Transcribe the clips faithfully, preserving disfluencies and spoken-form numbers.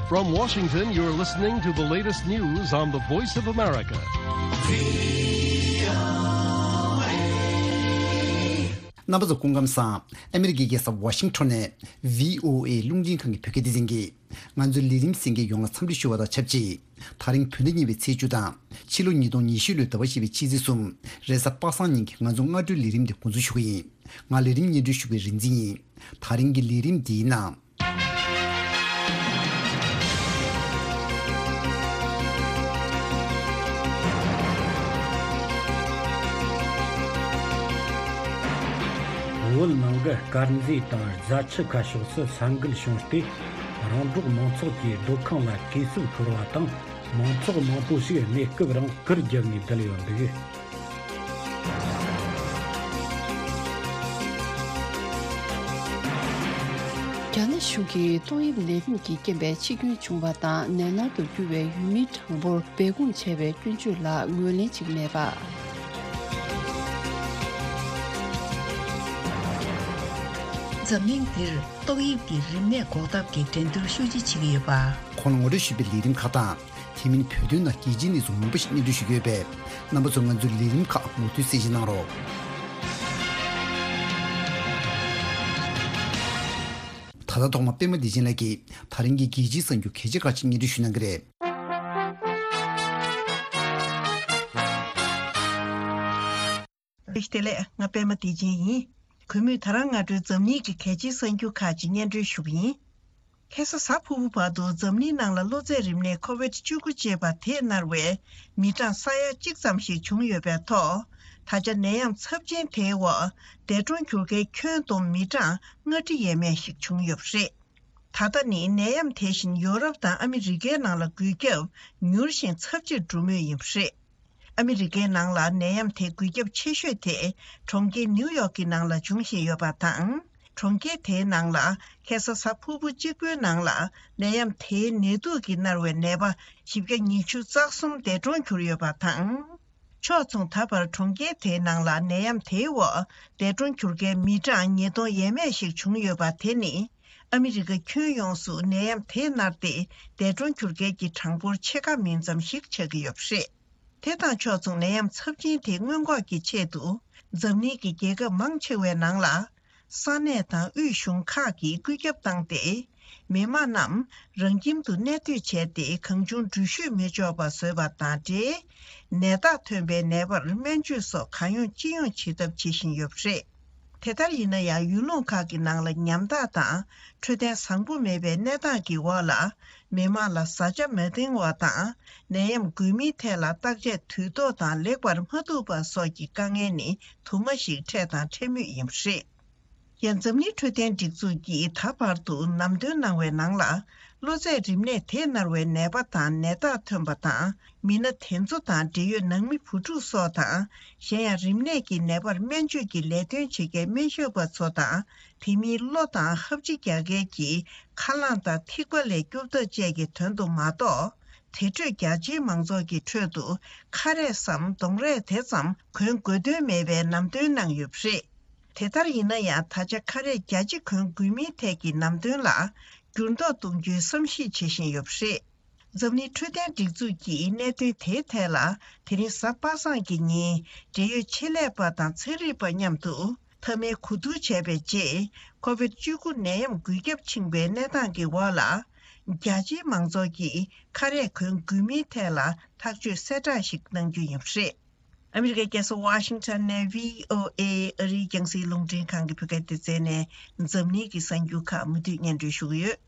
From Washington, you're listening to the latest news on the Voice of America. རྣམ་པ་ཚོ་སྐུ་ཁམས་བཟང་། ཨ་མི་རི་ཀའི་རྒྱལ་ས་ཝ་ཤིང་ཊོན་ནས་བྷི་ཨོ་ཨེ་རླུང་འཕྲིན་ཁང་གི་བོད་སྐད་སྡེ་ཚན་གྱིས་ང་ཚོའི་ལས་རིམ་གསན་མཁན་ཡོངས་ལ་འཚམས་འདྲི་ཞུ་བ་དང་ཆབས་ཅིག་ད་རིང་བོད་ཟླ་གཉིས་པའི་ཚེས་བཅུ་དང་ཕྱི་ལོ་ཉིས་སྟོང་ཉི་ཤུ་ལོའི་ཟླ་བ་བཞི་པའི་ཕྱི་ཚེས་གསུམ་རེས་གཟའ་པ་སངས་ཉིན་གྱི་ང་ཚོ་སྔ་དྲོའི་ལས་རིམ་དེ་འགོ་འཛུགས་ཞུ་གི་ཡིན། ང་ལས་རིམ་སྙན་སྒྲོན་ཞུ་མཁན་རིག་འཛིན་ཡིན། ད་རིང་གི་ལས་རིམ་འདིའི་ནང་། བོད་ནང་གི་དཀར་མཛེས་དང་རྫ་ཆུ་ཁ་ཕྱོགས་སུ་ས་འགུལ་བྱུང་སྟེ། རོང་འབྲོག་མང་ཚོགས་ཀྱི་སྡོད་ཁང་ལ་གས་སྲུབས་ཤོར་བ་དང་། མང་ཚོགས་མང་པོ་ཞིག་གནས་སྐབས་རང་གུར་བརྒྱབ་ནས་བསྡད་ཡོད་འདུག། རྒྱ་ནག་གཞུང་གིས་ཏོག་དབྱིབས་ནད་རིམས་ཀྱི་རྐྱེན་པས་འཆི་སྐྱོན་བྱུང་བ་དང་ནད་མནར་དུ་གྱུར་བའི་ཡུལ་མི་གྲངས་འབོར་སྦས་སྐུང་བྱས་པའི་སྐྱོན་བརྗོད་ལ་ངོས་ལེན་བྱེད་ཀྱི་མེད་པ། འཛམ་གླིང་འདིར་ཏོག་དབྱིབས་ཀྱི་རིམས་ནད་འགོག་ཐབས་ཀྱི་འགྲན་བསྡུར་ཤུགས་ཆེ་བྱེད་ཀྱི་ཡོད་པ། ཁོང་ལ་ངོ་སྤྲོད་ཞུས་པའི་ལས་རིམ་ཁག་དང་། དེ་མིན་བོད་དོན་ནང་རྒྱལ་སྤྱིའི་གནས་ཚུལ་མང་པོ་ཞིག་སྙན་སྒྲོན་ཞུ་གི་ཡོད་པས། རྣམ་པ་ཚོས་ང་ཚོའི་ལས་རིམ་ཁག་མུ་མཐུད་གསན་བཞེས་གནང་རོགས། ད་ལྟ་ཐོག་མ་པད་མ་བདེ་ཆེན་ལགས་ཀྱིས་ད་རིང་གི་རྒྱལ་སྤྱིའི་གསར་འགྱུར་གལ་ཆེ་ཁག་ཅིག་སྙན་སྒྲོན་ཞུ་གནང་གི་རེད། བཀྲ་ཤིས་བདེ་ལེགས། ང་པད་མ་བདེ་ཆེན་ཡིན། གུས་མོས་ད་རང་སྔ་དྲོའི་འཛམ་གླིང་གི་གལ་ཆེའི་གསར་འགྱུར་ཁག་ཅིག་སྙན་སྒྲོན་ཞུ་གི་ཡིན། ཁ་སང་གཟའ་ཕུར་བུ་བར་དུ་འཛམ་གླིང་ནང་ལ་གློ་ཚད་རིམས་ནད་ཁོ་ཝིད་བཅུ་དགུ་ཅེས་པ་དེས་མནར་བའི་མི་གྲངས་ས་ཡ་གཅིག་ཙམ་ཞིག་བྱུང་ཡོད་པའི་ཐོག་ད་ཆ་ནད་ཡམས་ཚབས་ཆེན་དེའི་འོག་འདས་གྲོངས་གྱུར་མཁན་ཁྱོན་བསྡོམས་མི་གྲངས་ལྔ་ཁྲི་ཡས་མས་ཤིག་བྱུང་ཡོད་པ་རེད། ད་ལྟ་ནི་ནད་ཡམས་དེ་བཞིན་ཡོ་རོབ་དང་ཨ་མི་རི་ཀའི་ནང་ལ་འགོས་ཁྱབ་མྱུར་ཞིང་ཚབས་ཆེར་འགྲོ་མུས་ཡིན་པ་རེད། ཨ་མི་རི་ཀའི་ནང་ལ་ནད་ཡམས་དེ་འགོས་ཁྱབ་ཆེ་ཤོས་དེ་གྲོང་ཁྱེར་ནིའུ་ཡོག་གི་ནང་ལ་འབྱུང་བཞིན་ཡོད་པ་དང་། གྲོང་ཁྱེར་དེའི་ནང་ལ་ཁ་སང་གཟའ་ཕུར་བུ་གཅིག་པུའི་ནང་ལ་ནད་ཡམས་དེའི་ནད་དུག་གིས་མནར་བའི་ནད་པ་བཞི་བརྒྱ་ཉི་ཤུ་རྩ་གསུམ་འདས་གྲོངས་གྱུར་ཡོད་པ་དང་། ཕྱོགས་མཚུངས་ད་བར་གྲོང་ཁྱེར་དེའི་ནང་ལ་ནད་ཡམས་དེའི་འོག་འདས་གྲོངས་གྱུར་མཁན་མི་གྲངས་ཉིས་སྟོང་ཡས་མས་ཤིག་བྱུང་ཡོད་པ་དེ་ནི། ཨ་མི་རི་ཀ་ཁྱོན་ཡོངས་སུ་ནད་ཡམས་དེས་མནར་ཏེ་འདས་གྲོངས་གྱུར་མཁན་གྱི་གྲངས་འབོར་ཕྱེད་ཀ་མིན་ཙམ་ཞིག་ཆགས་ཀྱི་ཡོད་པ་རེད། དེ་དང་ཕྱོགས་མཚུངས་ནད་ཡམས་ཚབས་ཆེན་དེ་སྔོན་འགོག་གི་ཆེད་དུ་འཛམ་གླིང་གི་རྒྱལ་ཁབ་མང་ཆེ་བའི་ནང་ལ་ས་གནས་དང་དབུས་གཞུང་ཁག་གིས་བཀོད་ཁྱབ་བཏང་སྟེ། མི་མང་རྣམས་རང་ཁྱིམ་དུ་གནས་སྡོད་བྱས་ཏེ་གང་བྱུང་འགྲུལ་བཞུད་མི་འཇོག་པ་བཟོས་པ་དང་འབྲེལ། ནད་རྟགས་ཐོན་པའི་ནད་པར་སྨན་བཅོས་སོགས་གང་ཡོང་ཅི་ཡོང་བྱེད་ཐབས་བྱེད་བཞིན་ཡོད་པ་རེད། དེ་ལྟར་ཡིན་ན་ཡང་ཡུལ་ལུང་ཁག་གི་ནང་ལ་ཉམ་ཐག་དང་འཕྲོད་བསྟེན་བཟང་པོ་མེད་པའི་གནས་སྟངས་ཀྱི་འོག་ལ་མི་མང་ལ་བཟའ་བཅའ་མ་འདང་བ་དང་ནད་ཡམས་འགོས་མིའི་ཐད་ལ་བརྟག་དཔྱད་དུས་ཐོག་དང་ལེགས་པར་མ་ཐུབ་པ་སོགས་ཀྱི་དཀའ་ངལ་ནི་དུ་མ་ཞིག་འཕྲད་དང་འཕྲད་མུས་ཡིན་པ་རེད། ཡང་འཛམ་གླིང་འཕྲོད་བསྟེན་སྒྲིག་འཛུགས་ཀྱིས་ད་བར་དུ་ལམ་སྟོན་གནང་བའི་ནང་ལ། གློ་ཚད་རིམས་ནད་དེས་མནར་བའི་ནད་པ་དང་ནད་རྟགས་ཐོན་པ་དང་མི་སྣ་དེ་ཚོ་དང་འབྲེལ་ཡོད་ནང་མི་བུ་ཕྲུག་སོགས་དང་། གཞན་ཡང་རིམས་ནད་ཀྱི་ནད་པར་སྨན་བཅོས་ཀྱི་ལས་དོན་བྱེད་མཁན་སྨན་ཞབས་པ་ཚོ་དང་དེ་མིན་གློ་དང་ཧབ་སྦྱིས་རྒྱག་མཁན་གྱི་ཁ་རླངས་དང་ཐིགས་པ་ལས་སྐྱོབ་ཐབས་བཅས་ཀྱི་དོན་དུ་མ་གཏོགས། དེ་འཕྲོས་རྒྱ་ཆེའི་མང་ཚོགས་ཀྱི་ཁྲོད་དུ་ཁ་རས་སམ་གདོང་རས་དེ་ཙམ་གོན་དགོས་དོན་མེད་པའི་ལམ་སྟོན་གནང་ཡོད་པ་རེད། དེ་ལྟར་ཡིན་ན་ཡང་ད་ཆ་ཁ་རས་རྒྱ་ཆེ་གོན་དགོས་མིན་ཐད་ཀྱི་ལམ་སྟོན་ལ་འགྱུར་ལྡོག་གཏོང་རྒྱུའི་བསམ་གཞིག་བྱེད་བཞིན་ཡོད་པ་རེད། འཛམ་གླིང་འཕྲོད་བསྟེན་སྒྲིག་འཛུགས་ཀྱིས་གནད་དོན་དེའི་ཐད་ལ་དེ་རིང་གཟའ་པ་སངས་ཀྱི་ཉིན་འབྲེལ་ཡོད་ཆེད་ལས་པ་དང་ཚན་རིག་པ་མཉམ་དུ་མཐའ་མའི་གོ་བསྡུར་བྱས་པའི་རྗེས་ཁོ་ཝིད་བཅུ་དགུ་ནད་ཡམས་འགོས་ཁྱབ་ཕྱིན་པའི་གནས་སྟངས་ཀྱི་འོག་ལ། རྒྱ་ཆེའི་མང་ཚོགས་ཀྱིས་ཁ་རས་གོན་དགོས་མིན་ཐད་ལ་ཐག་གཅོད་གསལ་བསྒྲགས་ཤིག་གནང་རྒྱུ་ཡིན་པ་རེད། ཨ་མི་རི་ཀའི་རྒྱལ་ས་ཝ་ཤིང་ཊོན་ནས་བྷི་ཨོ་ཨེ་ཨ་རིའི་རྒྱང་སྲིང་རླུང་འཕྲིན་ཁང་གི་བོད་སྐད་སྡེ་ཚན་ནས་འཛམ་གླིང་གི་གསར་འགྱུར་ཁག་མུ་མཐུད་སྙན་སྒྲོན་ཞུ་གི་ཡོད།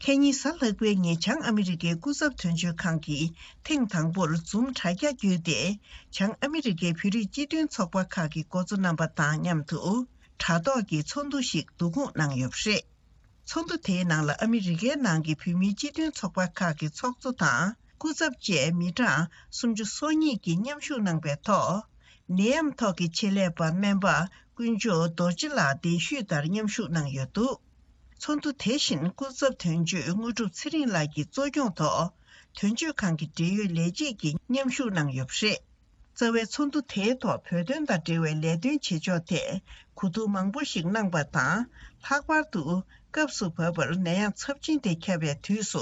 ཁ་ཉིན་གཟའ་ལྷག་པའི་ཉིན་བྱང་ཨ་མི་རི་ཀའི་སྐུ་ཚབ་དོན་གཅོད་ཁང་གིས་ཐེངས་དང་པོར་འཛུམ་དྲ་རྒྱ་བརྒྱུད་དེ་བྱང་ཨ་མི་རི་ཀའི་བོད་རིགས་སྤྱི་མཐུན་ཚོགས་པ་ཁག་གི་འགོ་གཙོ་རྣམ་པ་དང་མཉམ་དུ་དྲ་ཐོག་གི་ཚོགས་འདུ་ཞིག་བསྡུ་སྐོང་གནང་ཡོད་པ་རེད། ཚོགས་འདུ་དེའི་ནང་ལ་ཨ་མི་རི་ཀའི་ནང་གི་བོད་མིའི་སྤྱི་མཐུན་ཚོགས་པ་ཁག་གི་ཚོགས་གཙོ་དང་སྐུ་ཚབ་བཅས་མི་གྲངས་སུམ་ཅུ་སོ་གཉིས་ཀྱིས་མཉམ་ཞུགས་གནང་པའི་ཐོག་ནད་ཡམས་ཐོག་གི་ཆེད་ལས་པ་སྨན་པ་དཀོན་མཆོག་རྡོ་རྗེ་ལགས་གདན་ཞུས་ལྟར་མཉམ་ཞུགས་གནང་ཡོད་འདུག། ཚོགས་འདུ་དེ་བཞིན་སྐུ་ཚབ་དོན་གཅོད་དངོས་གྲུབ་ཚེ་རིང་ལགས་ཀྱི་གཙོ་སྐྱོང་ཐོག་དོན་གཅོད་ཁང་གི་འབྲེལ་ཡོད་ལས་བྱེད་ཀྱིས་མཉམ་ཞུགས་གནང་ཡོད་པ་རེད། རྩ་བའི་ཚོགས་འདུ་དེའི་ཐོག་བོད་དོན་དང་འབྲེལ་བའི་ལས་དོན་བྱེད་ཕྱོགས་ཐད་གོ་བསྡུར་མང་པོ་ཞིག་གནང་པ་དང་། ལྷག་པར་དུ་ སྐབས་སུ་བབས་པར་ནད་ཡམས་ཚབས་ཆེན་དེ་ཁྱབ་པའི་དུས་སུ་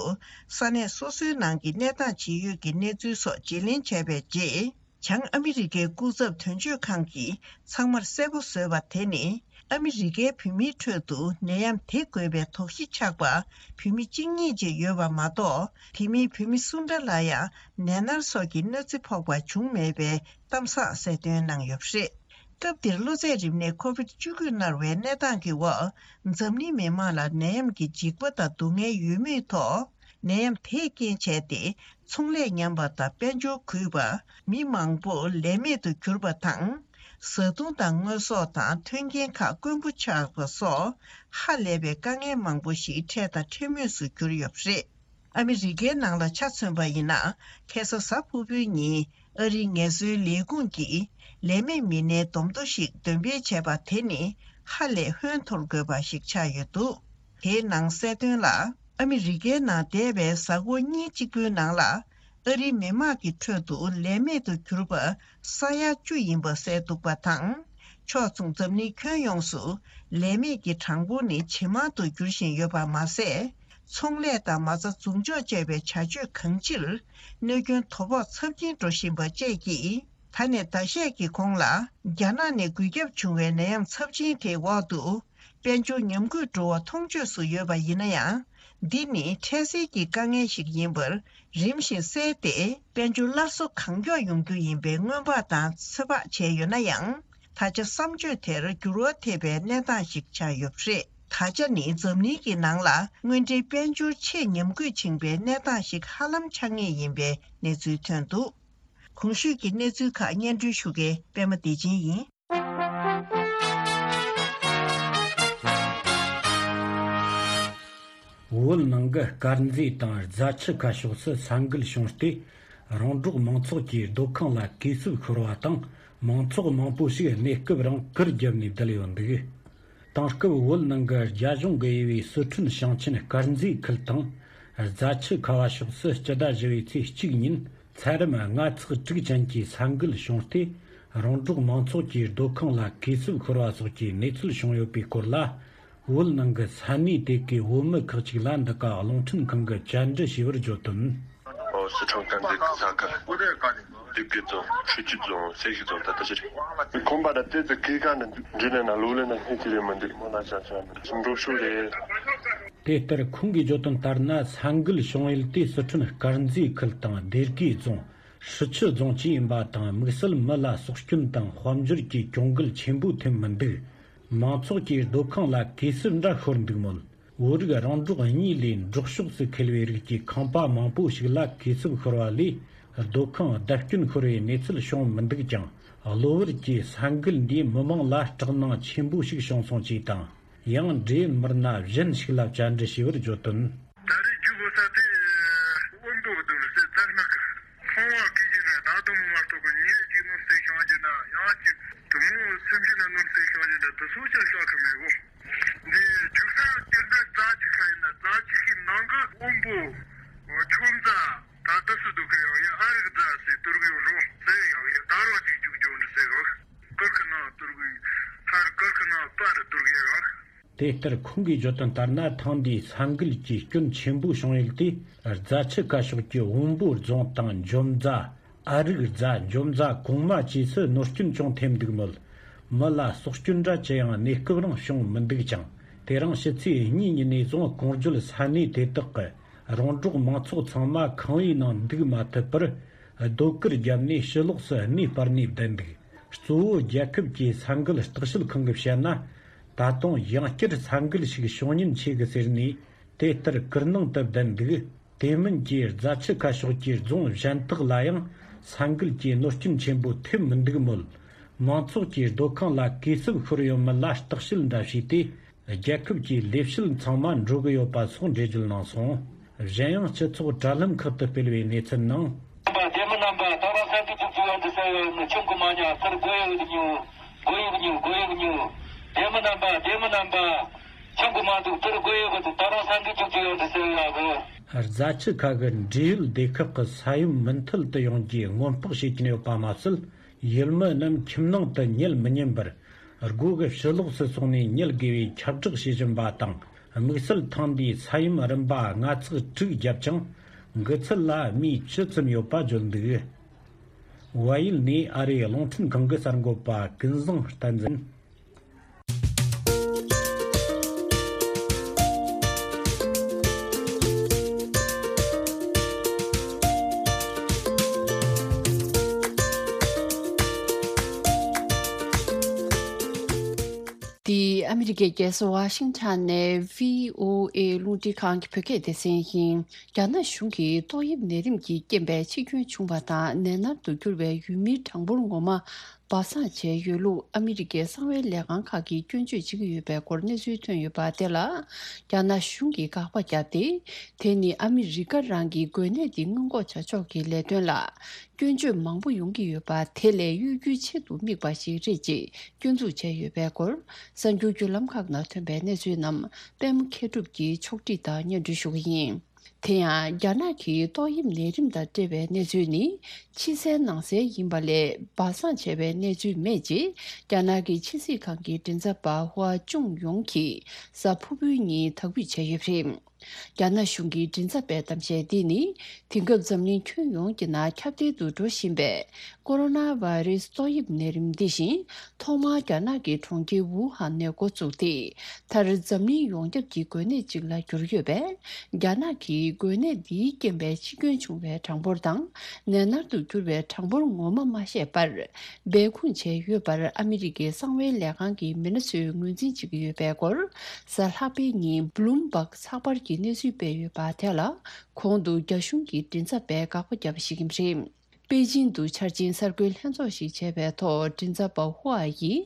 ས་གནས་སོ་སོའི་ནང་གི་གནས་སྟངས་ཇི་ཡོད་ཀྱི་གནས་ཚུལ་སོགས་བརྗེ་ལེན་བྱས་པའི་རྗེས། བྱང་ཨ་མི་རི་ཀའི་སྐུ་ཚབ་དོན་གཅོད་ཁང་གིས་ཚང་མར་གསལ་པོ་བཟོས་པ་དེ་ནི། ཨ་མི་རི་ཀའི་བོད་མིའི་ཁྲོད་དུ་ནད་ཡམས་དེ་འགོས་པའི་དོགས་གཞི་ཆགས་པ་བོད་མི་གཅིག་གཉིས་ཅིག་ཡོད་པ་མ་གཏོགས། དེ་མིན་བོད་མི་སུ་འདྲ་ལ་ཡང་ནད་མནར་སོགས་ཀྱི་གནོད་འཚེ་ཕོག་པ་བྱུང་མེད་པའི་གཏམ་བཟང་གསལ་སྟོན་གནང་ཡོད་པ་རེད། སྐབས་དེར་གློ་ཚད་རིམས་ནད་ཀོ་བིད་བཅུ་དགུ་མནར་བའི་གནས་སྟངས་ཀྱི་འོག་འཛམ་གླིང་མི་མང་ལ་ནད་ཡམས་ཀྱི་འཇིགས་པ་དང་སྡུག་བསྔལ་ཡོད་མུས་ཐོག་ནད་ཡམས་དེས་རྐྱེན་བྱས་ཏེ། ཚོང་ལས་ཉམས་པ་དང་དཔལ་འབྱོར་རྒུད་པ། མི་མང་པོ་ལས་མེད་དུ་གྱུར་པ་དང་། བཟའ་བཏུང་དང་དངོས་ཟོག་དང་མཐུན་རྐྱེན་ཁག་དཀོན་པོ་ཆགས་པ་སོགས་ཧ་ལས་པའི་དཀའ་ངལ་མང་པོ་ཞིག་འཕྲད་དང་འཕྲད་མུས་སུ་གྱུར་ཡོད་པ་རེད། ཨ་མི་རི་ཀའི་ནང་ལ་ཆ་མཚོན་པ་ཡིན་ན། ཁ་སང་གཟའ་ཕུར་བུའི་ཉིན་ཨ་རིའི་ངལ་གསོའི་ལས་ཁུངས་ཀྱིས་ལས་མེད་མི་སྣའི་བསྡོམས་ཐོ་ཞིག་འདོན་སྤེལ་བྱས་པ་དེ་ནི་ཧ་ལས་ཧོན་འཐོར་དགོས་པ་ཞིག་ཆགས་ཡོད་འདུག་དེའི་ནང་གསལ་དོན་ལ། ཨ་མི་རི་ཀའི་ནང་འདས་པའི་གཟའ་འཁོར་གཉིས་གཅིག་པུའི་ནང་ལ། ཨ་རིའི་མི་དམངས་ཀྱི་ཁྲོད་དུ་ལས་མེད་དུ་གྱུར་པ་ས་ཡ་བཅུ་ཡིན་པ་གསལ་འདུག་པ་དང་། ཕྱོགས་མཚུངས་འཛམ་གླིང་ཁྱོན་ཡོངས་སུ་ལས་མེད་ཀྱི་གྲངས་འབོར་ནི་ཇེ་མང་དུ་འགྱུར་བཞིན་ཡོད་པ་མ་ཟད། ཚོང་ལས་དང་མ་རྩ་འཛུགས་འཇོག་བཅས་པའི་བྱ་སྤྱོད་གང་ཅིར་གནོད་སྐྱོན་དོ་ཕོག་ཚབས་ཆེན་འགྲོ་བཞིན་པ་བཅས་ཀྱིས། ད་ནས་ཟླ་ཤས་ཀྱི་གོང་ལ་རྒྱ་ནག་ནས་འགོས་ཁྱབ་བྱུང་བའི་ནད་ཡམས་ཚབས་ཆེན་དེའི་འོག་ཏུ། དཔལ་འབྱོར་ཉམས་རྒུད་འགྲོ་བ་མཐོང་ཆོས་སུ་ཡོད་པ་ཡིན་ན་ཡང་། འདི་ནི་འཕྲལ་སེལ་གྱི་དཀའ་ངལ་ཞིག་ཡིན་པར་རིམ་བཞིན་སེལ་ཏེ། དཔལ་འབྱོར་སླར་གསོ་གང་མགྱོགས་ཡོང་རྒྱུ་ཡིན་པའི་སྔོན་དཔག་དང་ཚོད་དཔག་བྱས་ཡོད་ན་ཡང་། ད་ཆ་བསམ་སྤྱོད་དེར་འགྱུར་བ་ཐེབས་པའི་གནས་སྟངས་ཤིག་ཆགས་ཡོད་པ་རེད། ད་ཆ་ནི་འཛམ་གླིང་གི་ནང་ལ་དངོས་འབྲེལ་དཔལ་འབྱོར་ཆེས་ཉམས་རྒུད་ཕྱིན་པའི་གནས་སྟངས་ཤིག་ཧ་ལམ་ཆགས་ངེས་ཡིན་པའི་གནས་ཚུལ་ཐོན་འདུག་གོང་ཞུས་ཀྱི་གནས་ཚུལ་ཁག་སྙན་སྒྲོན་ཞུ་མཁན་པད་མ་བདེ་ཆེན་ཡིན། བོད་ནང་གི་དཀར་མཛེས་དང་རྫ་ཆུ་ཁ་ཕྱོགས་སུ་ས་འགུལ་བྱུང་སྟེ། རོང་འབྲོག་མང་ཚོགས་ཀྱི་སྡོད་ཁང་ལ་གས་སྲུབས་ཤོར་བ་དང་། མང་ཚོགས་མང་པོ་ཞིག་གནས་སྐབས་རང་གུར་བརྒྱབ་ནས་བསྡད་ཡོད་འདུག་དེང་སྐབས་བོད་ནང་གི་རྒྱ་གཞུང་གི་དབྱེ་བའི་སི་ཁྲོན་ཞིང་ཆེན་དཀར་མཛེས་ཁུལ་དང་། རྫ་ཆུ་ཁ་བ་ཕྱོགས་སུ་སྤྱི་ཟླ་བཞི་པའི་ཚེས་གཅིག་ཉིན། ཚད་རིམ་ལྔ་ཚེག་དྲུག་ཅན་གྱི་ས་འགུལ་བྱུང་སྟེ། རོང་འབྲོག་མང་ཚོགས་ཀྱི་སྡོད་ཁང་ལ་གས་སྲུབས་ཤོར་བ་སོགས་ཀྱི་གནས་ཚུལ་བྱུང་ཡོད་པའི་སྐོར་ལ། བོད་ནང་གི་ས་གནས་དེ་གའི་བོད་མི་ཁག་ཅིག་ལ་འདི་ག་རླུང་འཕྲིན་ཁང་གིས་བཅར་འདྲི་བྱས་པར་བརྗོད་དོན། ཨོ། སི་ཁྲོན་དཀར་མཛེས་ཀྱི་ས་ཁུལ། སྡེ་དགེ་རྫོང་། ཆུ་བཞི་རྫོང་། སེ་བཞི་རྫོང་། ད་ལྟ་ཕྱིར། ཁོམ་པ་ར་ཏེ་ཙི་གི་ག་ནི་འདི་ལས་ན་ལོ་ལས་ན་སྣེ་ཅི་རེད་མི་འདུག་མོ་ན་ཅང་ཅང་འགྲོ་ཤུགས་རེད། དེ་ལྟར་ཁོང་གིས་བརྗོད་དོན་ལྟར་ན། ས་འགུལ་བྱུང་ཡུལ་དེ་སི་ཁྲོན་དཀར་མཛེས་ཁུལ་དང་སྡེ་དགེ་རྫོང་། ཧྲི་ཆུ་རྫོང་བཅས་ཡིན་པ་དང་། དམིགས་བསལ་མི་ལ་སྲོག་སྐྱོན་དང་དཔལ་འབྱོར་གྱི་གྱོང་གུད་ཆེན་པོ་ཐེབས་མི་འདུག་མང་ཚོགས་ཀྱི་སྡོད་ཁང་ལ་གས་སྲུབས་འདྲ་ཤོར་འདུག་མོད། བོད་རིགས་རོང་འབྲོག་གཉིས་ལས་འབྲོག་ཕྱོགས་སུ་འཁེལ་བའི་རིགས་ཀྱི་ཁང་པ་མང་པོ་ཞིག་ལ་གས་སྲུབས་ཤོར་བ་ལས། སྡོད་ཁང་བརྡབ་སྐྱོན་ཤོར་བའི་གནས་ཚུལ་བྱུང་མི་འདུག་ཀྱང་། གློ་བུར་གྱི་ས་འགུལ་འདིས་མི་མང་ལ་སྐྲག་སྣང་ཆེན་པོ་ཞིག་བྱུང་སོང་ཅེས་དང་། ཡང་འབྲེལ་ཡོད་མི་སྣ་གཞན་ཞིག་ལ་བཅར་འདྲི་བྱས་པར་བརྗོད་དོན། ད་རེས་རྒྱུག་དགོས་ས་དེ་དབོན་པོ་གི་སྡོད་ས་རྫ་ནག་གི་ཁང་བ་གི་ཡིན་ན་ད་དུང་མ་གཏོགས་གི་ཉེ་གཅིག་ནོར་སྲིད་ཤང་གི་ན་ཡང་གཅིག་དུ་མོ་སེམས་ཅན་ན་ནོར་སྲིད་ཤང་གི་ན་དུ་སོ་ཅག་ཤག་གི་མེད་གོ། འདི་རྒྱུག་ས་སྐྱེར་ན་རྫ་ཆུ་ཁ་ཡིན་ན་རྫ་ཆུ་ཁའི་ནང་གི་དབོན་པོ་ཆུ་མཛའ། ད་ལྟ་སུ་འདུག་གི་ཡང་ཡ་ཨ་རིག་རྫ་ཟེར་དུར་གི་ཡོང་རོགས་ཟེར་ཡང་ཡ་དར་བ་ཅིག་རྒྱུག་རྒྱུག་འདྲི་ཟེར་གི། ཀིར་ཁི་ནང་དུར་གི་ཧར་ཀིར་ཁི་ནང་པར་དུར་གི་རང་། དེ་ལྟར་ཁོང་གིས་བརྗོད་དོན་ལྟར་ན། ཐེངས་འདིའི་ས་འགུལ་གྱི་སྐྱོན་ཆེན་པོ་བྱུང་ཡུལ་དེ་རྫ་ཆུ་ཁ་ཕྱོགས་ཀྱི་དབོན་པོ་རྫོང་དང་འཇོམས་མཛའ། ཨ་རིག་རྫ། འཇོམས་མཛའ་གོང་མ་བཅས་སུ་ནོར་སྐྱོན་ཅུང་ཐེབས་འདུག་མོད། མི་ལ་སྲོག་སྐྱོན་འདྲ་ཅི་ཡང་གནས་སྐབས་རིང་བྱུང་མི་འདུག་ཅིང་། དེ་རིང་ཕྱི་ཚེས་གཉིས་ཉིན་ནས་བཟུང་གོང་བརྗོད་ས་གནས་དེ་དག་གི་རོང་འབྲོག་མང་ཚོགས་ཚང་མ་ཁང་པའི་ནང་འདུག་མ་ཐུབ་པར། རྡོ་གུར་བརྒྱབ་ནས་ཕྱི་ལོགས་སུ་གནས་སྤར་ནས་བསྡད་འདུག་གཙོ་བོ་རྒྱལ་ཁབ་ཀྱི་ས་འགུལ་བརྟག་དཔྱད་ཁང་གིས་བཤད་ན། ད་དུང་ཡང་བསྐྱར་ས་འགུལ་ཞིག་བྱུང་ཉེན་ཆེ་གི་ཟེར་ནས་དེ་ལྟར་གུར་ནང་དུ་བསྡད་འདུག་དེ་མིན་གྱི་རྫ་ཆུ་ཁ་ཕྱོགས་ཀྱི་རྫོང་གཞན་དག་ལ་ཡང་ས་འགུལ་གྱི་གནོད་སྐྱོན་ཆེན་པོ་ཐེབས་མི་འདུག་མོད། མང་ཚོགས་ཀྱི་སྡོད་ཁང་ལ་གས་སྲུབས་ཤོར་ཡོད་མེད་ལ་བརྟག་དཔྱད་འདྲ་བྱས་ཏེ། རྒྱལ་ཁབ་ཀྱི་ལས་བྱེད་ཚང་མ་འགྲོ་གི་ཡོད་པ་སོགས་འགྲེལ་བརྗོད་གནང་སོང་། གཞན་ཡང་སྤྱི་ཚོགས་དྲ་ལམ་ཁག་ཏུ་སྤེལ་བའི་གནས་ཚུལ་ནང་། རྣམ་པ་སྡེ་མི་རྣམ་པ་ད་རང་ས་འདི་ཐུག་ཐུག་ཡོང་དུ་ཟེར་ཡོད་ནི་ཆུང་གི་མ་ཉག་ཚུར་དགོས་ཡོད་ཉུ། དགོས་ཡོད་ཉུ། དགོས་ཡོད་ཉུ། སྡེ་མི་རྣམ་པ་སྡེ་མི་རྣམ་པ་ཆུང་གི་མ་འདུག་ཚུར་དགོས་ཡོད་གི་འདུག་ད་རང་ས་འདི་ཐུག་ཐུག་ཡོང་དུ་ཟེར་ཡོད་གི། རྫ་ཆུ་ཁ་གི་འབྲེལ་ཡོད་སྡེ་ཁག་གི་ས་ཡོམ་མུ་མཐུད་དུ་ཡོང་རྒྱུའི་སྔོན་དཔག་བྱེད་ཀྱིན་ཡོད་པ་མ་ཟད། ཡུལ་མི་རྣམས་ཁྱིམ་ནང་དུ་ཉལ་མི་ཉན་པར། སྒོ་གི་ཕྱི་ལོགས་སུ་སོང་ནས་ཉལ་དགོས་པའི་ཁྱབ་བསྒྲགས་བྱེད་བཞིན་པ་དང་ དམིགས་བསལ་ཐེངས་འདིའི་ས་ཡོམ་རིམ་པ་ལྔ་ཚེག་དྲུག་བརྒྱབ་ཀྱང་། འགོས་ཚད་ལ་སྨོས་ཅི་ཙམ་ཡོད་པ་བརྗོད་འདུག། བལ་ཡུལ་ནས་ཨ་རིའི་རླུང་འཕྲིན་ཁང་གི་གསར་འགོད་པ་ཀུན་བཟང་བསྟན་འཛིན། འདི་ཨ་མི་རི་ཀའི་རྒྱལ་ས་ཝ་ཤིང་ཊོན་ནས་བྷི་ཨོ་ཨེ་རླུང་འཕྲིན་ཁང་གི་བོད་སྐད་སྡེ་ཚན་ཡིན། རྒྱ་ནག་གཞུང་གིས་ཏོག་དབྱིབས་ནད་རིམས་ཀྱི་རྐྱེན་པས་འཆི་སྐྱོན་བྱུང་བ་དང་ནད་མནར་དུ་གྱུར་བའི་ཡུལ་མིའི་གྲངས་འབོར་ངོ་མ་སྦ་གསང་བྱས་ཡོད་ལུགས་ཨ་མི་རི་ཀའི་གསང་བའི་ལས་ཁང་ཁག་གིས་སྐྱོན་བརྗོད་བྱེད་ཀྱི་ཡོད་པའི་སྐོར་གནས་ཚུལ་ཐོན་ཡོད་པ་དེ་ལ། རྒྱ་ནག་གཞུང་གིས་དགག་པ་བརྒྱབ་སྟེ། དེ་ནི་ཨ་མི་རི་ཀ་རང་གིས་འགོས་ནད་འདི་སྔོན་འགོག་བྱ་ཕྱོགས་ཀྱི་ལས་དོན་ལ། སྐྱོན་བརྗོད་མང་པོ་ཡོང་གི་ཡོད་པ་དེ་ལས་གཡོ་སྒྱུའི་ཆེད་དུ་དམིགས་པ་ཞིག་རེད་ཅེས་སྐྱོན་འཛུགས་བྱས་ཡོད་པའི་སྐོར། གསར་འགྱུར་བརྒྱུད་ལམ་ཁག་ནང་ཐོན་པའི་གནས་ཚུལ་རྣམས་པད་མ་མཁས་གྲུབ་ཀྱིས་ཕྱོགས་སྒྲིག་དང་སྙན་སྒྲོན་ཞུ་གི་ཡིན། དེ་ཡང་རྒྱ་ནག་གིས་ཏོག་དབྱིབས་ནད་རིམས་དང་འབྲེལ་བའི་གནས་ཚུལ་ནི་ཕྱི་གསལ་ནང་གསལ་ཡིན་པ་ལས་སྦ་གསང་བྱས་པའི་གནས་ཚུལ་མེད་ཅེས་རྒྱ་ནག་གི་ཕྱི་སྲིད་ཁང་གི་མགྲིན་ཚབ་པ་ཧུའ་ཅུང་ཡོང་གིས་གཟའ་ཕུར་བུའི་ཉིན་དག་འབུད་བྱས་ཡོད་པ་རེད། རྒྱ་ནག་གཞུང་གི་མགྲིན་ཚབ་པས་གཏམ་བཤད་འདི་ནི། དེང་སྐབས་འཛམ་གླིང་ཁྱོན་ཡོངས་ཀྱི་ནང་ཁྱབ་གདལ་དུ་འགྲོ་བཞིན་པའི་ཀོ་རོ་ན་བྷའི་རེས་ཏོག་དབྱིབས་ནད་རིམས་འདི་བཞིན། ཐོག་མར་རྒྱ་ནག་གི་གྲོང་ཁྱེར་ཝུ་ཧན་ནས་འགོ་བཙུགས་ཏེ། མཐར་འཛམ་གླིང་ཡོངས་ཁྱབ་ཀྱི་འགོས་ནད་ཅིག་ལ་གྱུར་ཡོད་པས། རྒྱ་ནག་གིས་འགོས་ནད་འདིའི་རྐྱེན་པས་འཆི་སྐྱོན་བྱུང་བའི་གྲངས་འབོར་དང་། ནད་མནར་དུ་གྱུར་བའི་གྲངས་འབོར་ངོ་མ་མ་བཤད་པར། སྦས་སྐུང་བྱས་ཡོད་པར་ཨ་མི་རི་ཀའི་གསང་བའི་ལས་ཁང་གི་མི་སྣ་ཚོས་ངོས་འཛིན་བྱེད་ཀྱི་ཡོད་པའི་སྐོར། གཟའ་ལྷག་པའི་ཉིན་བྷ་ལུམ་བྷག་ཚགས་པར་གྱིས་གནས་ཚུལ་སྤེལ་ཡོད་པ་དེ་ལ། གོང་དུ་རྒྱ་གཞུང་གི་མགྲིན་ཚབ་པས་དགག་པ་བརྒྱབ་པ་ཞིག་ཡིན་པ་རེད། པེ་ཅིང་དུ་འཆར་ཅན་གསར་འགོད་ལྷན་ཚོགས་ཤིག་བྱས་པའི་ཐོག་མགྲིན་ཚབ་པ་ཧུའ་ཡིས།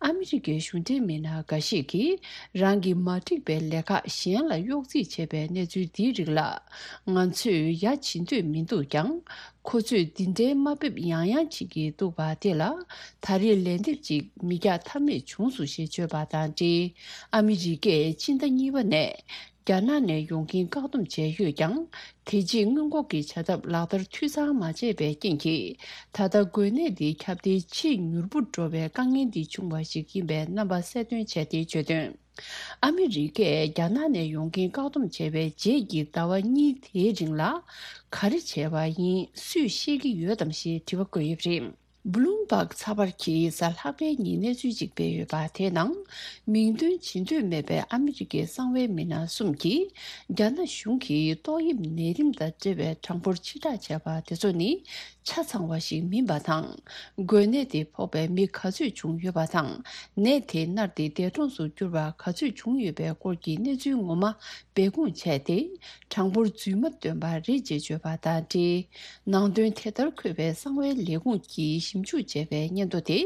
ཨ་མི་རི་ཀའི་གཞུང་འབྲེལ་མི་སྣ་འགའ་ཞིག་གིས། རང་གི་མ་འགྲིག་པའི་ལས་ཀ་གཞན་ལ་གཡོག་རྩིས་བྱས་པའི་གནས་ཚུལ་འདིའི་རིགས་ལ། ང་ཚོས་ཡ་བྱེད་འདོད་མི་འདུག་ཀྱང་། ཁོ་ཚོས་འདི་འདྲའི་དམའ་འབེབས་ཡང་ཡང་བྱེད་ཀྱི་འདུག་པ་དེ་ལ། ད་རེས་ལན་འདེབས་ཅིག་མི་རྒྱག་ཐབས་མེད་བྱུང་སོང་ཞེས་བརྗོད་པ་དང་འབྲེལ། ཨ་མི་རི་ཀས་སྤྱི་ཟླ་གཉིས་པ་ནས། རྒྱ་ནག་ནས་ཡོང་མཁན་བཀག་སྡོམ་བྱས་ཡོད་ཀྱང་། དེ་རྗེས་སྔོན་འགོག་གི་བྱ་ཐབས་ལག་བསྟར་འཐུས་ཚང་མ་བྱས་པའི་རྐྱེན་གྱིས། ད་ལྟ་འགོས་ནད་འདི་ཁྱབ་གདལ་ཆེས་མྱུར་པོ་འགྲོ་བའི་དཀའ་ངལ་འདི་བྱུང་བ་ཞིག་ཡིན་པའི་རྣམ་པ་གསལ་སྟོན་བྱས་ཏེ་བརྗོད་དོན། ཨ་མི་རི་ཀས་རྒྱ་ནག་ནས་ཡོང་མཁན་བཀག་སྡོམ་བྱས་པའི་རྗེས་ཀྱི་ཟླ་བ་གཉིས་དེའི་རིང་ལ་ག་རེ་བྱས་པ་ཡིན་སུས་ཤེས་ཀྱི་ཡོད་དམ་ཞེས་དྲི་བ་བཀོད་ཡོད་པ་རེད། བྷ་ལུམ་བྷག་ཚགས་པར་གྱིས་གཟའ་ལྷག་པའི་ཉིན་གནས་ཚུལ་ཅིག་སྤེལ་ཡོད་པ་དེའི་ནང་། མིང་འདོན་བྱེད་འདོད་མེད་པའི་ཨ་མི་རི་ཀའི་གསང་བའི་མི་སྣ་གསུམ་གྱིས། རྒྱ་ནག་གཞུང་གིས་ཏོག་དབྱིབས་ནད་རིམས་དང་འབྲེལ་བའི་གྲངས་འབོར་ཕྱིར་བསྒྲགས་བྱས་པ་དེ་ཚོ་ནི་ཆ་ཚང་བ་ཞིག་མིན་པ་དང་། འགོས་ནད་དེ་ཕོག་པའི་མི་ག་ཚོད་བྱུང་ཡོད་པ་དང་། ནད་དེ་མནར་ཏེ་འདས་གྲོངས་སུ་གྱུར་བ་ག་ཚོད་བྱུང་ཡོད་པའི་སྐོར་གྱི་གནས་ཚུལ་ངོ་མ་སྦས་སྐུང་བྱས་ཏེ། གྲངས་འབོར་རྫུན་མ་བཏོན་པ་རེད་ཅེས་བརྗོད་པ་དང་འབྲེལ། ནང་དོན་དེ་ལྟར་འཁོད་པའི་གསང་བའི་ལས་ཁུངས་ཀྱིས་ཞིབ་འཇུག་བྱས་པའི་སྙན་ཐོ་དེ།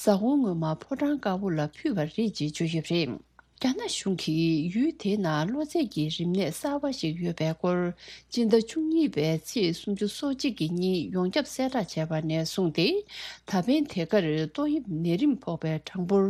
གཟའ་འཁོར་སྔོན་མ་ཕོ་བྲང་དཀར་པོ་ལ་ཕུལ་བ་རེད་ཅེས་བརྗོད་ཡོད་པ་རེད། རྒྱ་ནག་གཞུང་གིས་ཡུལ་དེའི་ནང་གློ་ཚད་ཀྱི་རིམས་ནད་གསར་པ་ཞིག་ཡོད་པའི་སྐོར། སྤྱི་ཟླ་བཅུ་གཉིས་པའི་ཚེས་སུམ་ཅུ་སོ་གཅིག་གི་ཉིན་ཡོངས་ཁྱབ་གསལ་བསྒྲགས་བྱས་པ་ནས་བཟུང་སྟེ། ད་ཕན་དེ་གར་ཏོག་དབྱིབས་ནད་རིམས་ཕོག་པའི་གྲངས་འབོར་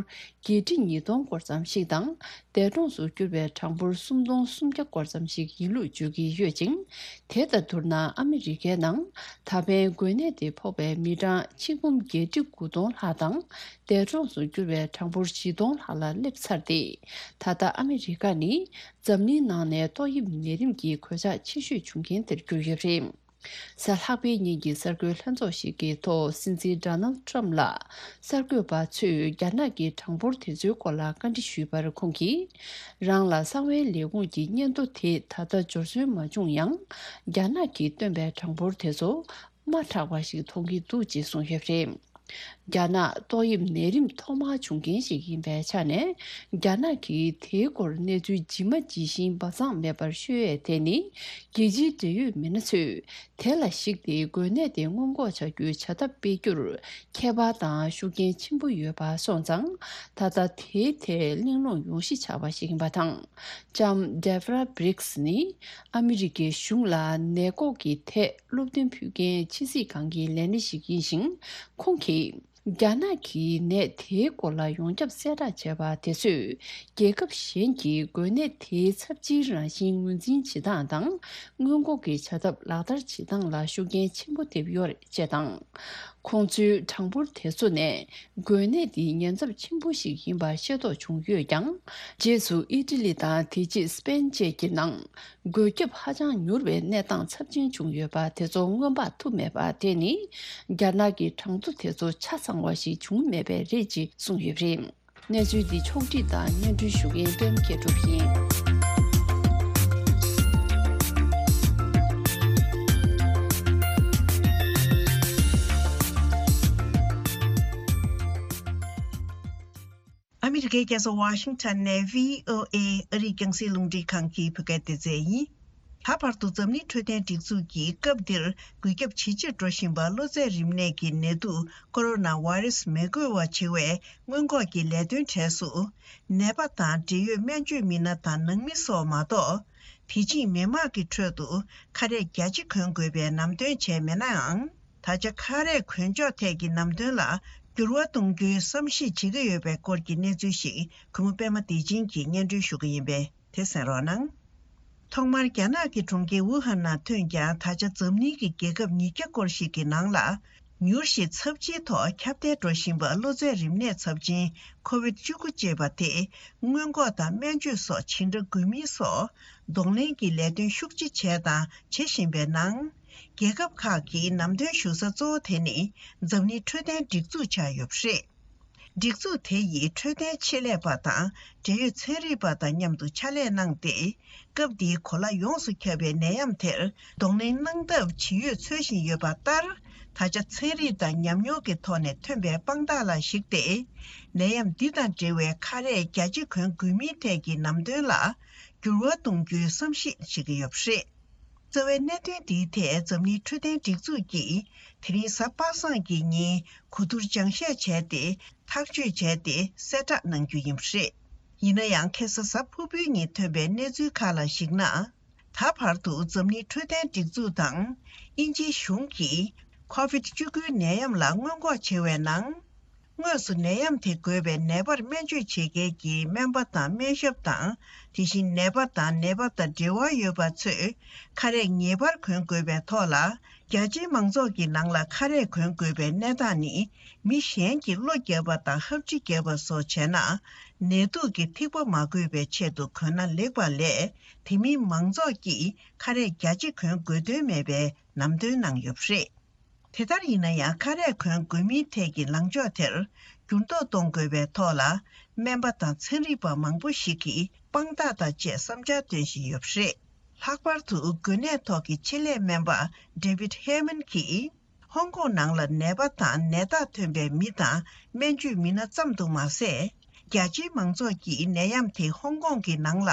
བརྒྱད་ཁྲི་ཉིས་སྟོང་སྐོར་ཙམ་ཞིག་དང་། འདས་གྲོངས་སུ་གྱུར་པའི་གྲངས་འབོར་སུམ་སྟོང་སུམ་བརྒྱ་སྐོར་ཙམ་ཞིག་ཡིན་ལུགས་བརྗོད་ཀྱི་ཡོད་ཅིང་། དེ་དང་བསྡུར་ན་ཨ་མི་རི་ཀའི་ནང་ད་ཕན་འགོས་ནད་དེ་ཕོག་པའི་མི་གྲངས་ཆིག་འབུམ་བརྒྱད་ཁྲི་དགུ་སྟོང་ལྷག་དང་། འདས་གྲོངས་སུ་གྱུར་བའི་གྲངས་འབོར་བཞི་སྟོང་ལྷག་ལ་སླེབས་ཚར་ཏེ། ད་ལྟ་ཨ་མི་རི་ཀ་ནི་འཛམ་གླིང་ནང་ནས་ཏོག་དབྱིབས་ནད་རིམས་ཀྱི་གོད་ཆག་ཆེ་ཤོས་བྱུང་མཁན་དེར་གྱུར་ཡོད་པ་རེད། གཟའ་ལྷག་པའི་ཉིན་གྱི་གསར་འགོད་ལྷན་ཚོགས་ཤིག་གི་ཐོག་སྲིད་འཛིན་ཌོ་ནལ་ཊམ་ལ་གསར་འགོད་པ་ཚོས་རྒྱ་ནག་གི་གྲངས་འབོར་དེ་ཚོའི་སྐོར་ལ་བཀའ་འདྲི་ཞུས་པར་ཁོང་གིས། རང་ལ་གསང་བའི་ལས་ཁུངས་ཀྱི་སྙན་ཐོ་དེ་ད་ལྟ་འབྱོར་སོན་མ་བྱུང་ཡང་། རྒྱ་ནག་གིས་བཏོན་པའི་གྲངས་འབོར་དེ་ཚོ་དམའ་དྲགས་པ་ཞིག་མཐོང་གི་འདུག་ཅེས་གསུངས་ཡོད་པ་རེད། རྒྱ་ནག་ཏོག་དབྱིབས་ནད་རིམས་ཐོག་མར་བྱུང་མཁན་ཞིག་ཡིན་པའི་ཆ་ནས། རྒྱ་ནག་གིས་དེའི་སྐོར་གནས་ཚུལ་ཇི་མ་ཇི་བཞིན་སྦ་གསང་མེད་པར་ཤོད་ཡས་དེ་ནི། རྒྱལ་སྤྱིའི་འབྲེལ་ཡོད་མི་སྣ་ཚོས་དེ་ལ་གཞིགས་ཏེ་འགོས་ནད་དེ་སྔོན་འགོག་བྱ་རྒྱུའི་བྱ་ཐབས་སྤེལ་རྒྱུར་ཁྱད་པར་དང་ཤུགས་རྐྱེན་ཆེན་པོ་ཡོད་པ་སོང་ཙང་། ད་ལྟ་དེའི་ཐད་གླེང་སློང་ཡོང་གཞི་ཆགས་པ་ཞིག་ཡིན་པ་དང་། ལྕམ་ཌེབ་ར་བྷི་རིགས་ནི་ཨ་མི་རི་ཀའི་གཞུང་ལ་ནད་འགོག་གི་ཐད། སློབ་སྟོན་ཕུལ་མཁན་ཕྱི་སྲིད་ཁང་གི་ལས་སྣེ་ཞིག་ཡིན་ཞིང་། ཁོང་གིས། རྒྱ་ནག་གིས་ནད་དེའི་སྐོར་ལ་ཡོངས་ཁྱབ་གསལ་བསྒྲགས་བྱས་པ་དེ་ཚོས། རྒྱལ་ཁབ་གཞན་གྱིས་འགོས་ནད་དེའི་ཚབས་ཆེའི་རང་བཞིན་ངོས་འཛིན་བྱེད་སྟངས་དང་། སྔོན་འགོག་གི་བྱ་ཐབས་ལག་བསྟར་བྱེད་སྟངས་ལ་ཤུགས་རྐྱེན་ཆེན་པོ་ཐེབས་ཡོད་རེད་ཅེས་དང་། ཁོང་ཚོའི་གྲངས་འབོར་དེ་ཚོ་ནས་འགོས་ནད་འདི་ཉེན་ཚབས་ཆེན་པོ་ཞིག་ཡིན་པ་ཤེས་རྟོགས་བྱུང་ཡོད་ཀྱང་། རྗེས་སུ་ཨི་ཊ་ལི་དང་དེ་རྗེས་སི་པེན་བཅས་ཀྱི་ནང་འགོས་ཁྱབ་ཧ་ཅང་མྱུར་བའི་གནས་སྟངས་ཚབས་ཆེན་བྱུང་ཡོད་པ་དེ་ཚོ་སྔོན་དཔག་ཐུབ་མེད་པ་དེ་ནི། རྒྱ་ནག་གི་གྲངས་ཐོ་དེ་ཚོ་ཆ་ཚང་བ་ཞིག་བྱུང་མེད་པས་རེད་ཅེས་གསུངས་ཡོད་པ་རེད། གནས་ཚུལ་འདི་ཕྱོགས་སྒྲིག་དང་སྙན་སྒྲོན་ཞུ་མཁན་པད་མ་མཁས་གྲུབ་ཡིན། ཨ་མི་རི་ཀའི་རྒྱལ་ས་ཝ་ཤིང་ཊོན་ནས་བྷི་ཨོ་ཨེ་ཨ་རིའི་རྒྱང་སྲིང་རླུང་འཕྲིན་ཁང་གི་བོད་སྐད་སྡེ་ཚན་ཡིན། ད་བར་དུ་འཛམ་གླིང་འཕྲོད་བསྟེན་སྒྲིག་འཛུགས་ཀྱིས་སྐབས་འདིར་འགོས་ཁྱབ་ཇེ་ཆེར་འགྲོ་བཞིན་པ་གློ་ཚད་རིམས་ནད་ཀྱི་ནད་དུག་ཀོ་རོ་ན་བྷ་རེ་སི་མི་འགོས་པ་བྱེད་པའི་སྔོན་འགོག་གི་ལས་དོན་གྲས་སུ། ནད་པ་དང་འབྲེལ་ཡོད་སྨན་བཅོས་མི་སྣ་དང་ནང་མི་སོགས་མ་གཏོགས། དེ་བཞིན་མི་མང་གི་ཁྲོད་དུ་ཁ་རས་རྒྱ་ཆེ་གོན་དགོས་པའི་ལམ་སྟོན་བྱས་མེད་ནའང་། ད་ཆ་ཁ་རས་གོན་ཕྱོགས་ཐད་ཀྱི་ལམ་སྟོན་ལ་འགྱུར་བ་གཏོང་རྒྱུའི་བསམ་གཞིག་བྱེད་ཀྱི་ཡོད་པའི་སྐོར་གྱི་གནས་ཚུལ་ཞིག་གུས་མོ་པད་མ་བདེ་ཆེན་གྱིས་སྙན་སྒྲོན་ཞུ་གི་ཡིན་པས། དེ་གསན་རོགས་གནང་། ཐོག་མར་རྒྱ་ནག་གི་གྲོང་ཁྱེར་ཝུ་ཧན་ནང་ཐོན་ཀྱང་། ད་ཆ་འཛམ་གླིང་གི་རྒྱལ་ཁབ་ཉིས་བརྒྱ་སྐོར་ཞིག་གི་ནང་ལ་མྱུར་ཞིང་ཚབས་ཆེའི་ཐོག་ཁྱབ་གདལ་འགྲོ་བཞིན་པ་གློ་ཚད་རིམས་ནད་ཚབས་ཆེན་ཁོ་བིད་བཅུ་དགུ་ཅེས་པ་དེ་སྔོན་འགོག་དང་སྨན་བཅོས་སོགས་ཇི་འདྲ་དགོས་མིན་སོགས་གདོང་ལེན་གྱི་ལས་དོན་ཤུགས་ཆེ་བྱས་དང་བྱེད་བཞིན་པའི་ནང་། རྒྱལ་ཁབ་ཁག་གིས་ལམ་སྟོན་ཞུ་ས་གཙོ་བོ་དེ་ནི་འཛམ་གླིང་འཕྲོད་བསྟེན་སྒྲིག་འཛུགས་ཆགས་ཡོད་པ་རེད། སྒྲིག་འཛུགས་དེ་ཡིས་འཕྲོད་བསྟེན་ཆེད་ལས་པ་དང་འབྲེལ་ཡོད་ཚན་རིག་པ་དང་མཉམ་དུ་ཕྱག་ལས་གནང་སྟེ། སྐབས་འདིའི་གོ་ལ་ཡོངས་སུ་ཁྱབ་པའི་ནད་ཡམས་དེར་གདོང་ལེན་གནང་ཐབས་ཇི་ཡོད་འཚོལ་བཞིན་ཡོད་པ་ལྟར། ད་ཆ་ཚན་རིག་དང་ཉམས་མྱོང་གི་ཐོག་ནས་ཐོན་པའི་དཔང་རྟགས་ལ་གཞིགས་ཏེ། ནད་ཡམས་འདི་དང་འབྲེལ་བའི་ཁ་རས་རྒྱ་ཆེ་གོན་དགོས་མིན་ཐད་ཀྱི་ལམ་སྟོན་ལ་འགྱུར་བ་གཏོང་རྒྱུའི་བསམ་གཞིག་བྱེད་ཀྱི་ཡོད་པ་རེད། རྩ་བའི་གནད་དོན་འདིའི་ཐད་འཛམ་གླིང་འཕྲོད་བསྟེན་སྒྲིག་འཛུགས་ཀྱིས་དེ་རིང་གཟའ་པ་སངས་ཀྱི་ཉིན་གོ་བསྡུར་སྦྱང་བཤད་བྱས་ཏེ། ཐག་གཅོད་བྱས་ཏེ་གསལ་བསྒྲགས་གནང་རྒྱུ་ཡིན་པ་རེད། ཡིན་ན་ཡང་། ཁ་སང་གཟའ་ཕུར་བུའི་ཉིན་ཐོན་པའི་གནས་ཚུལ་ཁག་ལ་གཞིགས་ན། ད་བར་དུ་འཛམ་གླིང་འཕྲོད་བསྟེན་སྒྲིག་འཛུགས་དང་དབྱིན་ཇིའི་གཞུང་གིས་ཁོ་བིད་བཅུ་དགུའི་ནད་ཡམས་ལ་སྔོན་འགོག་བྱེད་པའི་ནང་། དངོས་སུ་ནད་ཡམས་དེ་འགོས་པའི་ནད་པར་སྨན་བཅོས་བྱེད་མཁན་གྱི་སྨན་པ་དང་སྨན་ཞབས་དང་། དེ་བཞིན་ནད་པ་དང་ནད་པ་དང་འབྲེལ་བ་ཡོད་པ་ཚོས་ཁ་རས་ངེས་པར་གོན་དགོས་པའི་ཐོག་ལ། རྒྱ་ཆེའི་མང་ཚོགས་ཀྱི་ནང་ལ་ཁ་རས་གོན་དགོས་པའི་གནས་སྟངས་ནི། མི་གཞན་གྱིས་གློ་བརྒྱབ་པ་དང་ཧབ་སྦྲིད་བརྒྱབ་པ་སོགས་བྱས་ན། ནད་དུག་གི་ཐིགས་པ་མ་འགོས་པའི་ཆེད་དུ་གོན་ན་ལེགས་པ་ལས། དེ་མིན་མང་ཚོགས་ཀྱིས་ཁ་རས་རྒྱ་ཆེ་གོན་དགོས་དོན་མེད་པའི་ལམ་སྟོན་གནང་ཡོད་པ་རེད། དེ་ལྟར་ཡིན་ན་ཡང་། ཁ་རས་གོན་དགོས་མིན་ཐད་ཀྱི་ལངས་ཕྱོགས་དེར་འགྱུར་ལྡོག་གཏོང་དགོས་པའི་ཐོག་ལ། སྨན་པ་དང་ཚན་རིག་པ་མང་པོ་ཞིག་གིས་དཔང་རྟགས་དང་བཅས་བསམ་འཆར་འདོན་བཞིན་ཡོད་པ་རེད། ལྷག་པར་དུ་འགོས་ནད་ཐོག་གི་ཆེད་ལས་སྨན་པ་David Heyman གྱིས། ཧོང་ཀོང་ནང་ལ་ནད་པ་དང་ནད་རྟགས་ཐོན་པའི་མི་དང་སྨན་བཅོས་མི་སྣ་ཙམ་དུ་མ་ཟད། རྒྱ་ཆེའི་མང་ཚོགས་ཀྱིས་ནད་ཡམས་དེ་ཧོང་ཀོང་གི་ནང་ལ་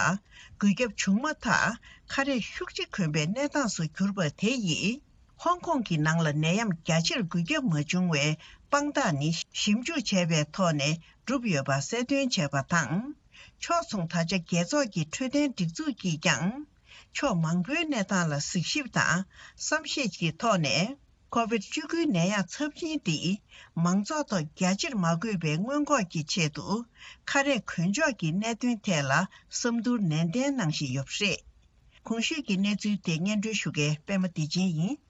འགོས་ཁྱབ་བྱུང་མ་ཐག་ཁ་རས་ཤུགས་ཆེ་གོན་པའི་གནས་སྟངས་སུ་གྱུར་པ་དེ་ཡིས། ཧོང་ཀོང་གི་ནང་ལ་ནད་ཡམས་རྒྱ་ཆེར་འགོས་ཁྱབ་མ་བྱུང་བའི་དཔང་རྟགས་ནི་ཞིབ་འཇུག་བྱས་པའི་ཐོག་ནས་གྲུབ་ཡོད་པ་གསལ་སྟོན་བྱས་པ་དང་། ཕྱོགས་མཚུངས། ད་ཆ་རྒྱལ་ཚོགས་ཀྱི་འཕྲོད་བསྟེན་སྒྲིག་འཛུགས་ཀྱིས་ཀྱང་། ཕྱོགས་མང་པོའི་གནས་སྟངས་ལ་གཟིགས་ཞིབ་དང་བསམ་ཤེས་ཀྱི་ཐོག་ནས། ཁོ་བིད་བཅུ་དགུའི་ནད་ཡམས་ཚབས་ཆེན་འདི་མང་ཚོགས་ཐོག་རྒྱ་ཆེར་མ་འགོས་པའི་སྔོན་འགོག་གི་ཆེད་དུ། ཁ་རས་གོན་ཕྱོགས་ཀྱི་གནད་དོན་ཐད་ལ་བསམ་བློ་ནན་ཏན་གནང་བཞིན་ཡོད་པ་རེད། གོང་ཞུས་ཀྱི་གནས་ཚུལ་དེ་སྙན་སྒྲོན་ཞུ་མཁན་པད་མ་བདེ་ཆེན་ཡིན།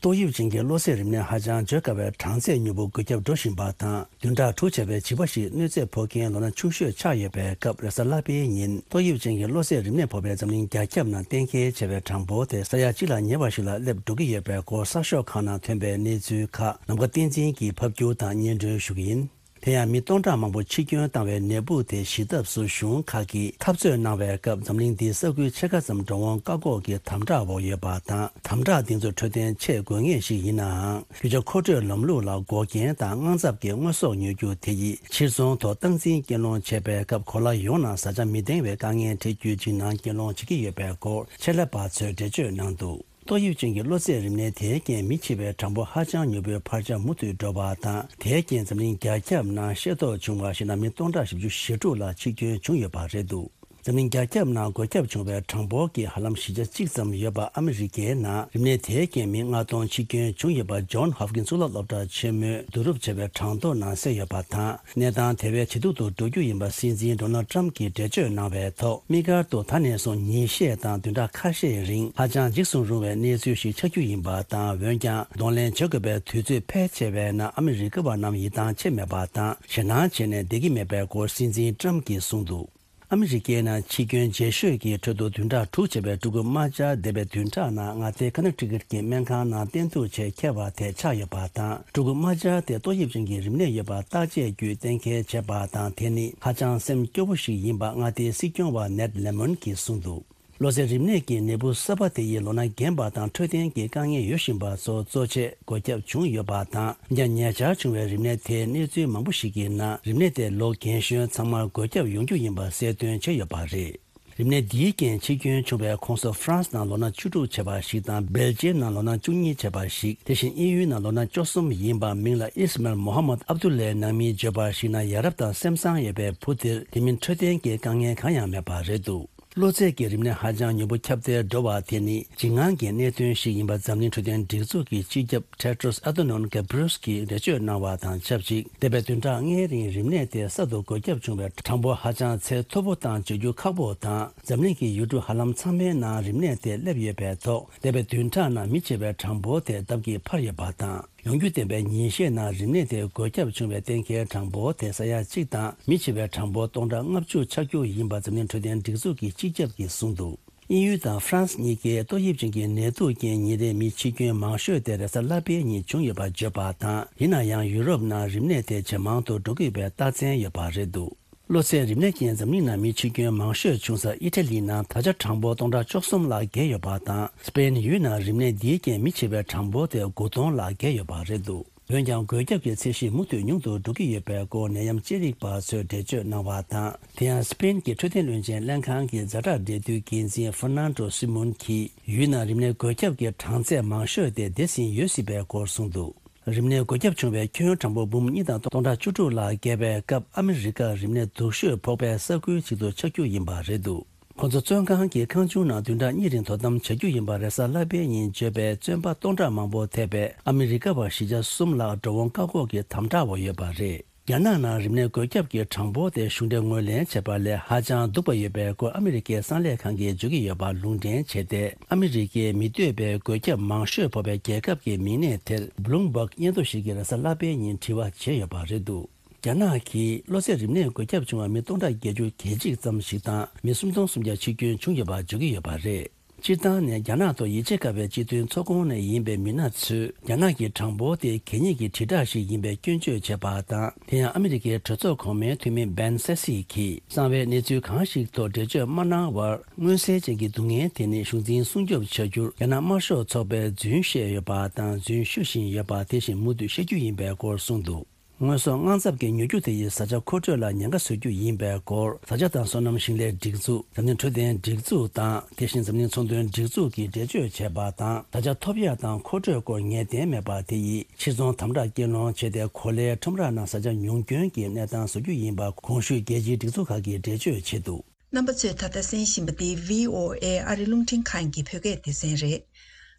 ཏོག་དབྱིབས་ཅན་གྱི་གློ་ཚད་རིམས་ནད་ཧ་ཅང་བརྗོད་དཀའ་བའི་གྲངས་ཚད་མྱུར་པོ་འགོས་ཁྱབ་འགྲོ་བཞིན་པ་དང་། བདུན་ཕྲག་དྲུག་བྱས་པའི་བྱིས་པ་ཞིག་གནོད་འཚེ་ཕོག་རྐྱེན་ལོ་ན་ཆུང་ཤོས་ཆགས་ཡོད་པའི་སྐབས། རེས་གཟའ་ལྷག་པའི་ཉིན་ཏོག་དབྱིབས་ཅན་གྱི་གློ་ཚད་རིམས་ནད་ཕོག་པའི་འཛམ་གླིང་རྒྱ་ཁྱབ་ནང་གཏན་འཁེལ་བྱས་པའི་གྲངས་འབོར་དེ་ས་ཡ་གཅིག་ལ་ཉེ་བ་ཞིག་ལ་སླེབས་འགྲོ་གི་ཡོད་པའི་སྐོར་གསར་ཤོག་ཁག་ནང་ཐོན་པའི་གནས་ཚུལ་ཁག་ནམ་མཁའ་བསྟན་འཛིན་གྱིས་ཕབ་སྒྱུར་དང་སྙན་སྒྲོན་ཞུ་གི་ཡིན། དེ་ཡང་མི་སྟོང་ཕྲག་མང་པོ་འཆི་སྐྱོན་བཏང་བའི་ནད་འབུ་དེ་ཞི་ཐབས་སུ་གཞུང་ཁག་གིས་འཐབ་རྩོད་གནང་བའི་སྐབས། འཛམ་གླིང་འདིའི་ས་ཁུལ་ཕྱེད་ཀ་ཙམ་འགྲོ་འོང་བཀག་འགོག་གི་དམ་དྲག་འོག་ཡོད་པ་དང་། དམ་དྲག་འདི་ཚོ་འཕྲོད་བསྟེན་ཆེས་དགོས་ངེས་ཤིག་ཡིན་ནའང་། རྒྱུ་ཆ་མཁོ་སྤྲོད་ལམ་ལུགས་ལ་འགོག་རྐྱེན་དང་། དངངས་འཚབ་ཀྱི་དངོས་ཟོག་ཉོ་རྒྱུ་དེ་ཡིས་ཕྱིར་ཚོང་ཐོག་སྟངས་འཛིན་རྐྱེན་སློང་བྱས་པའི་སྐབས། གོ་ལ་ཡོངས་ནང་བཟའ་བཅའ་མི་འདང་བའི་དཀའ་ངལ་འཕྲད་རྒྱུའི་འཇིགས་སྣང་རྐྱེན་སློང་བྱེད་ཀྱི་ཡོད་པའི་སྐོར་ཆེད་ལས་པ་ཚོས་འགྲེལ་བརྗོད་གནང་འདུག་ཏོག་དབྱིབས་ཅན་གྱི་གློ་ཚད་རིམས་ནད་དེའི་རྐྱེན་མི་འཆི་བའི་གྲངས་འབོར་ཧ་ཅང་མྱུར་པོའི་འཕར་ཆ་མུ་མཐུད་འགྲོ་བ་དང་། དེའི་རྐྱེན་འཛམ་གླིང་རྒྱ་ཁྱབ་ནང་ཤེས་རྟོགས་བྱུང་བར་གཞིགས་ན། མི་སྟོང་ཕྲག་བཞི་བཅུ་ཞེ་དྲུག་ལ་འཆི་སྐྱོན་བྱུང་ཡོད་པ་རེད་འདུག་འཛམ་གླིང་རྒྱ་ཁྱབ་ནང་འགོས་ཁྱབ་བྱུང་བའི་གྲངས་འབོར་གྱི་ཧ་ལམ་བཞི་ཆ་གཅིག་ཙམ་ཡོད་པ་ཨ་མི་རི་ཀའི་ནང་རིམས་ནད་དེའི་རྐྱེན་མི་ལྔ་སྟོང་འཆི་སྐྱོན་བྱུང་ཡོད་པ་ཇོན་ཧོབ་ཀིན་གཙུག་ལག་སློབ་གྲྭ་ཆེན་མོས་བསྡུ་རུབ་བྱས་པའི་གྲངས་ཐོ་ནང་གསལ་ཡོད་པ་དང་། གནས་སྟངས་དེ་བས་ཇེ་སྡུག་ཏུ་འགྲོ་རྒྱུ་ཡིན་པ་སྲིད་འཛིན་ཌོ་ནལ་ཊམ་གྱིས་འགྲེལ་བརྗོད་གནང་བའི་ཐོག་དམིགས་བཀར་དུ་ད་ནས་བཟུང་ཉིན་ཤས་དང་བདུན་ཕྲག་ཁ་ཤས་རིང་ཧ་ཅང་འཇིགས་སུ་རུང་བའི་གནས་ཚུལ་ཞིག་ཆགས་རྒྱུ་ཡིན་པ་དང་། འོན་ཀྱང་གདོང་ལེན་བྱེད་དགོས་པའི་དུས་ཚོད་ཕལ་ཆེ་བའི་ནང་ཨ་མི་རི་ཀ་བ་རྣམས་ཡིད་ཐང་ཆད་མེད་པ་དང་། ཞེད་སྣང་བྱས་ནས་བསྡད་ཀྱི་མེད་པའི་སྐོར་སྲིད་འཛིན་ཊམ་གྱིས་གསུངས་འདུག་ཨ་མི་རི་ཀའི་ནང་འཆི་སྐྱོན་ལྗིད་ཤོས་ཀྱི་ཁྲོད་དུ་བདུན་ཕྲག་དྲུག་བྱས་པའི་ཕྲུ་གུ་དམར་འབྱར་འདས་པའི་བདུན་ཕྲག་ནང་མངའ་སྡེ་ཀ་ནེ་ཊི་ཀཊ་ཀྱི་སྨན་ཁང་ནང་བསྟེན་གཏུགས་ཆེད་འཁྱེར་བ་དེ་ཆགས་ཡོད་པ་དང་། ཕྲུ་གུ་དམར་འབྱར་དེ་ཏོག་དབྱིབས་ཅན་གྱི་རིམས་ནད་ཡོད་པ་བརྟག་དཔྱད་བརྒྱུད་གཏན་འཁེལ་བྱས་པ་དང་། དེ་ནི་ཧ་ཅང་སེམས་སྐྱོ་པོ་ཞིག་ཡིན་པ་མངའ་སྡེའི་སྲིད་སྐྱོང་བ་ནེད་ལེ་མོན་གྱིས་གསུངས་འདུག་གློ་ཚད་རིམས་ནད་ཀྱི་ནད་འབུ་གསར་པ་དེ་ཡིས་ལོ་ན་རྒན་པ་དང་འཕྲོད་བསྟེན་གྱི་དཀའ་ངལ་ཡོད་བཞིན་པ་ཚོ་གཙོ་ཆེ་འགོས་ཁྱབ་བྱུང་ཡོད་པ་དང་། འདི་ཉེ་ཆར་བྱུང་བའི་རིམས་ནད་དེའི་གནས་ཚུལ་མང་པོ་ཞིག་གི་ནང་རིམས་ནད་དེ་ལོ་རྒན་གཞོན་ཚང་མར་འགོས་ཁྱབ་ཡོང་རྒྱུ་ཡིན་པ་གསལ་སྟོན་བྱས་ཡོད་པ་རེད། རིམས་ནད་འདིའི་རྐྱེན་འཆི་སྐྱོན་བྱུང་བའི་ཁོངས་སུ་ཧྥ་རན་སི་ནང་ལོ་ན་བཅུ་དྲུག་བྱས་པ་ཞིག་དང་། སྦེལ་ཇི་ཡམ་ནང་ལོ་ན་བཅུ་གཉིས་བྱས་པ་ཞིག་དེ་བཞིན་དབྱིན་ཡུལ་ནང་ལོ་ན་བཅུ་གསུམ་ཡིན་པ་མིང་ལ་ཨིས་མལ་མོ་ཧ་མད་ཨབ་དུ་ལའི་ནང་མིས་བརྗོད་པར་གཞིགས་ན། ཡ་རབས་དང་སེམས་བཟང་ཡོད་པའི་བུ་དེར་དེ་མིན་འཕྲོད་བསྟེན་གྱི་དཀའ་ངལ་གང་ཡང་མེད་པ་རེད་འདུག་གློ་ཚད་ཀྱི་རིམས་ནད་ཧ་ཅང་མྱུར་པོ་ཁྱབ་གདལ་འགྲོ་བ་དེ་ནི་འཇིགས་དངངས་ཀྱི་གནད་དོན་ཞིག་ཡིན་པ་འཛམ་གླིང་འཕྲོད་བསྟེན་སྒྲིག་འཛུགས་ཀྱི་སྤྱི་ཁྱབ་ཊེ་ཌྲོས་ཨ་ཐ་ནོན་གྷེ་བྷི་རི་ཡེ་སི་གིས་འགྲེལ་བརྗོད་གནང་བ་དང་ཆབས་ཅིག་འདས་པའི་བདུན་ཕྲག་ལྔའི་རིང་རིམས་ནད་དེ་གསར་དུ་འགོས་ཁྱབ་བྱུང་བའི་གྲངས་འབོར་ཧ་ཅང་ཚད་མཐོ་པོ་དང་བརྗོད་རྒྱུ་ཁག་པོ་དང་། འཛམ་གླིང་གི་ཡུལ་གྲུ་ཧ་ལམ་ཚང་མའི་ནང་རིམས་ནད་དེ་སླེབས་ཡོད་པའི་ཐོག་འདས་པའི་བདུན་ཕྲག་ནང་མི་འཆི་བའི་གྲངས་འབོར་དེ་ལྡབ་ཀྱིས་འཕར་ཡོད་པ་དང་། ཡོང་རྒྱུ་བདེན་པའི་ཉིན་ཤས་ནང་རིམས་ནད་དེ་འགོས་ཁྱབ་བྱུང་བའི་གཏན་འཁེལ་གྲངས་འབོར་དེ་ས་ཡ་གཅིག་དང་། མི་འཆི་བའི་གྲངས་འབོར་སྟོང་ཕྲག་ལྔ་བཅུ་ཆགས་རྒྱུ་ཡིན་པ་འཛམ་གླིང་འཕྲོད་བསྟེན་སྒྲིག་འཛུགས་ཀྱི་སྤྱི་ཁྱབ་ཀྱིས་གསུངས་འདུག་དབྱིན་ཡུལ་དང་ཧྥ་རན་སི་གཉིས་ཀས་ཏོག་དབྱིབས་ཅན་གྱི་ནད་དུག་རྐྱེན་ཉིན་རེའི་མི་འཆི་སྐྱོན་མང་ཤོས་དེ་རེས་གཟའ་ལྷག་པའི་ཉིན་བྱུང་ཡོད་པར་བརྗོད་པ་དང་། ཡིན་ན་ཡང་ཡུ་རོབ་ནང་རིམས་ནད་དེ་ཇེ་མང་དུ་འགྲོ་གི་ཡོད་པའི་རྟགས་མཚན་ཡོད་པ་རེད་འདུག་གློ་ཚད་རིམས་ནད་རྐྱེན་འཛམ་གླིང་ནང་མི་འཆི་སྐྱོན་མང་ཤོས་བྱུང་ས་ཨི་ཊ་ལི་ནང་ད་ཆ་གྲངས་འབོར་སྟོང་ཕྲག་བཅུ་གསུམ་ལྷག་བརྒལ་ཡོད་པ་དང་། སི་པེན་ཡུལ་ནང་རིམས་ནད་འདིའི་རྐྱེན་མི་འཆི་བའི་གྲངས་འབོར་དེ་དགུ་སྟོང་ལྷག་བརྒལ་ཡོད་པ་རེད་འདུག་འོན་ཀྱང་འགོས་ཁྱབ་ཀྱི་ཚད་གཞི་མུ་མཐུད་ཉུང་དུ་འགྲོ་གི་ཡོད་པའི་སྐོར་ནད་ཡམས་དཔྱད་རིག་པ་ཚོས་འགྲེལ་བརྗོད་གནང་བ་དང་། དེ་ཡང་སི་པེན་གྱི་འཕྲོད་བསྟེན་བློན་ཆེན་ལྷན་ཁང་གི་ཛ་དྲག་འབྲེལ་མཐུད་འགན་འཛིན་ཧྥར་ནན་ཏྲོ་སི་མོན་གྱིས་ཡུལ་ནང་རིམས་ནད་འགོས་ཁྱབ་ཀྱི་གྲངས་ཚད་མང་ཤོས་དེ་འདས་ཟིན་ཡོད་སྲིད་པའི་སྐོར་གསུངས་འདུག་རིམས་ནད་འགོས་ཁྱབ་བྱུང་བའི་ཁྱོན་གྲངས་འབོར་འབུམ་གཉིས་དང་སྟོང་ཕྲག་བཅུ་དྲུག་ལྷག་བརྒལ་བའི་སྐབས། ཨ་མི་རི་ཀ་རིམས་ནད་སྡུག་ཤོས་ཕོག་པའི་ས་ཁུལ་ཞིག་ཏུ་ཆགས་རྒྱུ་ཡིན་པ་རེད་འདུག་ཁོ་ཚོ་བཙོན་ཁང་གི་ཁང་ཆུང་ནང་བདུན་ཕྲག་གཉིས་རིང་དོ་དམ་བྱ་རྒྱུ་ཡིན་པ་རེས་གཟའ་ལྷག་པའི་ཉིན་བརྗོད་པའི་བཙོན་པ་སྟོང་ཕྲག་མང་པོ་ཐེ་བའི་ཨ་མི་རི་ཀ་བ་བཞི་ཆ་གསུམ་ལྷག་འགྲོ་འོང་བཀག་འགོག་གི་དམ་དྲག་འོག་ཡོད་པ་རེད། རྒྱ་ནག་ནང་རིམས་ནད་འགོས་ཁྱབ་ཀྱི་གྲངས་འབོར་དེ་གཞུང་འབྲེལ་ངོས་ལེན་བྱས་པ་ལས་ཧ་ཅང་སྡུག་པ་ཡོད་པའི་སྐོར་ཨ་མི་རི་ཀའི་གསང་ལས་ཁང་གིས་བརྗོད་ཀྱི་ཡོད་པ་ལུང་འདྲེན་བྱས་ཏེ། ཨ་མི་རི་ཀའི་མི་འདོད་པའི་འགོས་ཁྱབ་མང་ཤོས་ཕོག་པའི་རྒྱལ་ཁབ་ཀྱི་མིང་གནས་དེར་བྷི་ལུམ་བྷག་སྙན་ཐོ་ཞིག་གིས་རེས་གཟའ་ལྷག་པའི་ཉིན་དྲི་བ་བྱས་ཡོད་པ་རེད་འདུག་རྒྱ་ནག་གིས་གློ་ཚད་རིམས་ནད་འགོས་ཁྱབ་བྱུང་བ་མི་སྟོང་ཕྲག་བརྒྱད་ཅུ་གྱ་གཅིག་ཙམ་ཞིག་དང་། མི་སུམ་སྟོང་སུམ་བརྒྱ་འཆི་སྐྱོན་བྱུང་ཡོད་པ་བརྗོད་ཀྱི་ཡོད་པ་རེད། སྤྱིར་བཏང་ནས་རྒྱ་ནག་ཐོག་ཡིད་ཆེས་དཀའ་བའི་སྤྱི་མཐུན་ཚོགས་ཁོངས་ནས་ཡིན་པའི་མི་སྣ་ཚོས་རྒྱ་ནག་གི་གྲངས་འབོར་དེ་གད་སྙིགས་ཀྱི་དྲིལ་བསྒྲགས་ཤིག་ཡིན་པའི་སྐྱོན་བརྗོད་བྱས་པ་དང་། དེ་ཡང་ཨ་མི་རི་ཀའི་གྲོས་ཚོགས་གོང་མའི་འཐུས་མི་བྷེན་སེ་སི་གིས་གསང་བའི་གནས་ཚུལ་གང་ཞིག་ཐོག་འགྲེལ་བརྗོད་མ་གནང་བར། མངོན་གསལ་ཅན་གྱི་སྡུག་བསྔལ་དེ་ནི་གཞུང་འཛིན་སྲུང་སྐྱོབ་བྱ་རྒྱུར་རྒྱ་ནག་དམར་ཤོག་ཚོགས་པས་རྫུན་བཤད་ཡོད་པ་དང་། རྫུན་ཞུ་བཞིན་ཡོད་པ་དེ་བཞིན་མུ་མཐུད་བཤད་རྒྱུ་ཡིན་པའི་སྐོར་གསུངས་འདུག་དངོས་ཟོག་དངངས་འཚབ་ཀྱི་མྱུར་སྐྱོབ་དེ་ཡིས་བཟའ་བཅའ་མཁོ་སྤྲོད་ལ་ཉེན་ཁ་བཟོ་རྒྱུ་ཡིན་པའི་སྐོར། བཟའ་བཅའ་དང་སོ་ནམ་ཞིང་ལས་སྒྲིག་འཛུགས། འཛམ་གླིང་འཕྲོད་བསྟེན་སྒྲིག་འཛུགས་དང་། དེ་བཞིན་འཛམ་གླིང་ཚོང་དོན་སྒྲིག་འཛུགས་ཀྱིས་འགྲེལ་བརྗོད་བྱས་པ་དང་། བཟའ་བཅའ་ཐོབ་ཡ་དང་མཁོ་སྤྲོད་སྐོར་ངེས་གཏན་མེད་པ་དེ་ཡིས་ཕྱིར་ཚོང་དམ་དྲག་སྐྱེལ་སློང་བྱས་ཏེ། གོ་ལའི་ཁྲོམ་ར་ནང་བཟའ་བཅའ་ཉུང་སྐྱོན་གྱི་གནས་སྟངས་བཟོ་རྒྱུ་ཡིན་པ་གོང་ཞུས་རྒྱལ་སྤྱིའི་སྒྲིག་འཛུགས་ཁག་གིས་འགྲེལ་བརྗོད་བྱས་འདུག་རྣམ་པ་ཚོས་ད་ལྟ་གསན་བཞིན་པ་འདི་བྷི་ཨོ་ཨེ་ཨ་རི་རླུང་འཕྲིན་ཁང་གི་བོད་སྐད་སྡེ་ཚན་རེད།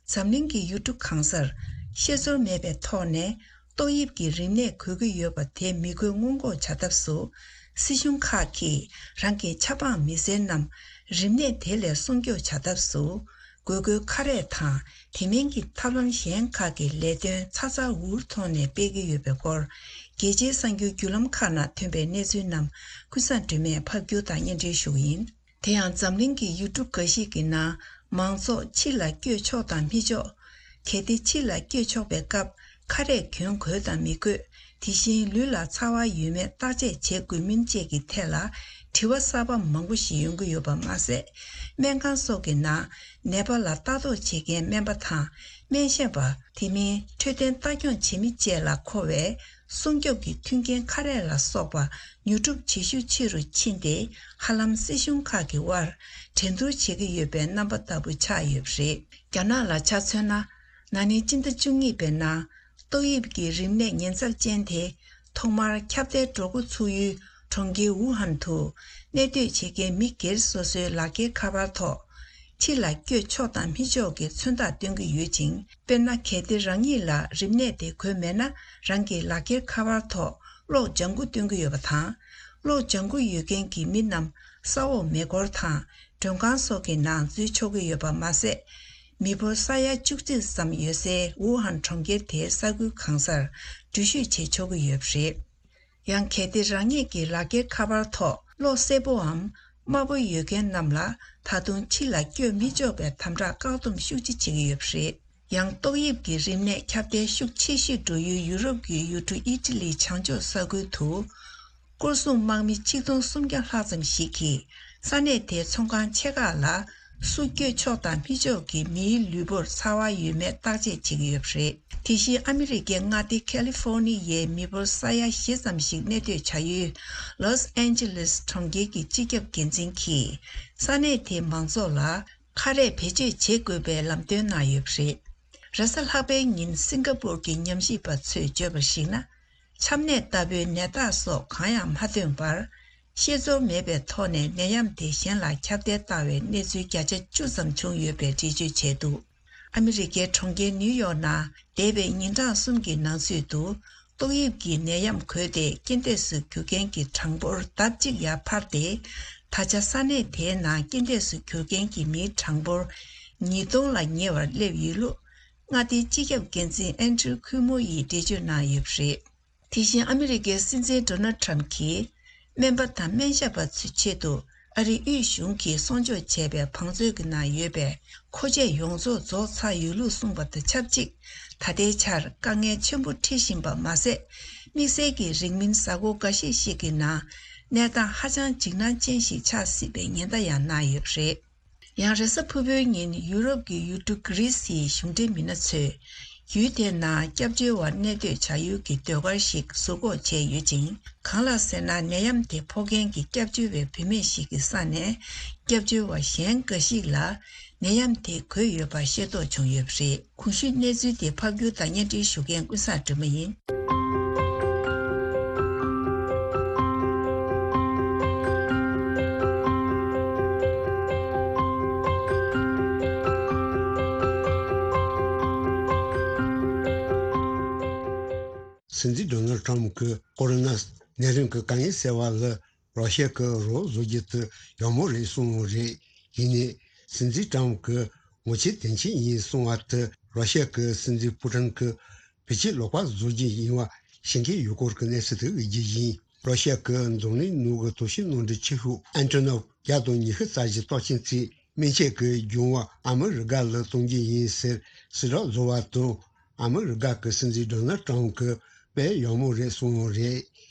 འཛམ་གླིང་གི་ཡུལ་གྲུ་གང་སར་ཤེས་ཚོར་མེད་པའི་ཐོག་ནས་ཏོག་དབྱིབས་ཀྱི་རིམས་ནད་འགོས་ཀྱི་ཡོད་པ་དེ་མི་འགོས་སྔོན་འགོག་བྱ་ཐབས་སུ། སྲིད་གཞུང་ཁག་གིས་རང་གི་ཆབ་འབངས་མི་སེར་རྣམས་རིམས་ནད་དེ་ལས་སྲུང་སྐྱོབ་བྱ་ཐབས་སུ། དགོས་མཁོའི་ཁ་རས་དང་དེ་མིན་གྱི་ཐབས་ལམ་གཞན་ཁག་གི་ལས་དོན་ཚ་ཚ་འུར་འུར་ཐོག་ནས་སྤེལ་གྱི་ཡོད་པའི་སྐོར། རྒྱལ་སྤྱིའི་གསར་འགྱུར་བརྒྱུད་ལམ་ཁག་ནང་ཐོན་པའི་གནས་ཚུལ་རྣམས་ཀུན་བཟང་སྒྲོལ་མས་ཕབ་སྒྱུར་དང་སྙན་སྒྲོན་ཞུ་གི་ཡིན། དེ་ཡང་འཛམ་གླིང་གི་ཡུལ་གྲུ་འགའ་ཞིག་གི་ནང་མང་ཚོགས་ཕྱི་ལ་བསྐྱོད་ཆོག་དང་མི་ཆོག་གལ་ཏེ་ཕྱི་ལ་བསྐྱོད་ཆོག་པའི་སྐབས་ཁ་རས་གྱོན་དགོས་དང་མི་དགོས། དེ་བཞིན་ལུས་ལ་ཚ་བ་ཡོད་མེད་བརྟག་དཔྱད་བྱེད་དགོས་མིན་བཅས་ཀྱི་ཐད་ལ་དྲི་བ་གསར་པ་མང་པོ་ཞིག་ཡོང་གི་ཡོད་པ་མ་ཟད། སྨན་ཁང་སོགས་ཀྱི་ནང་ནད་པ་ལ་ལྟ་རྟོག་བྱེད་མཁན་སྨན་པ་དང་སྨན་ཞབས་པ། དེ་མིན་འཕྲོད་བསྟེན་ལྟ་སྐྱོང་བྱེད་མི་བཅས་ལ་མཁོ་བའི་སྲུང་སྐྱོབ་ཀྱི་མཐུན་རྐྱེན་ཁ་རས་ལ་སོགས་པ་ཉོ་སྒྲུབ་བྱེད་ཤུགས་ཆེ་རུ་ཕྱིན་ཏེ། ཧ་ལམ་སྲིད་གཞུང་ཁག་གི་དབར་འགྲན་བསྡུར་བྱེད་ཀྱི་ཡོད་པའི་རྣམ་པ་ལྟ་བུ་ཆགས་ཡོད་པ་རེད། རྒྱ་ནག་ལ་ཆ་མཚོན་ན། ན་ནིང་སྤྱི་ཟླ་བཅུ་གཉིས་པའི་ནང་ཏོག་དབྱིབས་ཀྱི་རིམས་ནད་ཉེན་ཚབས་ཅན་དེ་ཐོག་མར་ཁྱབ་གདལ་འགྲོ་འགོ་ཚུགས་ཡུལ་ གྲོང་ཁྱེར་ཝུ་ཧན་དུ་གནས་སྡོད་བྱེད་མཁན་མི་སྒེར་སོ་སོའི་ལག་འཁྱེར་ཁ་པར་ཐོག་ཕྱི་ལ་བསྐྱོད་ཆོག་དང་མི་ཆོག་གི་མཚོན་རྟགས་སྟོན་གྱི་ཡོད་ཅིང་། དཔེར་ན། གལ་ཏེ་རང་ཉིད་ལ་རིམས་ནད་དེ་འགོས་མེད་ན། རང་གི་ལག་འཁྱེར་ཁ་པར་ཐོག་གློག་ལྗང་ཁུ་སྟོན་གྱི་ཡོད་པ་དང་། གློག་ལྗང་ཁུ་ཡོད་མཁན་གྱི་མི་རྣམས་ས་འོག་མེ་འཁོར་དང་མགྲོན་ཁང་སོགས་ཀྱི་ནང་འཛུལ་ཆོག་གི་ཡོད་པ་མ་ཟད། མི་འབོར་ས་ཡ་བཅུ་གཅིག་ཙམ་ཡོད་སའི་ཝུ་ཧན་གྲོང་ཁྱེར་དེའི་ས་ཁུལ་གང་སར་འགྲུལ་བཞུད་བྱེད་ཆོག་གི་ཡོད་པ་རེད། ཡང་། གལ་ཏེ་རང་ཉིད་ཀྱི་ལག་འཁྱེར་ཁ་པར་ཐོག་གློག་སེར་པོའམ་དམར་པོ་ཡོད་མཁན་རྣམས་ལ་ད་དུང་ཕྱི་ལ་བསྐྱོད་མི་ཆོག་པའི་དམ་དྲག་བཀག་སྡོམ་ཤུགས་ཆེ་བྱེད་ཀྱི་ཡོད་པ་རེད། ཡང་། ཏོག་དབྱིབས་ཀྱི་རིམས་ནད་ཁྱབ་གདལ་ཤུགས་ཆེ་ཤོས་འགྲོ་ཡུལ་ཡུ་རོབ་ཀྱི་ཡུལ་གྲུ་ཨི་ཊ་ལིའི་བྱང་ཕྱོགས་ས་ཁུལ་དུ། སྐོར་སྲུང་དམག་མི་ཆིག་སྟོང་སུམ་བརྒྱ་ལྷག་ཙམ་ཞིག་གིས་ས་གནས་དེའི་ཚོང་ཁང་ཆེ་ཁག་ལ་སུ་བསྐྱོད་ཆོག་དང་མི་ཆོག་གིས་མིའི་ལུས་པོར་ཚ་བ་ཡོད་མེད་བརྟག་དཔྱད་བྱེད་ཀྱི་ཡོད་པ་རེད། དེ་བཞིན་ཨ་མི་རི་ཀའི་མངའ་སྡེ་ཁ་ལི་ཧྥོ་ནི་ཡའི་མི་འབོར་ས་ཡ་བཞི་ཙམ་ཞིག་གནས་སྡོད་བྱ་ཡུལ་ལོས་ཨན་ཇེ་ལེས་གྲོང་ཁྱེར་གྱི་སྤྱི་ཁྱབ་འགན་འཛིན་གྱིས་ས་གནས་དེའི་མང་ཚོགས་ལ་ཁ་རས་བེད་སྤྱོད་བྱེད་དགོས་པའི་ལམ་སྟོན་གནང་ཡོད་པ་རེད། རེས་གཟའ་ལྷག་པའི་ཉིན་སིང་ག་པུར་གྱི་ཉམས་ཞིབ་པ་ཚོས་བརྗོད་པར་གཞིགས་ན། ཆམ་ནད་ལྟ་བུའི་ནད་རྟགས་སོགས་གང་ཡང་མ་ཐོན་པར། ཤེས་ཚོར་མེད་པའི་ཐོག་ནས་ནད་ཡམས་དེ་གཞན་ལ་ཁྱབ་གདལ་བཏང་བའི་གནས་ཚུལ་བརྒྱ་ཆ་བཅུ་ཙམ་བྱུང་ཡོད་པའི་འགྲེལ་བརྗོད་བྱས་འདུག་ཨ་མི་རི་ཀའི་གྲོང་ཁྱེར་ནིའུ་ཡོག་ནང་འདས་པའི་ཉིན་གྲངས་གསུམ་གྱི་ནང་ཚུད་དུ། ཏོག་དབྱིབས་ཀྱི་ནད་ཡམས་འགོས་ཏེ་རྐྱེན་འདས་སུ་གྱུར་མཁན་གྱི་གྲངས་འབོར་ལྡབ་གཅིག་ཡར་འཕར་ཏེ། ད་ཆ་ས་གནས་དེའི་ནང་རྐྱེན་འདས་སུ་གྱུར་མཁན་གྱི་མིའི་གྲངས་འབོར་ཉིས་སྟོང་ལ་ཉེ་བར་སླེབས་ཡོད་ལུགས། མངའ་སྡེའི་སྤྱི་ཁྱབ་འགན་འཛིན་ཨན་ཌྲུ་ཁུ་མོ་ཡིས་འགྲེལ་བརྗོད་གནང་ཡོད་པ་རེད། དེ་བཞིན་ཨ་མི་རི་ཀའི་སྲིད་འཛིན་ཌོ་ནལ་ཊམ་གྱིས། སྨན་པ་དང་སྨན་ཞབས་པ་ཚོའི་ཆེད་དུ་ཨ་རིའི་དབུས་གཞུང་གིས་གསོག་འཇོག་བྱས་པའི་བང་མཛོད་ཀྱི་ནང་ཡོད་པའི་མཁོ་ཆས་ཡོངས་རྫོགས་རྫོགས་ཚར་ཡོད་ལུགས་གསུངས་པ་དང་ཆབས་ཅིག་ད་ལྟའི་ཆར་དཀའ་ངལ་ཆེན་པོ་འཕྲད་བཞིན་པ་མ་ཟད། དམིགས་བསལ་གྱིས་རིང་མིན་གཟའ་འཁོར་འགའ་ཤས་ཤིག་གི་ནང་གནས་སྟངས་ཧ་ཅང་འཇིགས་སྣང་ཅན་ཞིག་ཆགས་སྲིད་པའི་ཉེན་བརྡ་ཡང་གནང་ཡོད་པ་རེད། ཡང་། རེས་གཟའ་ཕུར་བུའི་ཉིན་ཡུ་རོབ་ཀྱི་ཡུལ་གྲུ་གྷི་རི་སིའི་གཞུང་འབྲེལ་མི་སྣ་ཚོས་ཡུལ་དེའི་ནང་སྐྱབས་བཅོལ་བ་གནས་སྡོད་བྱ་ཡུལ་གྱི་ཟློས་གར་ཞིག་ཟུར་འགོག་བྱས་ཡོད་ཅིང་། གང་ལགས་ཟེར་ན། ནད་ཡམས་དེ་ཕོག་མཁན་གྱི་སྐྱབས་བཅོལ་བའི་བུད་མེད་ཞིག་གི་ས་ནས་སྐྱབས་བཅོལ་བ་གཞན་འགའ་ཞིག་ལ་ནད་ཡམས་དེ་འགོས་ཡོད་པ་ཤེས་རྟོགས་བྱུང་ཡོད་པ་རེད། གོང་ཞུས་གནས་ཚུལ་དེ་ཕབ་སྒྱུར་དང་སྙན་སྒྲོན་ཞུ་མཁན་ཀུན་བཟང་སྒྲོལ་མ་ཡིན། སྲིད་འཛིན་ཌོ་ནལ་ཊམ་གྱིས་ཀོ་རོ་ན་ནད་རིམས་ཀྱི་དཀའ་ངལ་སེལ་བ་ལ་རོ་ཤ་གི་རོགས་བཟོ་རྒྱུ་དེ་ཡག་མོ་རེད་གསུངས་པ་རེད། ཡིན་ནའི། སྲིད་འཛིན་ཊམ་གྱིས་ངོ་ཆེ་དོན་ཆེན་ཡིན་གསུངས་པ་དེ་རོ་ཤ་གི་སྲིད་འཛིན་པུ་ཊིན་གྱིས་བེད་སྤྱོད་ལོག་པ་བཟོ་རྒྱུ་ཡིན་པ་ཤེས་མཁན་ཡོད་སྐོར་གྱི་གནས་ཚུལ་དེ་བརྗོད་རྒྱུ་ཡིན། རོ་ཤ་གི་འཛམ་གླིང་ནང་གི་དོ་ཤལ་ནོར་འཁྲུལ་ཆེ་ཤོས་ཨན་ཏྲོ་ནོབ་བརྒྱ་དང་ཉི་ཤུ་རྩ་བཞི་གཏོགས་མཁན་ཚོས་སྨན་ཆས་ཀྱི་འབྱུང་བ་ཨ་མི་རི་ཀ་ལ་གཏོང་རྒྱུ་ཡིན་ཟེར་གསལ་བསྒྲགས་བཟོ་བ་དང་། ཨ་མི་རི་ཀ་གི་སྲིད་འཛིན་ཌོ་ནལ་ཊམ་གྱིས་དཔེ་ཡག་མོ་རེད་གསུངས་པ་རེད།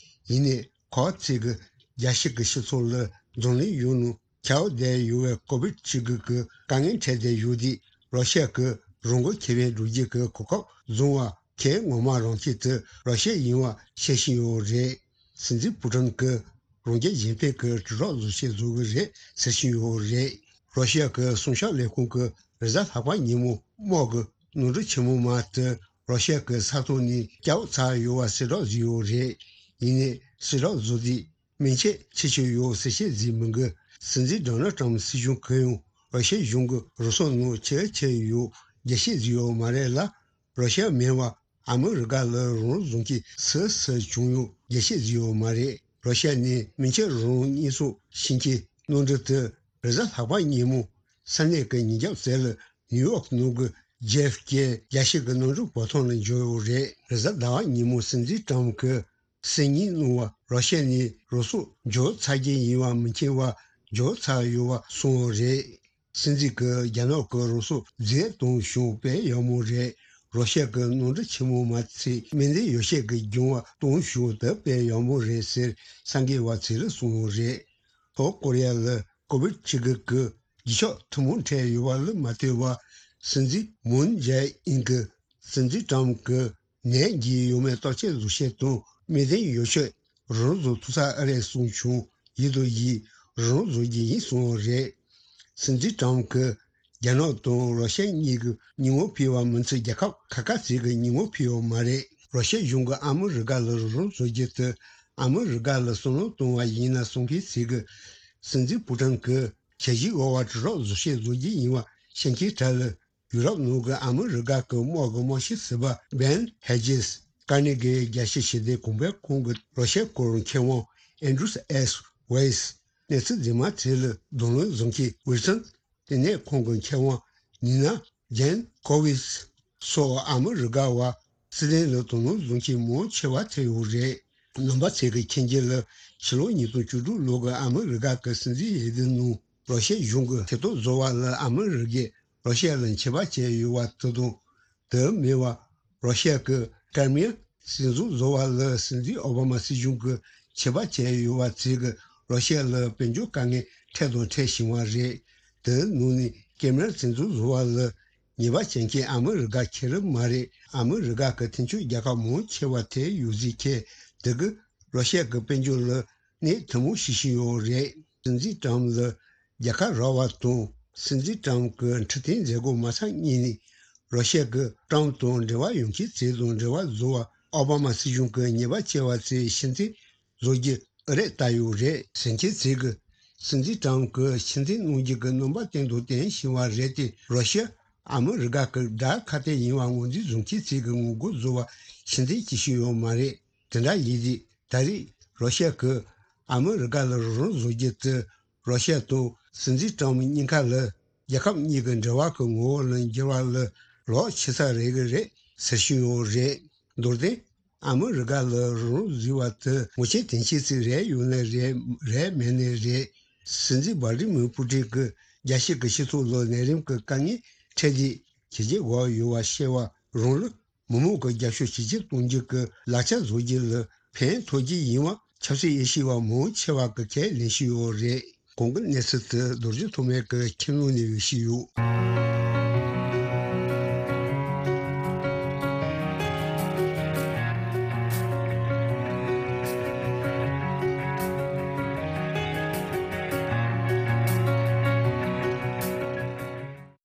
ཡིན་ནའི། ཁོ་ཚོས་ཀྱིས་རྒྱལ་སྤྱི་གི་སྤྱི་ཚོགས་ལ་འཛམ་གླིང་ཡོངས་ནང་ཁྱབ་བསྡད་ཡོད་པའི་ཀོ་བིད་བཅུ་དགུ་གི་དཀའ་ངལ་འཕྲད་བསྡད་ཡོད་དུས་རོ་ཤ་གིས་རང་འགུལ་ཁེ་ཕན་སྒྲུབ་རྒྱུ་གི་གོ་སྐབས་བཟུང་བ་ཁྱེད་ངོ་མ་རང་ཁྱེད་དེ་རོ་ཤ་ཡིན་པ་ཤེས་བཞིན་ཡོད་རེད། སྲིད་འཛིན་པུ་ཊིན་གྱིས་རང་རྒྱལ་གཞན་ཕན་གྱི་དྲིལ་སྒྲོག་བཟོ་ཆེད་བཟོ་གི་རེད་ཟེར་བཞིན་ཡོད་རེད། རོ་ཤ་གི་སྲུང་སྐྱོབ་ལས་ཁུངས་ཀྱིས་རེས་གཟའ་ལྷག་པ་ཉིན་མོ་དམག་གི་ནོར་འཁྲུལ་ཆེན་མོ་མ་དེ་རོ་ཤ་གི་ས་ཐོག་ནས་བསྐྱབས་ཚར་ཡོད་པ་གསལ་བསྒྲགས་བཟོས་ཡོད་རེད། ཡིན་ནའི་གསལ་བསྒྲགས་བཟོ་དུས་སྨན་ཆས་ཁྱད་ཆོས་ཡོད་ཟེར་བཤད་བཟོས་མི་འགི། སྲིད་འཛིན་ཌོ་ནལ་ཊམ་སྲིད་གཞུང་གིས་ཡང་རོ་ཤ་གཞུང་གིས་རུ་སོག་ནང་ཆེ་ཆེ་ཡོད་རྒྱས་བཤད་བཟོས་ཡོད་མ་རེད་ལ། རོ་ཤ་མིན་པ་ཨ་མི་རི་ཀ་ལ་རང་བཟུང་གི་སུ་སུ་བྱུང་ཡོད་རྒྱས་བཤད་བཟོས་ཡོད་མ་རེད། རོ་ཤ་ནས་སྨན་ཆས་རང་དབང་གཉེར་སྐྱོང་བྱེད་ཀྱི་གནམ་གྲུ་དེ་རེས་གཟའ་ལྷག་པ་ཉིན་མོ་ས་གནས་ཀྱི་ཉིན་རྒྱབ་ཟེར་ལ་ནིའུ་ཡོག་ནང་གི་ཇེ་ཨེཕ་ཀེ་རྒྱལ་སྤྱི་གི་གནམ་གྲུ་བར་ཐོག་ལ་འབྱོར་ཡོད་རེད། རེས་གཟའ་ཟླ་བ་ཉིན་མོ་སྲིད་འཛིན་ཊམ་གྱིས་གསར་རྙིང་གནང་བ་རོ་ཤ་ནས་རུ་སོག་འབྱོར་ཚར་གྱི་ཡིན་པ་མི་མཁྱེན་པ་འབྱོར་ཚར་ཡོད་པ་གསུངས་ཡོད་རེད། སྲིད་འཛིན་གྱིས་རྒྱ་ནག་གི་རུ་སོག་རྫས་གཏོང་ཤུགས་དཔེ་ཡག་མོ་རེད། རོ་ཤ་གི་གནམ་གྲུ་ཆེན་མོ་མ་ཚད་སྨན་རྫས་ཡོ་བྱད་ཀྱི་འབྱུང་བ་གཏོང་ཤུགས་དེ་དཔེ་ཡག་མོ་རེད་ཟེར་གསར་འགོད་པ་ཚོ་ལ་གསུངས་ཡོད་རེད། ལྷོ་ཀོ་རི་ཡ་ལ་ཀོ་བིད་བཅུ་དགུ་གི་རྗེས་ཕྱོགས་ཐུན་མོང་འཕྲད་ཡོད་པ་ལ་མ་ལྟོས་པར་སྲིད་འཛིན་མུན་ཇེ་ཨིན་གྱིས་སྲིད་འཛིན་ཊམ་གྱིས་ནད་འགོས་ཡོད་མེད་བརྟག་དཔྱད་བཟོ་ཆེད་དང་སྨན་ལྡན་ཡོ་བྱད་རང་བཟོ་ཐུབ་ས་ཨེ་རེད་གསུངས་བྱུང་། ཡིན་དང་ཡིན་རང་བཟོ་རྒྱུ་ཡིན་གསུངས་པ་རེད། སྲིད་འཛིན་ཊམ་གྱིས་རྒྱ་ནག་དང་རོ་ཤ་གཉིས་ཀྱི་ཉིན་མོ་ཕུད་པ་མིན་ཚེ་རྒྱལ་ཁབ་ཁ་ཁ་ཚིག་གི་ཉིན་མོ་ཕུད་ཡོད་མ་རེད། རོ་ཤ་གཞུང་གིས་ཨ་མི་རི་ཀ་ལ་རང་བཟོ་རྒྱུ་དེ་ ཨ་མི་རི་ཀ་ལ་བསམ་བློ་གཏོང་བ་ཡིན་ན་གསུང་མཁན་ཚོས་ཀྱི་སྲིད་འཛིན་པུ་ཏིན་གྱིས་ཁྱེད་ཀྱིས་འོ་བ་དྲི་རོགས་བཟོ་བཤད་བཟོ་རྒྱུ་ཡིན་པ་བཤད་མཁན་གྲས་ལ། ཡུ་རོབ་ནང་གི་ཨ་མི་རི་ཀ་གི་དམག་གི་དམག་སྤྱི་ཟུར་པ་བན་ཧེ་ཇེས། ཀར་ནེ་གི་རྒྱལ་སྤྱིའི་ཞི་བདེའི་གོང་འཕེལ་ཁང་གི་རོ་ཤི་ཡའི་སྐོར་མཁས་དབང་ཨན་ཌྲུས་ཨེས་ཝེས། གནས་ཚུལ་འདི་མ་ཚད་ལ་གདོང་ལེན་བཟོ་མཁན་ཝིལ་སོན་ལྟེ་གནས་ཁང་གི་མཁས་དབང་ནི་ན་ཇན་ཀོ་ཝིས་སོགས་ཨ་མི་རི་ཀ་བ་སྲིད་དོན་ལ་དོ་སྣང་བཟོ་མཁན་མང་ཆེ་བ་ཐེ་ཡོད་རེད། རྣམ་པ་ཚོས་ཀྱི་མཁྱེན་རྒྱུ་ལ་ཕྱི་ལོ་ཉིས་སྟོང་བཅུ་དྲུག་ལོ་གི་ཨ་མི་རི་ཀ་གི་སྲིད་འཛིན་འོས་བསྡུ་ནང་རོ་ཤི་ཡ་གཞུང་གི་ཐེ་གཏོགས་བཟོ་བ་ལ་ཨ་མི་རི་ཀས་རོ་ཤི་ཡ་ལ་མཆེད་པ་བཅད་ཡོད་པ་དེ་དང་། དེ་མིན་པ་རོ་ཤི་ཡ་གི་ཀི་རི་མི་ཡ་སྲིད་འཛིན་བཟོ་བ་ལ་སྲིད་འཛིན་ཨོ་བྷ་མ་སྲིད་གཞུང་གིས་མཆེད་པ་བཅད་ཡོད་པ་བཅས་ཀྱིས་རོ་ཤི་ཡ་ལ་དཔལ་འབྱོར་དཀའ་ངལ་འཕྲད་དང་འཕྲད་བཞིན་པ་རེད། དེའི་ནང་ནས་ཀི་རི་མི་ཡ་སྲིད་འཛིན་བཟོ་བ་ལ་ཉེས་པ་བཅད་མཁན་ཨ་མི་རི་ཀ་ཁེ་རུ་མ་རེད། ཨ་མི་རི་ཀ་གི་མཐུན་ཕྱོགས་རྒྱལ་ཁབ་མང་ཆེ་བ་དེ་ཡོད་ཟིག་ཁེ་དེ་གིས་རོ་ཤི་ཡ་གི་དཔལ་འབྱོར་ལ་གནོད་ཐུན་མོང་བྱེད་བཞིན་ཡོད་རེད། སྲིད་འཛིན་ཏྲམ་ལ་རྒྱལ་ཁ་རག་པ་དང་སྲིད་འཛིན་ཏྲམ་གྱི་འཕྲོད་བསྟེན་མཛད་སྒོ་མ་ཚར་སྔོན་ནས་རོ་ཤི་ཡ་གི་ཏྲམ་དང་འབྲེལ་བ་ཡོད་མཁན་ཚོ་དང་འབྲེལ་བ་བཟོ་བར་ཨོ་བྷ་མ་སྲིད་གཞུང་གིས་ཉེས་པ་བཅད་པ་ཚོའི་ཕྱིར་འཐེན་བཟོ་རྒྱུ་ཨེ་རེད་ལྟ་ཡོད་རེད་ཟེར་མཁན་ཚོས་ཀྱིས་སྲིད་འཛིན་ཏྲམ་གྱིས་ཕྱིར་འཐེན་གནང་རྒྱུ་གི་རྣམ་པ་བསྟན་དང་བསྟན་བཞིན་པ་རེད་དེ། རོ་ཤི་ཡ་ཨ་མི་རི་ཀ་གི་དགྲ་ཁ་གཏད་ཡིན་པ་ངོས་འཛིན་བཟོ་མཁན་ཚོས་ཀྱིས་ངོ་རྒོལ་བཟོ་བར་ཕྱིར་འཐེན་བྱེད་བཞིན་ཡོད་མ་རེད། དེ་འདྲ་ཡིན་དུས་ད་རེས་རོ་ཤི་ཡ་གིས་ཨ་མི་རི་ཀ་ལ་རོགས་རམ་བཟོ་རྒྱུ་དེ་རོ་ཤི་ཡ་དང་སྲིད་འཛིན་ཏྲམ་གཉིས་ཀ་ལ་རྒྱལ་ཁབ་གཉིས་ཀྱི་འབྲེལ་བ་གི་ངོ་བོ་ལ་འགྱུར་བ་ལ་ལོག་ཆེ་ས་རེད་གི་རེད་ཟེར་བཞིན་ཡོད་རེད། མདོར་བསྟན། ཨ་མི་རི་ཀ་ལ་རོགས་རམ་བཟོས་པ་དེ་ངོ་ཤེས་དོན་ཤེས་ཚོས་རེད་ཡོད་ནའི་རེད། རེད་མེད་ནའི་རེད། སྲིད་འཛིན་བྷ་ལ་ཌི་མིར་པུ་ཏིན་གྱིས་རྒྱལ་སྤྱི་གི་སྤྱི་ཚོགས་ལ་ནད་རིམས་ཀྱི་དཀའ་ངལ་འཕྲད་དུས་བྱས་རྗེས་འགོག་ཡོད་པ་ཤེས་པ་རང་ལ་མི་མང་གི་རྒྱབ་སྐྱོར་ཇེ་ཆེར་གཏོང་རྒྱུ་གི་ལག་ཆ་བཟོ་རྒྱུ་ལ་ཕན་ཐོགས་རྒྱུ་ཡིན་པ་ཆབ་སྲིད་དབྱེ་ཞིབ་པ་མང་ཆེ་བ་གིས་ཁས་ལེན་བཞིན་ཡོད་རེད། གོང་གི་གནས་ཚུལ་དེ་རྡོ་རྗེ་ཐོགས་མེད་ཀྱིས་ཁྱིམ་ནང་ནས་འོས་ཤིག་ཡོད།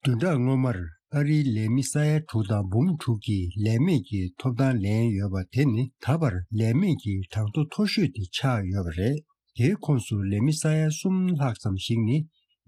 བདུན་ཕྲག་སྔོན་མར་ཨ་རིའི་ལས་མི་ས་ཡ་དྲུག་དང་འབུམ་དྲུག་གིས་ལས་མེད་ཀྱི་ཐོབ་ཐང་ལེན་ཡོད་པ་དེ་ནི་ད་བར་ལས་མེད་ཀྱི་གྲངས་ཐོ་མཐོ་ཤོས་དེ་ཆགས་ཡོད་པ་རེད། དེའི་ཁོངས་སུ་ལས་མི་ས་ཡ་གསུམ་ལྷག་ཙམ་ཞིག་ནི་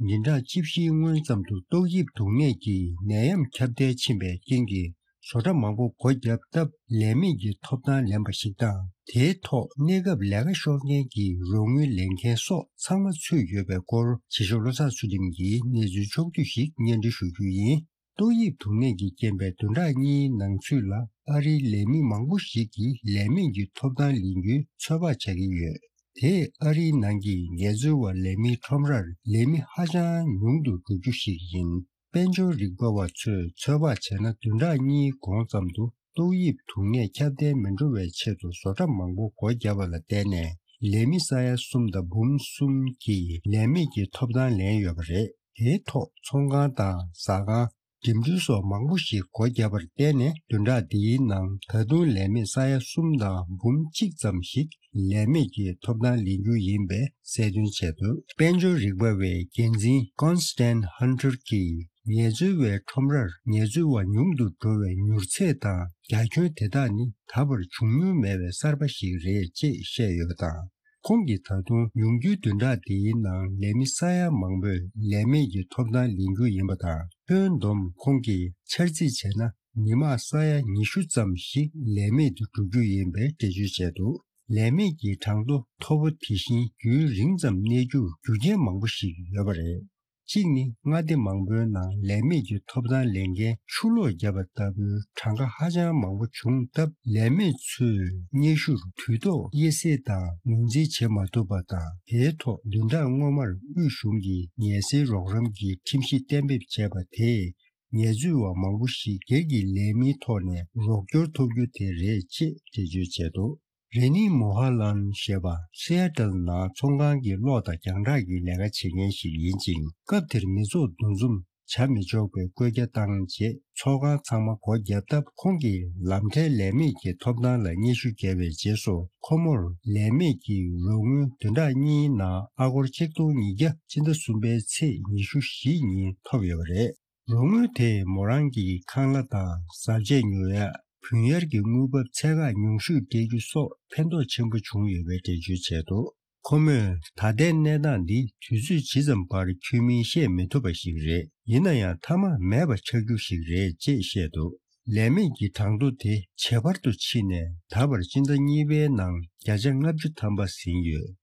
ཉིན་གྲངས་བཅུ་བཞིའི་སྔོན་ཙམ་དུ་ཏོག་དབྱིབས་སྡུག་ནད་ཀྱི་ནད་ཡམས་ཁྱབ་གདལ་ཕྱིན་པའི་རྐྱེན་གྱིས་བཟོ་གྲྭ་མང་པོ་སྒོ་བརྒྱབ་སྟབས་ལས་མེད་ཀྱི་ཐོབ་ཐང་ལེན་པ་ཞིག་དང་། དེའི་ཐོག་གནས་སྐབས་ལས་ཀ་ཤོར་མཁན་གྱི་རོགས་དངུལ་ལེན་མཁན་སོགས་ཚང་མ་ཚུད་ཡོད་པའི་སྐོར་གཞིས་བྱེས་བློ་བཟང་ཚུལ་ཁྲིམས་ཀྱིས་གནས་ཚུལ་ཕྱོགས་བསྡུས་ཤིག་སྙན་སྒྲོན་ཞུ་རྒྱུ་ཡིན། ཏོག་དབྱིབས་སྡུག་ནད་ཀྱི་རྐྱེན་པས་བདུན་ཕྲག་གཉིས་ནང་ཚུད་ལ་ཨ་རིའི་ལས་མི་མང་པོ་ཞིག་གིས་ལས་མེད་ཀྱི་ཐོབ་ཐང་ལེན་རྒྱུའི་ཚོད་དཔག་བྱ་གི་ཡོད། དེས་ཨ་རིའི་ནང་གི་ངལ་རྩོལ་བ་ལས་མིའི་ཁྲོམ་རར་ལས་མི་ཧ་ཅང་ཉུང་དུ་འགྲོ་རྒྱུ་ཞིག་ཡིན། དཔལ་འབྱོར་རིག་པ་བ་ཚོས་ཚོད་དཔག་བྱས་ན་བདུན་ཕྲག་གཉིས་གོང་ཙམ་དུ་ཏོག་དབྱིབས་སྡུག་ནད་ཁྱབ་གདལ་མི་འགྲོ་བའི་ཆེད་དུ་བཟོ་གྲྭ་མང་པོ་སྒོ་བརྒྱབ་པ་ལ་བརྟེན་ནས་ལས་མི་ས་ཡ་གསུམ་དང་འབུམ་གསུམ་གྱིས་ལས་མེད་ཀྱི་ཐོབ་ཐང་ལེན་ཡོད་པ་རེད། དེའི་ཐོག་ཚོང་ཁང་དང་ཟ་ཁང་། འགྲིམ་འགྲུལ་སོགས་མང་པོ་ཞིག་སྒོ་བརྒྱབ་པར་བརྟེན་ནས་བདུན་ཕྲག་འདིའི་ནང་ད་དུང་ལས་མེད་ས་ཡ་གསུམ་དང་འབུམ་གཅིག་ཙམ་ཞིག་ལས་མེད་ཀྱི་ཐོབ་ཐང་ལེན་རྒྱུ་ཡིན་པའི་གསལ་སྟོན་བྱས་འདུག་དཔལ་འབྱོར་རིག་པ་བའི་འགན་འཛིན་Constance Hunter གྱིས་ངལ་རྩོལ་བའི་ཁྲོམ་རར་ངལ་རྩོལ་བ་ཉུང་དུ་འགྲོ་བའི་མྱུར་ཚད་དང་རྒྱ་ཁྱོན་དེ་དག་ནི་ད་བར་བྱུང་མྱོང་མེད་པའི་གསར་པ་ཞིག་རེད་ཅེས་བཤད་ཡོད་པ་དང་། ཁོང་གིས་ད་དུང་ཉུང་རྒྱུའི་བདུན་ཕྲག་འདིའི་ནང་ལས་མི་ས་ཡ་མང་པོས་ལས་མེད་ཀྱི་ཐོབ་ཐང་ལེན་རྒྱུ་ཡིན་པ་དང་། ཁྱོན་བསྡོམས་ཁོང་གིས་འཆར་རྩིས་བྱས་ན་མི་མང་ས་ཡ་ཉི་ཤུ་ཙམ་ཞིག་ལས་མེད་དུ་འགྲོ་རྒྱུ་ཡིན་པའི་འགྲེལ་བརྗོད་བྱས་འདུག་ལས་མེད་ཀྱི་གྲངས་ཐོ་མཐོ་པོ་དེ་བཞིན་རྒྱུན་རིང་ཙམ་གནས་རྒྱུར་རྒྱུ་རྐྱེན་མང་པོ་ཞིག་ཡོད་པ་རེད། གཅིག་ནི་མངའ་སྡེ་མང་པོའི་ནང་ལས་མེད་ཀྱི་ཐོབ་ཐང་ལེན་མཁན་ཆུ་ལོག་བརྒྱབ་པ་ལྟ་བུའི་གྲངས་ཀ་ཧ་ཅང་མང་པོ་བྱུང་སྟབས། ལས་མེད་ཚོས་སྙན་ཞུར་དུས་ཐོག་དབྱེ་གསེས་དང་ངོས་འཛིན་བྱེད་མ་ཐུབ་པ་དང་། དེའི་ཐོག་བདུན་ཕྲག་སྔོན་མར་དབུས་གཞུང་གིས་ངལ་སེལ་རོགས་རམ་གྱི་ཁྲིམས་གཞི་གཏན་འབེབས་བྱས་པ་དེས། ངལ་རྩོལ་བ་མང་པོ་ཞིག་སྒེར་གྱི་ལས་མིའི་ཐོག་ནས་རོགས་སྐྱོར་ཐོབ་རྒྱུ་དེ་རེད་ཅེས་འགྲེལ་བརྗོད་བྱས་འདུག་རེ་ནི་མོ་ཧ་ལན་ཞེས་པ་སི་ཨེ་ཏལ་ནང་ཚོང་ཁང་གི་གློག་དང་རྒྱང་བསྒྲགས་ཀྱི་ལས་ཀ་བྱེད་མཁན་ཞིག་ཡིན་ཅིང་། སྐབས་དེར་མི་ཚོགས་འདུ་འཛོམས་བྱ་མི་ཆོག་པའི་བཀོད་རྒྱ་བཏང་རྗེས་ཚོགས་ཁང་ཚང་མ་སྒོ་བརྒྱབ་སྟབས། ཁོང་གིས་ལམ་ཁྲལ་ལས་མེད་ཀྱི་ཐོབ་ཐང་ལ་སྙན་ཞུ་བརྒྱབ་པའི་རྗེས་སུ། ཁོ་མོར་ལས་མེད་ཀྱི་རོགས་དངུལ་བདུན་ཕྲག་གཉིས་ནང་ཨ་སྒོར་ཆིག་སྟོང་ཉིས་བརྒྱ་སྤྱི་ཟླ་གསུམ་པའི་ཚེས་ཉི་ཤུ་བཞི་ཉིན་ཐོབ་ཡོད་པ་རེད། རོགས་དངུལ་དེས་མོ་རང་གི་ཁང་གླ་དང་བཟའ་ཆས་ཉོ་ཡ། བུན་གཡར་གྱི་དངུལ་འབབ་ཚད་བཀག་ཉུང་ཤོས་སྤྲད་རྒྱུ་སོགས་ཕན་ཐོགས་ཆེན་པོ་བྱུང་ཡོད་པའི་འགྲེལ་བརྗོད་བྱས་འདུག་ཁོ་མོས་ད་ལྟའི་གནས་སྟངས་འདི་དུས་ཚོད་ཇི་ཙམ་བར་ཁྱོན་མིན་བཤད་མི་ཐུབ་པ་ཞིག་རེད། ཡིན་ན་ཡང་མཐའ་མ་མེད་པ་ཆགས་རྒྱུ་ཞིག་རེད་ཅེས་བཤད་འདུག་ལས་མེད་ཀྱི་གྲངས་ཐོ་དེ་ཇེ་འཕར་དུ་ཕྱིན་ནས་ད་བར་སྤྱི་ཟླ་གཉིས་པའི་ནང་བརྒྱ་ཆ་ལྔ་བཅུ་ཐམ་པ་ཟིན་ཡོད།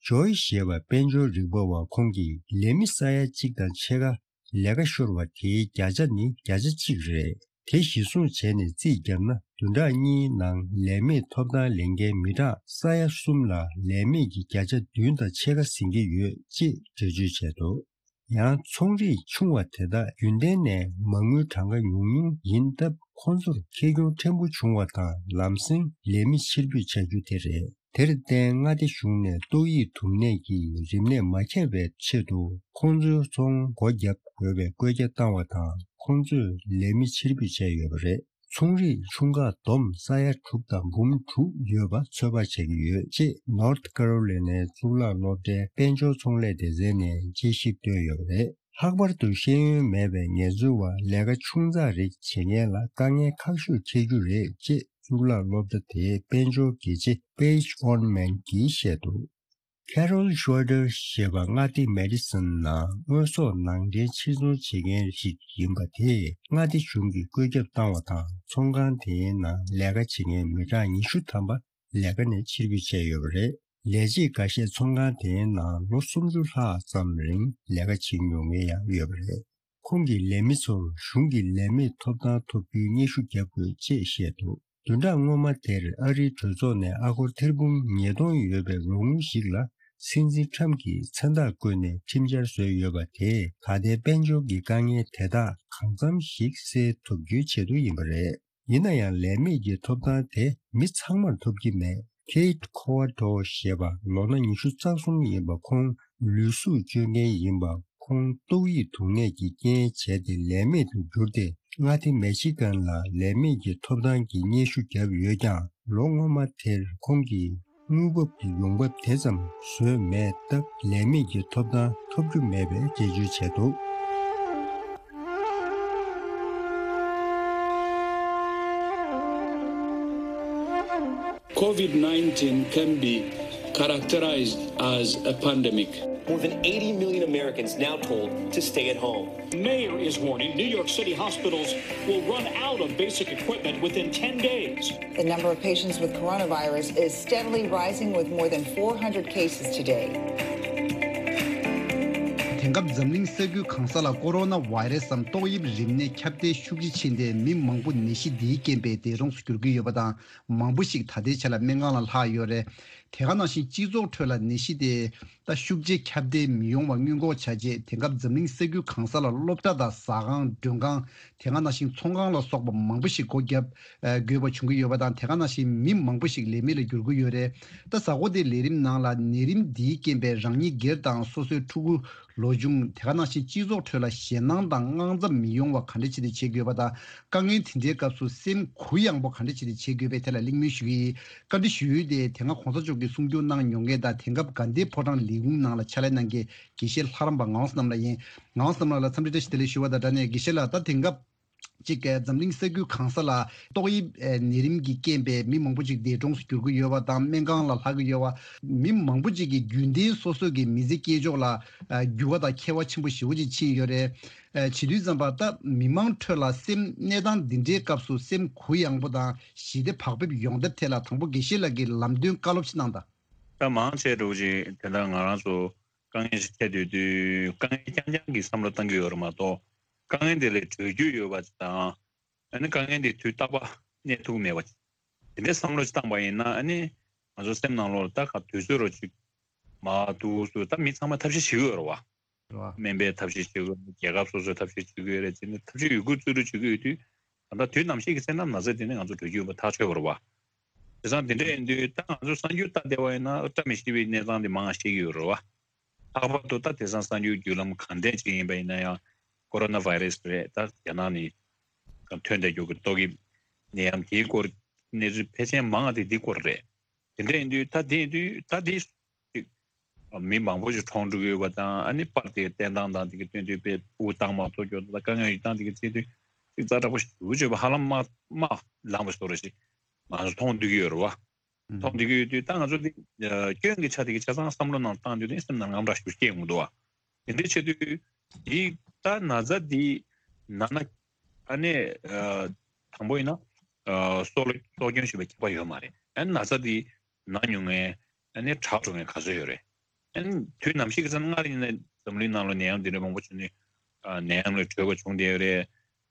ཇོའི་ཞེས་པ་དཔལ་འབྱོར་རིག་པ་བ་ཁོང་གིས་ལས་མི་ས་ཡ་གཅིག་དང་ཕྱེད་ཀ་ལས་ཀ་ཤོར་བ་དེའི་བརྒྱ་ཆ་ནི་བརྒྱ་ཆ་གཅིག་རེད། དེ་གཞི་བཟུང་བྱས་ནས་རྩིས་བརྒྱབ་ན་བདུན་ཕྲག་གཉིས་ནང་ལས་མེད་ཐོབ་ཐང་ལེན་མཁན་མི་གྲངས་ས་ཡ་གསུམ་ལ་ལས་མེད་ཀྱི་བརྒྱ་ཆ་བདུན་དང་ཕྱེད་ཀ་ཟིན་གྱི་ཡོད་ཅེས་འགྲེལ་བརྗོད་བྱས་འདུག་ཡང་ཚོང་རིགས་ཆུང་བ་དེ་དག་རྒྱུན་ལྡན་ནས་མ་དངུལ་གྲངས་ཀ་ཉུང་ཉུང་ཡིན་སྟབས་ཁོང་ཚོར་ཁེ་གྱོང་ཕྲན་བུ་བྱུང་བ་དང་ལམ་སེང་ལས་མི་ཕྱིར་འབུད་བྱ་རྒྱུ་དེ་རེད། དེར་བརྟེན་མངའ་སྡེ་གཞུང་ནས་ཏོག་དབྱིབས་དུག་ནད་ཀྱིས་རིམས་ནད་མ་ཁྱབ་པའི་ཆེད་དུ་ཁོང་ཚོའི་ཚོང་སྒོ་བརྒྱབ་དགོས་པའི་བཀོད་ཁྱབ་བཏང་བ་དང་ཁོང་ཚོས་ལས་མི་ཕྱིར་འབུད་བྱས་ཡོད་པ་རེད། ཚོང་རིགས་ཆུང་ཁག་བསྡོམས་ས་ཡ་དྲུག་དང་འབུམ་དྲུག་ཡོད་པ་ཚོད་དཔག་བྱེད་ཀྱི་ཡོད་ཅེས་North Carolina གཙུག་ལག་སློབ་གྲྭའི་དཔལ་འབྱོར་ཚོང་ལས་སྡེ་ཚན་ནས་དཔྱད་ཞིབ་བཏོན་ཡོད་པ་རེད། ལྷག་པར་དུ་ཤེས་ཡོན་མེད་པའི་ངལ་རྩོལ་བ་ལས་ཀ་ཆུང་ཙག་རིགས་བྱེད་མཁན་ལ་དཀའ་ངལ་ཁག་ཤོས་འཕྲད་རྒྱུ་རེད་ཅེས་གཙུག་ལག་སློབ་གྲྭ་དེའི་དཔལ་འབྱོར་དགེ་ཆེ་Paige Orman གྱིས་བཤད་འདུག Carol Schroeder ཞེས་པ་མངའ་སྡེ་Madison ནང་དངོས་ཟོག་ནང་འདྲེན་ཕྱིར་ཚོང་བྱེད་མཁན་ཞིག་ཡིན་པ་དེས་མངའ་སྡེ་གཞུང་གིས་བཀོད་ཁྱབ་བཏང་བ་དང་ཚོང་ཁང་དེའི་ནང་ལས་ཀ་བྱེད་མཁན་མི་གྲངས་ཉི་ཤུ་ཐམ་པ་ལས་ཀ་ནས་ཕྱིར་འབུད་བྱས་ཡོད་པ་རེད། ལས་བྱེད་འགའ་ཤས་ཚོང་ཁང་དེའི་ནང་ལོ་སུམ་ཅུ་ལྷག་ཙམ་རིང་ལས་ཀ་བྱེད་མྱོང་མཁན་ཡང་ཡོད་པ་རེད། ཁོང་གིས་ལས་མི་ཚོར་གཞུང་གི་ལས་མེད་ཐོབ་ཐང་ཐོབ་རྒྱུའི་སྙན་ཞུ་བརྒྱབ་དགོས་ཅེས་བཤད་འདུག་བདུན་ཕྲག་སྔོན་མ་དེར་ཨ་རིའི་གྲོས་ཚོགས་ནས་ཨ་སྒོར་ཐེར་འབུམ་ཉིས་སྟོང་ཡོད་པའི་རོགས་དངུལ་ཞིག་ལ་སྲིད་འཛིན་ཁྲམ་གྱིས་མཚན་རྟགས་བཀོད་ནས་ཁྲིམས་འཆར་བཟོས་ཡོད་པ་དེས་ད་ལྟའི་དཔལ་འབྱོར་གྱི་དཀའ་ངལ་དེ་དག་གང་འཚམ་ཞིག་སེལ་ཐུབ་རྒྱུའི་ཆེད་དུ་ཡིན་པ་རེད། ཡིན་ན་ཡང་ལས་མེད་ཀྱི་ཐོབ་ཐང་དེ་མི་ཚང་མར་ཐོབ་ཀྱི་མེད། Kate Coverdell ཞེས་པ་ལོ་ན་ཉི་ཤུ་རྩ་གསུམ་ཡིན་པ་ཁོང་ལུས་ཟུག་བཅོས་མཁན་ཡིན་པ་ཁོང་ཏོག་དབྱིབས་དུག་ནད་ཀྱི་རྐྱེན་བྱས་ཏེ་ལས་མེད་དུ་གྱུར་ཏེ་མངའ་སྡེ་མེ་ཤི་གན་ལ་ལས་མེད་ཀྱི་ཐོབ་ཐང་གི་སྙན་ཞུ་བརྒྱབ་ཡོད་ཀྱང་ལོ་སྔོན་མ་དེར་ཁོང་གིས་དངུལ་འབབ་ཀྱི་ཡོང་འབབ་དེ་ཙམ་བཟོས་མེད་སྟབས་ལས་མེད་ཀྱི་ཐོབ་ཐང་ཐོབ་རྒྱུ་མེད་པའི་འགྲེལ་བརྗོད་བྱས་འདུག COVID nineteen can be characterized as a pandemic. More than eighty million Americans now told to stay at home. Mayor is warning New York City hospitals will run out of basic equipment within ten days. The number of patients with coronavirus is steadily rising, with more than four hundred cases today. དེང་སྐབས་འཛམ་གླིང་ས་ཁུལ་གང་ས་ལ་ཀོ་རོ་ན་བྷའི་རེ་སམ་ཏོག་དབྱིབས་རིམས་ནད་ཁྱབ་གདལ་ཤུགས་ཆེ་ཕྱིན་ཏེ་མི་མང་པོ་ནད་གཞི་འདིའི་རྐྱེན་པས་འདས་གྲོངས་སུ་གྱུར་གྱི་ཡོད་པ་དང་མང་པོ་ཞིག་ད་ལྟའི་ཆ་ལ་སྨན་ཁང་ལ་ལྷག་ཡོད་རེད། དེ་ག་ནང་བཞིན་སྤྱི་ཚོགས་ཁྲོད་ལ་ནད་གཞི་དེ་ད་ཤུགས་ཆེ་ཁྱབ་གདལ་མི་ཡོང་བ་སྔོན་འགོག་བྱ་ཆེད་དེང་སྐབས་འཛམ་གླིང་ས་ཁུལ་གང་ས་ལ་སློབ་གྲྭ་དང་ཟ་ཁང་མགྲོན་ཁང་དེ་ག་ནང་བཞིན་ཚོང་ཁང་ལ་སོགས་པ་མང་པོ་ཞིག་སྒོ་བརྒྱབ་དགོས་པ་བྱུང་གི་ཡོད་པ་དང་དེ་ག་ནང་བཞིན་མི་མང་པོ་ཞིག་ལས་མེད་ལ་འགྱུར་གྱི་ཡོད་རེད། ད་གཟའ་འཁོར་འདིའི་ལས་རིམ་ནང་ལ་ནད་རིམས་འདིའི་རྐྱེན་པས་རང་ཉིད་སྒེར་དང་སོ་སོའི་ཕྲུ་གུ། ལོ་ཆུང་དེ་ག་ནང་བཞིན་སྤྱི་ཚོགས་ཁྲོད་ལ་ཞེད་སྣང་དང་དངངས་འཚབ་མི་ཡོང་བ་ག་འདྲ་བྱས་ཏེ་བྱེད་དགོས་པ་དང་དཀའ་ངལ་དེ་འདྲའི་སྐབས་སུ་སེམས་གུ་ཡངས་པོ་ག་འདྲ་བྱས་ཏེ་བྱེད་དགོས་པའི་ཐད་ལ་གླེང་མོལ་ཞུ་གི་ཡིན། བཀའ་འདྲི་ཞུ་ཡུལ་དེ་དེ་སྔ་གོང་ས་མཆོག་གིས་གསུང་བསྒྱུར་གནང་མྱོང་མཁན་དང་དེང་སྐབས་དགའ་ལྡན་ཕོ་བྲང་ལས་ཁུངས་ནང་ལ་ཕྱག་ལས་གནང་མཁན་དགེ་བཤེས་ལྷ་རམས་པ་ངག་དབང་བསོད་ནམས་ལགས་ཡིན། ངག་དབང་བསོད་ནམས་ལགས་ལ་འཚམས་འདྲི་བཀྲ་ཤིས་བདེ་ལེགས་ཞུ་བ་དང་སྦྲགས་ནས་དགེ་བཤེས་ལགས་ད་དེང་སྐབས། གཅིག་གིས་འཛམ་གླིང་ས་ཁུལ་གང་ས་ལ་ཏོག་དབྱིབས་ཨེ་ནད་རིམས་ཀྱི་རྐྱེན་པས་མི་མང་པོ་ཅིག་འདས་གྲོངས་སུ་གྱུར་གྱི་ཡོད་པ་དང་སྨན་ཁང་ལ་ལྷག་གི་ཡོད་པ། མི་མང་པོ་ཅིག་གིས་རྒྱུན་ལྡན་སོ་སོ་གི་མི་ཚེ་སྐྱེལ་ཕྱོགས་ལ་ཨ་འགྱུར་བ་དང་ཁྱད་པར་ཆེན་པོ་ཞེ་པོ་ཅིག་ཕྱིན་ཡོད་རེད། ཨ་བྱེད་དུས་ཙམ་པ་ད་མི་མང་ཁྲོད་ལ་སེམས་གནས་སྟངས་འདི་འདྲའི་སྐབས་སུ་སེམས་གུ་ཡངས་པོ་དང་ཞི་བདེ་བག་ཕེབས་ཡོང་ཐབས་ཐད་ལ་དང་པོ་དགེ་བཤེས་ལགས་ཀྱིས་ལམ་སྟོན་བཀའ་སློབ་ཅིག་གནང་དང་། ད་མང་ཆེ་འགྲོ་ཅིག་དེ་འདྲ་ང་རང་ཚོ་དཀའ་ངལ་ཞིག་འཕྲད་སྡོད་དུས་དཀའ་ངལ་རྐྱང་རྐྱང་གི་བསམ་བློ་བཏང་གི་ཡོད་རེད་མ་གཏོགས། དཀའ་ངལ་དེ་ལས་གྲོལ་རྒྱུ་ཡོད་པ་དང་། ཨ་ནི་དཀའ་ངལ་དེ་དུས་རྟག་པ་གནས་ཐུབ་མེད་པ། དེ་འདྲའི་བསམ་བློ་ཞིག་བཏང་པ་ཡིན་ན་ཨ་ནི་ང་ཚོ་སེམས་ནང་ལོགས་ལ་ད་ག་དུས་ཚོད་རོ་ཅིག་མ་འདུག་སུ་ད་མི་ཚང་མ་ཐབས་ཤེས་བྱེད་ཀྱི་ཡོད་རེད་བ། རེད་བ། སྨན་པས་ཐབས་ཤེས་བྱེད་ཀྱི་ཡོད་རེད། རྒྱལ་ཁབ་སོ་སོས་ཐབས་ཤེས་བྱེད་ཀྱི་ཡོད་རེད། དེ་ནི་ཐབས་ཤེས་ཡོད་རྒུ་རྩལ་སྤྲུགས་བྱེད་ཀྱི་ཡོད་དུས་ད་ལྟ་དུས་ནམ་ཞིག་གི་ཚེ་ན་ན་ཚ་དེ་ནི་ང་ཚོ་འགྲོ་རྒྱུ་ཡོད་པ་ཐག་ཆོད་པ་རེད་བ། དེང་སང་དེ་འདྲ་ཡིན་དུས་ད་ང་ཚོ་གསར་འགྱུར་ལྟ་བསྡད་པ་ཡིན་ན་བཀྲ་མི་ཤིས་པའི་གནས་སྟངས་དེ་མང་བ་ཤེས་ཀྱི་ཡོད་རེད་བ། ལྷག་པར་དུ་ད་དེང་སང་གསར་འགྱུར་བརྒྱུད་ལམ་གང་འདྲ་ཅིག་ཡིན་པ་ཡིན་ན་ཡང་ཀོ་རོ་ན་བྷའི་རེ་སི་རེད། ད་རྒྱ་ནག་ནས་ཐོན་བསྡད་རྒྱུ་གི་ཏོག་དབྱིབས་ནད་ཡམས་དེའི་སྐོར་གནས་ཚུལ་ཕལ་ཆེར་མང་བ་དེ་འདི་སྐོར་རེད། དེ་འདྲ་ཡིན་དུས་ད་དེ་ཡིན་དུས་ད་དེ་ཅིག་མི་མང་པོ་ཞིག་གྲོངས་འགྲོ་གི་ཡོད་པ་དང་ཨ་ནི་པར་དེ་གི་བསྟན་སྟངས་དང་དེ་གི་སྟོན་དུས་དཔེ་དབུགས་བཏང་མ་ཐུབ་རྒྱུ་དང་དཀའ་ངལ་ཡོད་སྟངས་དེ་གི་བརྩིས་དུས་ ཏིག་ཙ་དྲག་པོ་ཞེ་པོ་བརྗོད་པ་ཧ་ལམ་དམག་དམག་ལངས་པ་བཟོ་འདྲ་ཞིག་ང་ཚོ་མཐོང་བསྡད་ཀྱི་ཡོད་རེད་བ། མཐོང་བསྡད་ཀྱི་ཡོད་དུས་ད་ང་ཚོ་འདི་སྐྱོན་གྱི་ཆ་དེ་གི་ཆ་ཚང་བསམ་བློ་ནང་བཏང་དུས་དེ་སེམས་ནང་དངངས་སྐྲག་ཞེ་པོ་སྐྱེ་ཡོང་གི་འདུག་བ། དེ་འདྲའི་ཆེད་དུ་འདི་ད་ན་ཚ་འདི་ན་ན་ཨ་ནི་དང་པོ་ཡིན་ན་སྲོག་ལ་སྲོག་སྐྱོན་ཞེ་པོ་ཁྱབ་པ་ཡོད་མ་རེད། ཨ་ནི་ན་ཚ་འདི་ན་མྱོང་མཁན་ཨ་ནི་དྲག་འགྲོ་མཁན་ག་ཚོད་ཡོད་རེད། ཨ་ནི་དུས་ནམ་ཞིག་གི་ཚེ་སྔར་ཡིན་ན་འཛམ་གླིང་ནང་ལ་ནད་ཡམས་འདི་འདྲ་མང་པོ་བྱུང་ནས་ནད་ཡམས་ལས་གྲོལ་བ་བྱུང་བསྡད་ཡོད་རེད།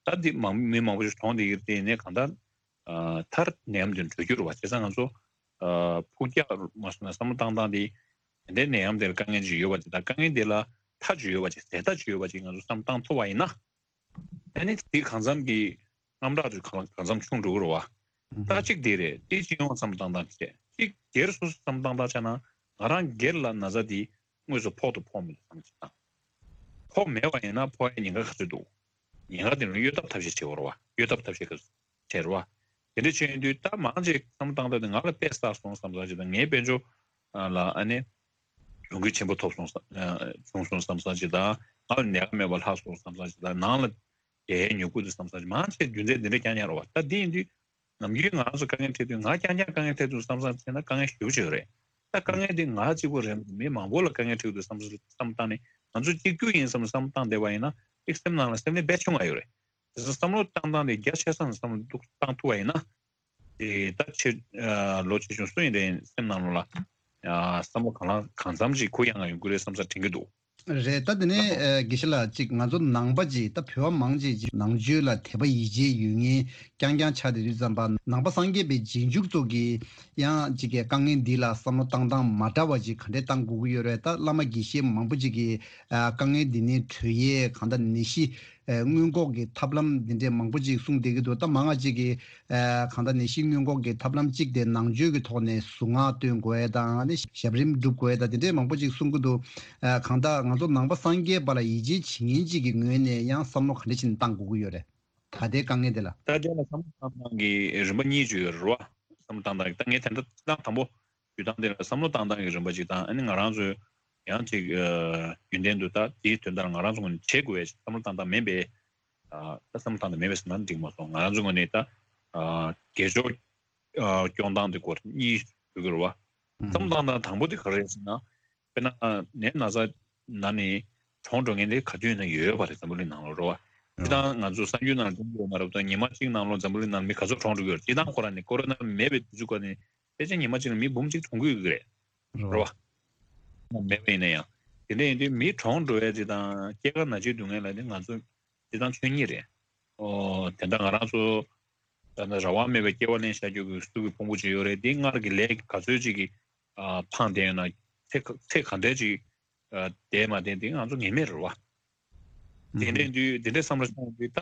ད་འདི་མང་མི་མང་པོ་ཞིག་གྲོངས་བསྡད་ཀྱི་རེད། དེ་ཡིན་ནའི་གང་ལྟར་མཐར་ནད་ཡམས་འདི་གྲོལ་རྒྱུ་རེད་བ། བྱས་ཙང་ང་ཚོ་ཕུགས་རྒྱག་མ་སོང་ན་བསམ་བློ་བཏང་སྟངས་དེ་དེ་འདྲའི་ནད་ཡམས་དེར་དཀའ་ངལ་ཅིག་ཡོད་པ་དེ་དང་དཀའ་ངལ་དེ་ལ་མཐའ་ཅིག་ཡོད་པ་ཅིག་ཟད་མཐའ་ཅིག་ཡོད་པ་ཅིག་ང་ཚོ་བསམ་བློ་བཏང་ཐུབ་པ་ཡིན་ན། ཨ་ནི་དེ་གང་འཚམ་གྱི་རྣམ་གྲངས་དེ་གང་གང་འཚམ་ཆུང་འགྲོ་གི་རེད་བ། ད་གཅིག་དེ་རེད། དེ་སྤྱི་ཡོངས་བསམ་བློ་བཏང་སྟངས་བྱས། གཅིག་སྒེར་སོ་སོ་བསམ་བློ་བཏང་སྟངས་བྱས་ན་ང་རང་སྒེར་ལ་ན་ཚ་དེ་དངོས་སུ་ཕོག་ཏུ་ཕོག་མི་འདུག་བསམ་གྱི་བཏང་། ཕོག་མེད་པ་ཡིན་ན་ཕོག་ཡ་ཉེན་ཁ་ག་ཚོད་འདུག་ཉེན་ཁ་དེ་ནི་གཡོལ་ཐབས་ཐབས་ཤེས་བྱེད་དགོས་རེད་བ། གཡོལ་ཐབས་ཐབས་ཤེས་ག་ཚོད་བྱེད་རེད་བ། དེ་འདྲ་བྱས་ཡོང་དུས་ད་མང་ཆེ་བསམ་བློ་བཏང་སྟངས་དེ་ང་ལ་དཔེ་བསགས་སོང་བསམ་བསམ་ཅིག་དང་། ངའི་དཔལ་འབྱོར་ལ་ཨ་ནི་གྱོང་གུད་ཆེན་པོ་ཐོབ་སོང་བསམ་བྱུང་སོང་བསམ་བསམ་ཅིག་དང་། ང་ལ་ནད་རྐྱེན་མེད་པ་ལྷག་སོང་བསམ་བསམ་ཅིག་དང་། ནང་ལ་རྒྱལ་ཡའི་མྱུ་གུ་དེ་བསམ་བསམ་ཅིག་མང་ཆེ་རྒྱུ་མཚན་འདི་འདྲ་རྐྱང་རྐྱང་རེད་བ། ད་འདི་ཡིན་དུས་ནམ་རྒྱུན་ང་རང་ཚོ་དཀའ་ངལ་འཕྲད་དུས་ང་རྐྱང་རྐྱང་དཀའ་ངལ་འཕྲད་དུས་བསམ་བསམ་བྱས་ན་དཀའ་ངལ་ཞེ་པོ་ཅིག་ཡོད་རེད། ད་དཀའ་ངལ་འདི་ང་གཅིག་པོ་རེད། མི་མང་པོ་ལ་དཀའ་ངལ་འཕྲད་དུས་བསམ་བསམ་བསམ་བཏང་ནས་ང་ཚོ་གཅིག་གྱུར་ཡིན་བསམ་བསམ་བཏང་བསྡད་པ་ཡིན་ན་ཅིག་སེམས་ནང་ལ་སེམས་ནད་རྦད་བྱུང་བ་ཡོད་རེད། དེ་ཚོ་བསམ་བློ་བཏང་སྟངས་དེ་རྒྱ་ཆེ་ས་ནས་བསམ་བློ་བཏང་ཐུབ་པ་ཡིན་ན། དེ་ད་ཆེ་ལོ་ཆེ་ཆུང་སུ་ཡིན་རེད། སེམས་ནང་ལོགས་ལ་བསམ་བློ་གང་ལ་གང་འཚམ་ཅིག་གུ་ཡངས་ཡོང་གི་རེད་བསམ་ས་དྲན་གྱི་འདུག་རེད། ད་དེ་ནས་ཨ་དགེ་བཤེས་ལགས་ཅིག་ང་ཚོ་ནང་པ་ཅིག་ད་བོད་པ་མང་ཆེ་ཅིག་ནང་ཆོས་ལ་དད་པ་ཡིད་ཆེས་ཡོད་མཁན་རྐྱང་རྐྱང་ཆགས་བསྡད་དུས་ཙམ་པ། ནང་པ་སངས་རྒྱས་པའི་རྗེས་འཇུག་ཚོ་གིས་ཡང་ཅིག་གི་དཀའ་ངལ་འདི་ལ་བསམ་བློ་བཏང་སྟངས་མ་འདྲ་བ་ཅིག་ག་འདྲས་བཏང་དགོས་ཀྱི་ཡོད་རེད། ད་བླ་མ་དགེ་བཤེས་མང་པོ་ཅིག་གིས་ཨ་དཀའ་ངལ་འདི་ནས་གྲོལ་ཡས་གང་ལྟར་ནད་གཞི་ཨ་སྔོན་འགོག་གི་ཐབས་ལམ་འདི་འདྲས་མང་པོ་ཅིག་གསུངས་བསྡད་ཀྱི་འདུག་ད་མང་ང་ཅིག་གིས་ཨ་གང་ལྟར་ནད་གཞི་སྔོན་འགོག་གི་ཐབས་ལམ་གཅིག་དེ་ནང་ཆོས་ཀྱི་ཐོག་ནས་གཟུངས་སྔགས་འདོན་དགོས་ཡས་དང་། ཨ་ནི་ཞབས་རིམ་སྒྲུབ་དགོས་ཡས་དང་དེ་འདྲས་མང་པོ་ཅིག་གསུང་གི་འདུག་ཨ་གང་ལྟར་ང་ཚོ་ནང་པ་སངས་རྒྱས་པ་ལ་ཡིད་ཆེས་བྱེད་མཁན་ཅིག་གི་ངོས་ནས་ཡང་བསམ་བློ་ག་འདྲ་ཞིག་བཏང་དགོས་ཀྱི་ཡོད་རེད། ད་ལྟའི་དཀའ་ངལ་འདི་ལ། ད་ལྟའི་ལ་བསམ་བློ་བཏང་སྟངས་ཀྱི་རིམ་པ་གཉིས་ཅིག་ཡོད་རེད་བ། བསམ་བློ་བཏང་སྟངས་ཀྱི་ད་ངས་དེ་འདྲ་བཏང་དང་པོ་ཞུ་སྟངས་དེ་ལ་བསམ་བློ་བཏང་སྟངས་ཀྱི་རིམ་པ་ཅིག་དང་། ཨ་ནི་ང་རང་ཚོའི་ཡང་ཅིག་ཨ་རྒྱུན་ལྡན་དུ་ད་དེའི་དོན་དག་ང་རང་ཚོ་ངོས་ནས་བྱེད་དགོས་པའི་བསམ་བློ་བཏང་སྟངས་མིན་པའི། ཨ་ད་བསམ་བློ་བཏང་སྟངས་མིན་པས་ཟེར་ན་འགྲིག་མ་སོང་། ང་རང་ཚོ་ངོས་ནས་ད་ཨ་དགེ་སྦྱོར་ཨ་སྐྱོང་སྟངས་དེ་སྐོར་གཉིས་ཞུ་གི་རེད་བ། ཨུ་བསམ་བློ་བཏང་སྟངས་དང་པོ་དེ་ག་རེ་རེད་ཟེར་ན། དཔེར་ན་ནད་ན་ཚ་ན་ནས་གྲོངས་འགྲོ་མཁན་དེ་ག་དུས་ཡིན་ན་ཡོད་པ་རེད། འཛམ་བུ་གླིང་ནང་ལོགས་རེད་བ། སྤྱིར་བཏང་ང་ཚོ་གསར་འགྱུར་ནང་ལ་མཐོང་གི་ཡོད་མ་རེད་པ། ད་ཉི་མ་གཅིག་ནང་ལོགས་འཛམ་བུ་གླིང་ནང་མི་ག་ཚོད་གྲོངས་འགྲོ་གི་ཡོད་རེད། སྤྱིར་བཏང་ཁོ་རང་ནས་ཀོ་རོ་ན་མེད་པའི་དུས་ཚོད་སྐབས་ནས་ཕལ་ཆེར་ཉི་མ་གཅིག་ལ་མི་འབུམ་གཅིག་གྲོངས་ཀྱི་ཡོད་ཀྱི་རེད། རེད་བ། མེད་པ་ཡིན་ན་ཡང་། དེ་འདྲ་ཡིན་དུས་མི་གྲོངས་འགྲོ་ཡ་དེ་དང་སྐྱེ་རྒ་ན་འཆི་སྡུག་བསྔལ་ལ་ནི་ང་ཚོ་སྤྱིར་བཏང་ཆོས་ཉིད་རེད། ཨོ་དེ་འདྲ་ང་རང་ཚོ་ད་ནི་རང་དབང་མེད་པའི་སྐྱེ་བ་ལེན་བྱ་རྒྱུ་གི་གཟུགས་ཀྱི་ཕུང་པོ་ཅིག་ཡོད་རེད། དེ་སྔར་གྱི་ལས་ག་ཚོད་ཅིག་གིས་ཨ་འཕངས་བསྡད་ཡོད་ན། ཚེ་ག་ཚེ་ག་འདྲས་ཅིག་ཨ་བསྡད་མ་བསྡད་དེ་ང་ཚོ་ངེས་མེད་རེད་བ། དེ་འདྲའི་དུས་དེ་འདྲའི་བསམ་བློ་བཏང་དུས་ད་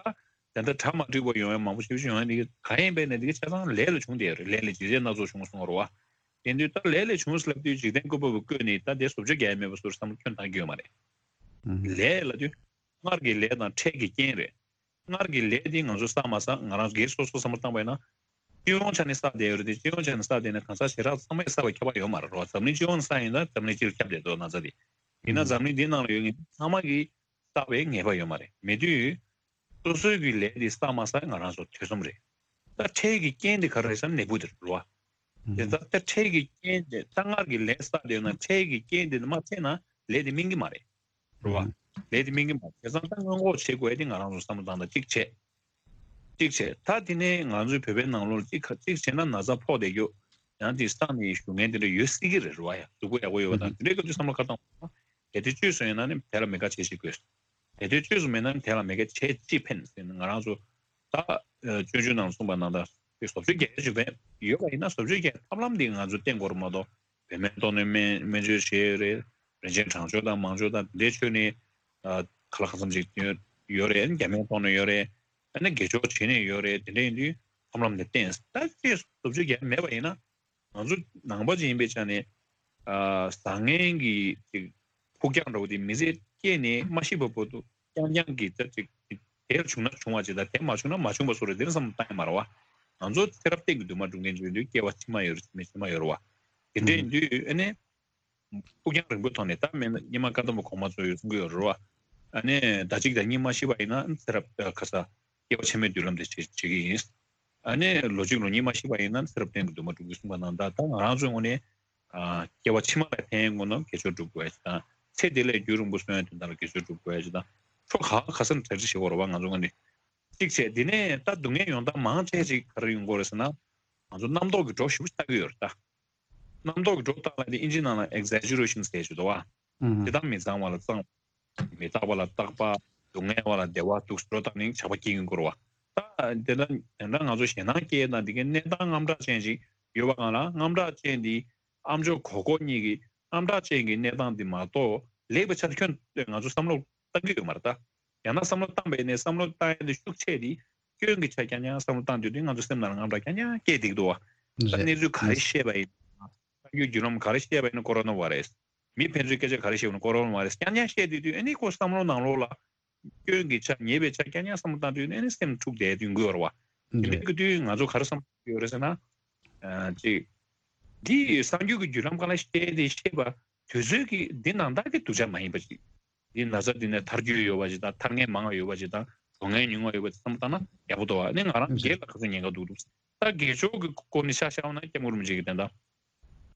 དེ་འདྲ་གྲ་མ་འགྲིག་པ་ཡོང་ཡ་མང་པོ་ཞེ་པོ་ཅིག་ཡོང་ཡ་འདི་ག་ཡིན་པས་ན་འདི་ག་ཆ་ཚང་ལས་ལ་བྱུང་བསྡད་ཡོད་རེད། ལས་ལས་ཇི་སྲིད་སྣ་ཚོགས་བྱུང་གསུང་གི་རེད་བ། དེ་དུས་ད་ལས་ལས་བྱུང་ཟེར་ལབ་དུས་འཇིག་རྟེན་བཀོད་པ་པོ་བཀོད་ནས་ད་དེ་བཟོ་བཅོས་རྒྱག་ཡ་མེད་པ་བཟོ་འདྲ་བསམ་བློ་ཁྱོན་བཏང་གི་ཡོད་མ་རེད། ལས་ལབ་དུས་སྔར་གྱི་ལས་དང་འཕྲལ་གྱི་རྐྱེན་རེད། སྔར་གྱི་ལས་དེ་ང་ཚོས་བསགས་མ་བསགས་ང་རང་སྒེར་སོ་སོ་བསམ་བློ་བཏང་པ་ཡིན་ན། སྤྱི་ཡོངས་ཆ་ནས་བསགས་བསྡད་ཡོད་རེད་དེ། སྤྱི་ཡོངས་ཆ་ནས་བསགས་བསྡད་ན་གང་ཟག་ཞེ་དྲག་ཚང་མས་བསགས་པ་ཁྱབ་པ་ཡོད་མ་རེད་རོ། འཛམ་གླིང་སྤྱི་ཡོངས་ནས་བསགས་ཡིན་ན་འཛམ་གླིང་སྤྱིར་ཁྱབ་བསྡད་འདུག་ན་ཚ་དེ། ཡིན་ན་འཛམ་གླིང་འདིའི་ནང་ལ་ཡོད་མཁན་ཚང་མ་གིས་བསགས་པའི་ངེས་པ་ཡོད་མ་རེད། མེད་དུས་སོ་སོའི་གི་ལས་དེ་བསགས་མ་བསགས་ང་རང་ཚོ་ཐེ་ཚོམ་རེད། ད་འཕྲལ་གྱི་རྐྱེན་དེ་ག་རེ་རེད་ཟེར་ན་ནད་འབུ་དེ་རེད་རོ། དེ་ད་ལྟ་འཕྲལ་གྱི་རྐྱེན་དེ་ད་སྔར་གྱི་ལས་བསགས་བསྡད་ན་འཕྲལ་གྱི་རྐྱེན་དེ་མ་འཕྲད་ན་ལས་དེ་སྨིན་གྱི་མ་རེད། རེད་བ། ལས་དེ་སྨིན་གྱི་མ་རེད། བྱས་ཙང་ད་སྔོན་འགོག་བྱེད་དགོས་ཡ་དེ་ང་རང་ཚོ་བསམ་བློ་བཏང་ད་གཅིག་བྱས། གཅིག་བྱས། ད་དེ་ནས་ང་ཚོའི་བོད་པའི་ནང་ལོགས་གཅིག་གཅིག་བྱས་ན་ན་ཚ་ཕོག་བསྡད་རྒྱུ། ཡང་དེ་བསགས་ནས་བཞུགས་མཁན་དེ་འདྲ་ཡོད་སྲིད་ཀྱི་རེད་རེད་བ། ཡ་གཟུགས་པོ་ཡག་པོ་ཡོད་པ་དང་དེ་འདྲའི་སྐབས་དུས་བསམ་བློ་ཁ་བཏང་བ། གལ་ཏེ་བཅོས་སུ་ཡིན་ན་ནི་དེ་ལ་མེད་ཁ་བྱེད་ཅིག་དགོས། གལ་ཏེ་བཅོས་སུ་མེད་ན་ནི་དེ་ལ་མེད་ཁ་བྱེད་ཅིག་ཕན་ཟེར་ནས་ང་རང་ཚོ་ད་སྤྱོད་འཇུག་ནང་གསུངས་པ་ནང་ལྟར་དེ་བཟོ་བཅོས་རྒྱག་ཡ་ཅིག་ཡོད་པ་ཡིན་ན་བཟོ་བཅོས་རྒྱག་ཐབས་ལམ་དེ་ང་ཚོ་བསྟེན་དགོས་རེད་མ་གཏོགས། བོད་སྨན་གཏོང་ནས་སྨན་སྨན་བཅོས་བྱས་ཡོད་རེད། རིན་ཆེན་གྲང་སྦྱོར་དང་མང་སྦྱོར་དང་དེ་འདྲའི་མཆོད་ནས་ཨ་ཁ་ལག་གང་འཚམ་ཅིག་ཡོད་རེད། རྒྱ་སྨན་གཏོང་ནས་ཡོད་རེད། ཨ་ནི་དགེ་སྦྱོར་བྱེད་ནས་ཡོད་རེད། དེ་འདྲ་ཡིན་དུས་ཐབས་ལམ་དེ་བསྟེན། ད་ཅིག་བཟོ་བཅོས་རྒྱག་མེད་པ་ཡིན་ན་ང་ཚོ་ནང་པ་ཅིག་ཡིན་པའི་ཆ་ནས་ཨ་བཟང་ངན་གྱི་ཅིག་ཕུགས་རྒྱང་འགྲོ་བ་དེ་མི་ཚེ་སྐྱེལ་ནས་མ་ཤི་བ་བར་དུ་རྐྱང་རྐྱང་གི་ད་ཅིག་དེར་བྱུང་ན་བྱུང་བ་ཅིག་དང་དེ་མ་བྱུང་ན་མ་བྱུང་བ་བཟོ་འདྲ་དེ་འདྲ་བསམ་བློ་བཏང་ཡ་མ་རེད་བ། ང་ཚོ་ཚེ་རབས་གཏན་གྱི་འདུན་མ་སྒྲུབ་མཁན་ཅིག་ཡིན་དུས་སྐྱེ་བ་ཕྱི་མ་ཡོད་རེད། ཕྱི་མ་ཕྱི་མ་ཡོད་རེད་བ། དེ་འདྲ་ཡིན་དུས་ཨ་ནི། ཕུགས་རྒྱང་རིང་པོའི་ཐོག་ནས་ད་མེད་ན་སྙེ་མ་བཀའ་གདམས་པ་གོང་མ་ཚོ་ཡོད་གསུང་གི་ཡོད་རེད་བ། ཨ་ནི་ཟླ་གཅིག་དང་གཉིས་མ་ཤི་བ་ཡིན་ན་ཚེ་རབས་ཁ་ས་ སྐྱེ་བ་ཕྱི་མའི་མདུན་ལམ་དེ་བྱེད་བྱེད་ཀྱི་ཡིན། ཨ་ནི་ལོ་གཅིག་ལོ་གཉིས་མ་ཤི་བ་ཡིན་ན་ཚེ་རབས་གཏན་གྱི་འདུན་མ་འགྲུབ་ཀྱི་གསུངས་པ་ནང་ལྟར། ད་ང་རང་ཚོའི་ངོས་ནས་ཨ་སྐྱེ་བ་ཕྱི་མ་ལ་ཕན་དགོས་ན་དགེ་སྦྱོར་སྒྲུབ་དགོས་ཡ་ཅིག་དང་། ཚེ་འདི་ལས་རྒྱུན་རིང་པོ་གསོན་ཡ་དོན་དག་ལ་དགེ་སྦྱོར་སྒྲུབ་དགོས་ཡ་ཅིག་དང་། ཕྱོགས་ག་ག་ས་ནས་གྲ་སྒྲིག་བྱེད་དགོས་རེད་བ། ང་ཚོ་ངོས་ནས་གཅིག་བྱས། དེ་ནས་ད་སྡུག་བསྔལ་ཡོང་སྟངས་མང་ཆེ་ཅིག་ག་རེ་ཡོང་གི་ཡོད་རེད་ཟེར་ན། ང་ཚོ་རྣམ་རྟོག་གི་སྒྲོ་ཞེ་པོ་ཅིག་ལྟ་གི་ཡོད་རེད་ད། རྣམ་རྟོག་གི་སྒྲོ་བཏགས་ལབ་དེ་ཨིན་ཇིའི་ནང་ལ་exaggeration ཟེར་ཞིག་འདུག་བ། ཨུ་ཧུ། དེ་དག་མི་གཙང་བ་ལ་གཙང་བ། མི་རྟག་པ་ལ་རྟག་པ། སྡུག་བསྔལ་བ་ལ་བདེ་བ་འདུག་སེ་སྒྲོ་བཏགས་ནས་ཆགས་པ་སྐྱེ་གི་ཡོད་རེད་བ། ད་དེ་ལ་དེ་འདྲ་ང་ཚོ་ཞེད་སྣང་སྐྱེ་དང་དེ་གའི་གནས་སྟངས་དངངས་སྐྲག་ཅན་ཞིག་ཡོད་པ་གང་ལ། དངངས་སྐྲག་ཅན་དེ་ཨ་མཆོག་གོ་གོ་གཉིས་ཀྱི་དངངས་སྐྲག་ཅན་གྱི་གནས་སྟངས་དེ་མ་གཏོགས་ལེགས་པའི་ཆ་དེ་ཁྱོན་ང་ཚོ་བསམ་བློ་བཏང་གི་ཡོད་མ་རེད་ད། ཡང་ན་བསམ་བློ་བཏང་པ་ཡིན་ནའི་བསམ་བློ་བཏང་ཡ་དེ་ཤུགས་ཆེ་དེ་སྐྱོན་གྱི་ཆ་རྐྱང་རྐྱང་བསམ་བློ་བཏང་དུས་དེ་ང་ཚོ་སེམས་ནང་ལ་དངངས་སྐྲག་རྐྱང་རྐྱང་སྐྱེ་བསྡད་ཀྱི་འདུག་བ། ད་རེད། གནས་ཚུལ་ག་རེ་བཤད་པ་ཡིན། གསར་འགྱུར་བརྒྱུད་ལམ་ག་རེ་བཤད་པ་ཡིན་ན་ཀོ་རོ་ན་བྷ་རེ་སི། མི་ཕན་ཚུན་སྐད་ཆ་ག་རེ་བཤད་པ་ཡིན་ན་ཀོ་རོ་ན་བྷ་རེ་སི། རྐྱང་རྐྱང་བཤད་དུས་དུས་ཨ་ནི་ཁོ་བསམ་བློ་ནང་ལོགས་ལ་སྐྱོན་གྱི་ཆ་ཉེས་པའི་ཆ་རྐྱང་རྐྱང་བསམ་བློ་བཏང་དུས་ཨ་ནི་སེམས་འཁྲུག་བསྡད་དུས་འགོ་བར་བ། དེ་འདྲ་གི་དུས་ང་ཚོ་ག་རེ་བསམ་གྱི་ཡོད་རེད་ཟེར་ན། ཨ་ཅིག་འདི་གསར་འགྱུར་གྱི་བརྒྱུད་ལམ་སྒང་ལ་བཤད་དེ་བཤད་པ་དུས་ཚོད་ཀྱི་འདི་ནང་ལྟར་གྱི་སྡུག་ཅག་མ་ཡིན་པ་ཅིག་འདི་ན་ཚ་འདི་ནས་ཐར་རྒྱུ་ཡོད་པ་ཅིག་དང་། ཐར་མཁན་མང་བ་ཡོད་པ་ཅིག་དང་། གྲོངས་མཁན་ཉུང་བ་ཡོད་པ་ཅིག་བསམ་བློ་བཏང་ན་ཡག་པོ་འདུག་བ། ཨ་ནི་ང་རང་སྒེར་ལ་ག་ཚོད་ཉེན་ཁ་འདུག་འདུག་ད་སྒེར་ཕྱོགས་ཀྱི་སྐོར་ནས་ཆ་བཞག་ན་སྐྱབས་མགོན་རིན་པོ་ཆེ་གིས་དེ་འདྲ་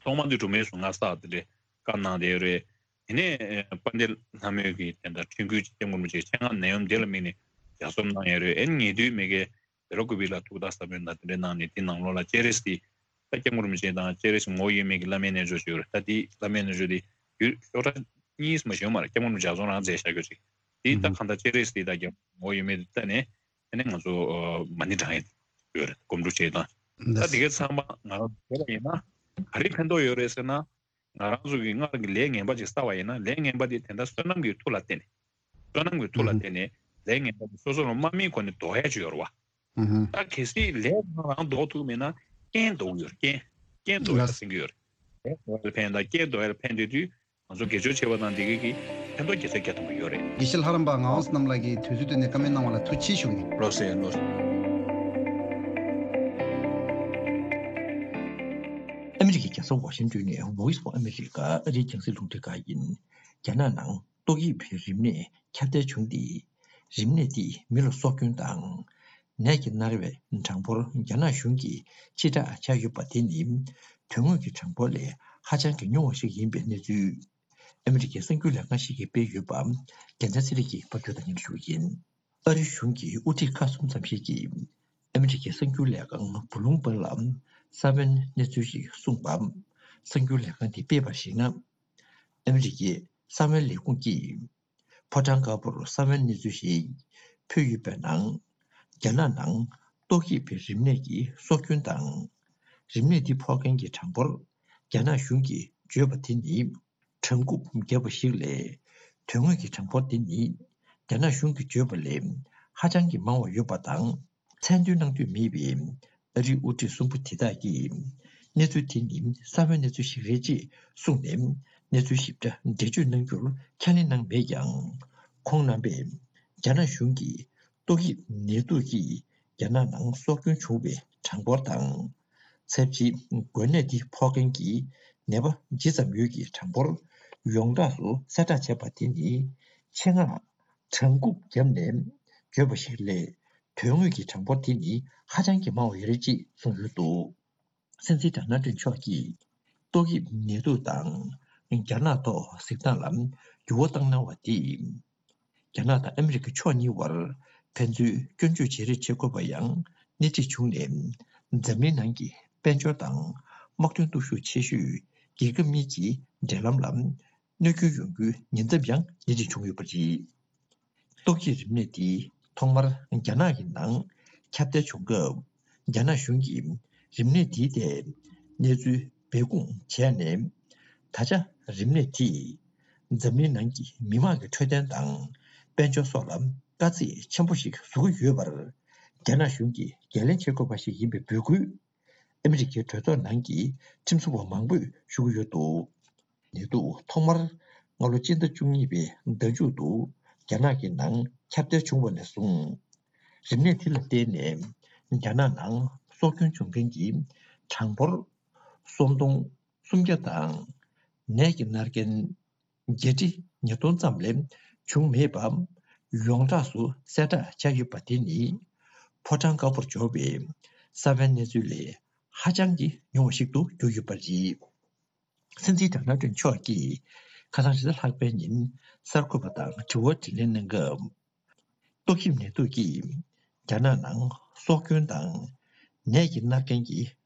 ཐོག་མ་དེ་གྲུབ་མའི་གཟུངས་སྔགས་བསགས་དེ་འདྲའི་བཀའ་གནང་བསྡད་ཡོད་རེད། དེ་ནས་ཨ་དཔལ་ལྡན་ལྷ་མོས་ཀྱིས་དེ་འདྲ་འཕྲིན་བསྐུལ་སྐྱབས་མགོན་རིན་པོ་ཆེའི་ཆེད་མངགས་ནད་ཡམས་འདི་ལ་དམིགས་ནས་ལྗགས་རྩོམ་གནང་ཡོད་རེད། ཨ་ནི་ཉེ་དུས་མི་སྒེར་བེ་ར་ཀུ་པི་ལ་ཐུགས་བརྟག་ཟབ་མོ་ཡོད་ན་དེ་འདྲའི་གནང་ནས། དེ་ནང་ལོགས་ལ་སྤྱན་རས་གཟིགས། ད་སྐྱབས་མགོན་རིན་པོ་ཆེ་དང་སྤྱན་རས་གཟིགས་ངོ་བོ་དབྱེར་མེད་ཀྱི་བླ་མའི་རྣལ་འབྱོར་ཅིག་ཡོད་རེད། ད་དེ་བླ་མའི་རྣལ་འབྱོར་དེ་ཡུལ་ཤོག་གྲངས་གཉིས་མ་ཞིག་ཡོད་མ་རེད། སྐྱབས་མགོན་རིན་པོ་ཆེ་ལྗགས་རྩོམ་རང་མཛད་བཞག་ཡོད་ཅིག་དེ་ད་གང་ལྟར་སྤྱན་རས་གཟིགས་དང་སྐྱབས་མགོན་ངོ་བོ་དབྱེར་མེད་དེ་བལྟས་ནས། དེ་ནས་ང་ཚོ་ཨ་མ་ཎི་བགྲང་ཡས་ཡོད་རེད། སྒོམ་སྒྲུབ་བྱེད་སྟངས། ད་དེ་གའི་ཚང་མ་ང་རང་བྱས་པ་ཡིན་ན་ག་རེ་ཕན་ཐོགས་ཡོད་རེད་ཟེར་ན། ང་རང་ཚོ་གིས་སྔར་གྱི་ལས་ངན་པ་ཅིག་བསགས་པ་ཡིན་ན། ལས་ངན་པ་དེ་དེ་འདྲ་བསོད་ནམས་ཀྱི་མཐུ་ལ་བརྟེན་ནས། བསོད་ནམས་ཀྱི་མཐུ་ལ་བརྟེན་ནས་ལས་ངན་པ་དེ་སོ་སོ་ལ་མ་དམིགས་གོང་ནས་ཟློག་ཡ་ཅིག་ཡོད་རེད་བ། ད་གལ་སྲིད་ལས་རང་རང་ཟློག་ཐུབ་མེད་ན་རྐྱེན་ཟློག་གི་ཡོད་རེད། རྐྱེན། རྐྱེན་ཟློག་ཡ་ཟེར་གྱི་ཡོད་རེད། ལས་ཟློག་ཡ་ལ་ཕན་དང་རྐྱེན་ཟློག་ཡ་ལ་ཕན་བསྡད་དུས་ང་ཚོ་དགེ་སྦྱོར་བྱེད་པ་དང་དེ་གའི་གི་ཕན་ཐོགས་བརྒྱ་ཆ་བརྒྱ་ཐམ་པ་ཡོད་རེད། དགེ་བཤེས་ལྷ་རམས་པ་ངག་དབང་བསོད་ནམས་ལགས་ཀྱིས་དུས་ཚོད་བཏོན་ནས་བཀའ་མོལ་གནང་བ་ལ་ཐུགས་རྗེ་ཆེ་ཞུ་གི་ཡིན། ལགས་སོ། ལགས་སོ། ཨ་མི་རི་ཀའི་རྒྱལ་ས་ཝ་ཤིང་ཏོན་ནས་Voice of America ཨ་རིའི་རྒྱང་སྲིང་རླུང་འཕྲིན་ཁང་ཡིན། རྒྱ་ནག་ནང་ཏོག་དབྱིབས་རིམས་ནད་ཁྱབ་གདལ་བྱུང་སྟེ། རིམས་ནད་འདིས་མི་ལ་སྲོག་སྐྱོན་དང་ནད་ཀྱིས་མནར་བའི་གྲངས་འབོར་རྒྱ་ནག་གཞུང་གིས་ཕྱིར་བསྒྲགས་བྱས་ཡོད་པ་དེ་ནི་དོན་དངོས་ཀྱི་གྲངས་འབོར་ལས་ཧ་ཅང་གི་ཉུང་བ་ཞིག་ཡིན་པའི་གནས་ཚུལ། ཨ་མི་རི་ཀའི་གསར་འགྱུར་ལས་ཁང་ཞིག་གིས་སྤེལ་ཡོད་པ་རྒྱལ་མཚན་ཚེ་རིང་གིས་ཕབ་སྒྱུར་དང་སྙན་སྒྲོན་ཞུ་གི་ཡིན། ཨ་རི་གཞུང་གི་དབུ་ཁྲིད་ཁག་གསུམ་ཙམ་ཞིག་གིས་ཨ་མི་རི་ཀའི་གསར་འགྱུར་ལས་ཁང་བྷུ་ལུམ་བྷག་ལ་ས་བོན་གནས་ཚུལ་ཞིག་གསུངས་པ། གསར་འགྱུར་ལས་ཁང་དེས་སྤེལ་བར་གཞིགས་ན། ཨ་མི་རི་ཀའི་ས་བོན་ལས་ཁུངས་ཀྱིས་ཕོ་བྲང་དཀར་པོར་ས་བོན་གནས་ཚུལ་ཞིག་ཕུལ་ཡོད་པའི་ནང་། རྒྱ་ནག་ནང་ཏོག་དབྱིབས་རིམས་ནད་ཀྱི་སྲོག་སྐྱོན་དང་། རིམས་ནད་འདི་ཕོག་མཁན་གྱི་གྲངས་འབོར་རྒྱ་ནག་གཞུང་གིས་བརྗོད་པ་དེ་ནི། གྲངས་འགོ་བརྒྱབ་པ་ཞིག་ལས། དོན་དངོས་ཀྱི་གྲངས་འབོར་དེ་ནི་རྒྱ་ནག་གཞུང་གིས་བརྗོད་པ་ལས་ཧ་ཅང་གི་མང་བ་ཡོད་པ་དང་། མཚན་འདོན་གནང་འདོད་མེད་པའི་ཨ་རིའི་དབུ་ཁྲིད་གསུམ་པོ་དེ་དག་གིས་གནས་ཚུལ་དེ་ནི་གསར་པའི་གནས་ཚུལ་ཞིག་རེད་ཅེས་གསུངས་ནས། གནས་ཚུལ་ཞིབ་ཕྲ་འགྲེལ་བརྗོད་གནང་རྒྱུར་ཁས་ལེན་གནང་མེད་ཀྱང་། ཁོང་རྣམ་པས་རྒྱ་ནག་གཞུང་གིས་ཏོག་དབྱིབས་ནད་དུག་གིས་རྒྱ་ནག་ནང་སྲོག་སྐྱོན་བྱུང་བའི་གྲངས་འབོར་དང་། ཚབས་ཆེའི་འགོས་ནད་འདི་ཕོག་མཁན་གྱི་ནད་པ་ཇི་ཙམ་ཡོད་ཀྱི་གྲངས་འབོར་ཡོངས་གྲགས་སུ་གསལ་བསྒྲགས་བྱས་པ་དེ་ནི་ཆེད་མངགས་གྲངས་འགོ་བརྒྱབ་ནས་བརྗོད་པ་ཞིག་ལས། དོན་དངོས་ཀྱི་གྲངས་འབོར་དེ་ནི་ཧ་ཅང་གི་མང་བ་ཡོད་རེད་ཅེས་གསུངས་ཡོད་འདུག། སྲིད་འཛིན་ཌོ་ནལ་ཊམ་མཆོག་གིས་ཏོག་དབྱིབས་ནད་དུག་དང་རྒྱ་ནག་ཐོག་གཟིགས་སྟངས་ལ་འགྱུར་བ་བཏང་གནང་བ་དེས། རྒྱ་ནག་དང་ཨ་མི་རི་ཀ་ཕྱོགས་གཉིས་བར་ཕན་ཚུན་སྐྱོན་བརྗོད་བྱེད་རེས་བྱེད་དགོས་པ་ཡང་སྣེ་ཁྲིད་བྱུང་ནས། འཛམ་གླིང་ནང་གི་དཔལ་འབྱོར་དང་དམག་དོན་སྟོབས་ཤུགས་ཆེ་ཤོས་རྒྱལ་ཁབ་གཉིས་ཀྱི་འབྲེལ་ལམ་ལ་གནོད་སྐྱོན་ཡོང་རྒྱུའི་ཉེན་ཚབས་ཡང་སྣེ་ཁྲིད་བྱུང་ཡོད་པ་རེད། ཏོག་དབྱིབས་རིམས་ནད་འདི་ཐོག་མར་རྒྱ་ནག་གི་ནང་ཁྱབ་གདལ་བྱུང་སྐབས། རྒྱ་ནག་གཞུང་གིས་རིམས་ནད་འདིའི་ཐད་གནས་ཚུལ་སྦས་སྐུང་བྱས་ནས། ད་ཆ་རིམས་ནད་དེས་འཛམ་གླིང་ནང་གི་མི་དམངས་ཀྱི་འཕྲོད་བསྟེན་དང་དཔལ་འབྱོར་སོགས་ལ་དཀའ་ཚེགས་ཆེན་པོ་ཞིག་བཟོ་གི་ཡོད་པར། རྒྱ་ནག་གཞུང་གིས་འགན་ལེན་བྱེད་དགོས་པ་ཞིག་ཡིན་པའི་འབོད་སྐུལ། ཨ་མི་རི་ཀའི་གྲོས་ཚོགས་ནང་གི་ཁྲིམས་བཟོ་བ་མང་པོས་ཞུ་གི་ཡོད་འདུག། ནད་དུག་ཐོག་མར་སྔ་ལོ་སྤྱི་ཟླ་བཅུ་གཉིས་པའི་ཟླ་མཇུག་ཏུ་རྒྱ་ནག་གི་ནང་ཁྱབ་གདལ་བྱུང་བ་ནས་བཟུང་། རིམས་ནད་དེ་ལ་བརྟེན་ནས་རྒྱ་ནག་ནང་སྲོག་སྐྱོན་བྱུང་མཁན་གྱི་གྲངས་འབོར་སུམ་སྟོང་སུམ་བརྒྱ་དང་། ནད་ཀྱིས་མནར་མཁན་བརྒྱད་ཁྲི་ཉིས་སྟོང་ཙམ་ལས་བྱུང་མེད་པ་ཡོངས་གྲགས་སུ་གསལ་བསྒྲགས་བྱས་ཡོད་པ་དེ་ནི། ཕོ་བྲང་དཀར་པོར་འབྱོར་བའི་གསར་པའི་གནས་ཚུལ་ལས་ཧ་ཅང་གི་ཉུང་བ་ཞིག་ཏུ་གྱུར་ཡོད་པ་རེད། སྲིད་འཛིན་ཌོ་ནལ་ཊམ་མཆོག་གིས་ཁ་སང་རེས་གཟའ་ལྷག་པའི་ཉིན་གསར་འགོད་པ་དང་དྲི་བ་དྲིས་ལན་གནང་སྐབས། ཏོག་དབྱིབས་ནད་དུག་གིས་རྒྱ་ནག་ནང་སྲོག་སྐྱོན་དང་ནད་ཀྱིས་མནར་མཁན་གྱི་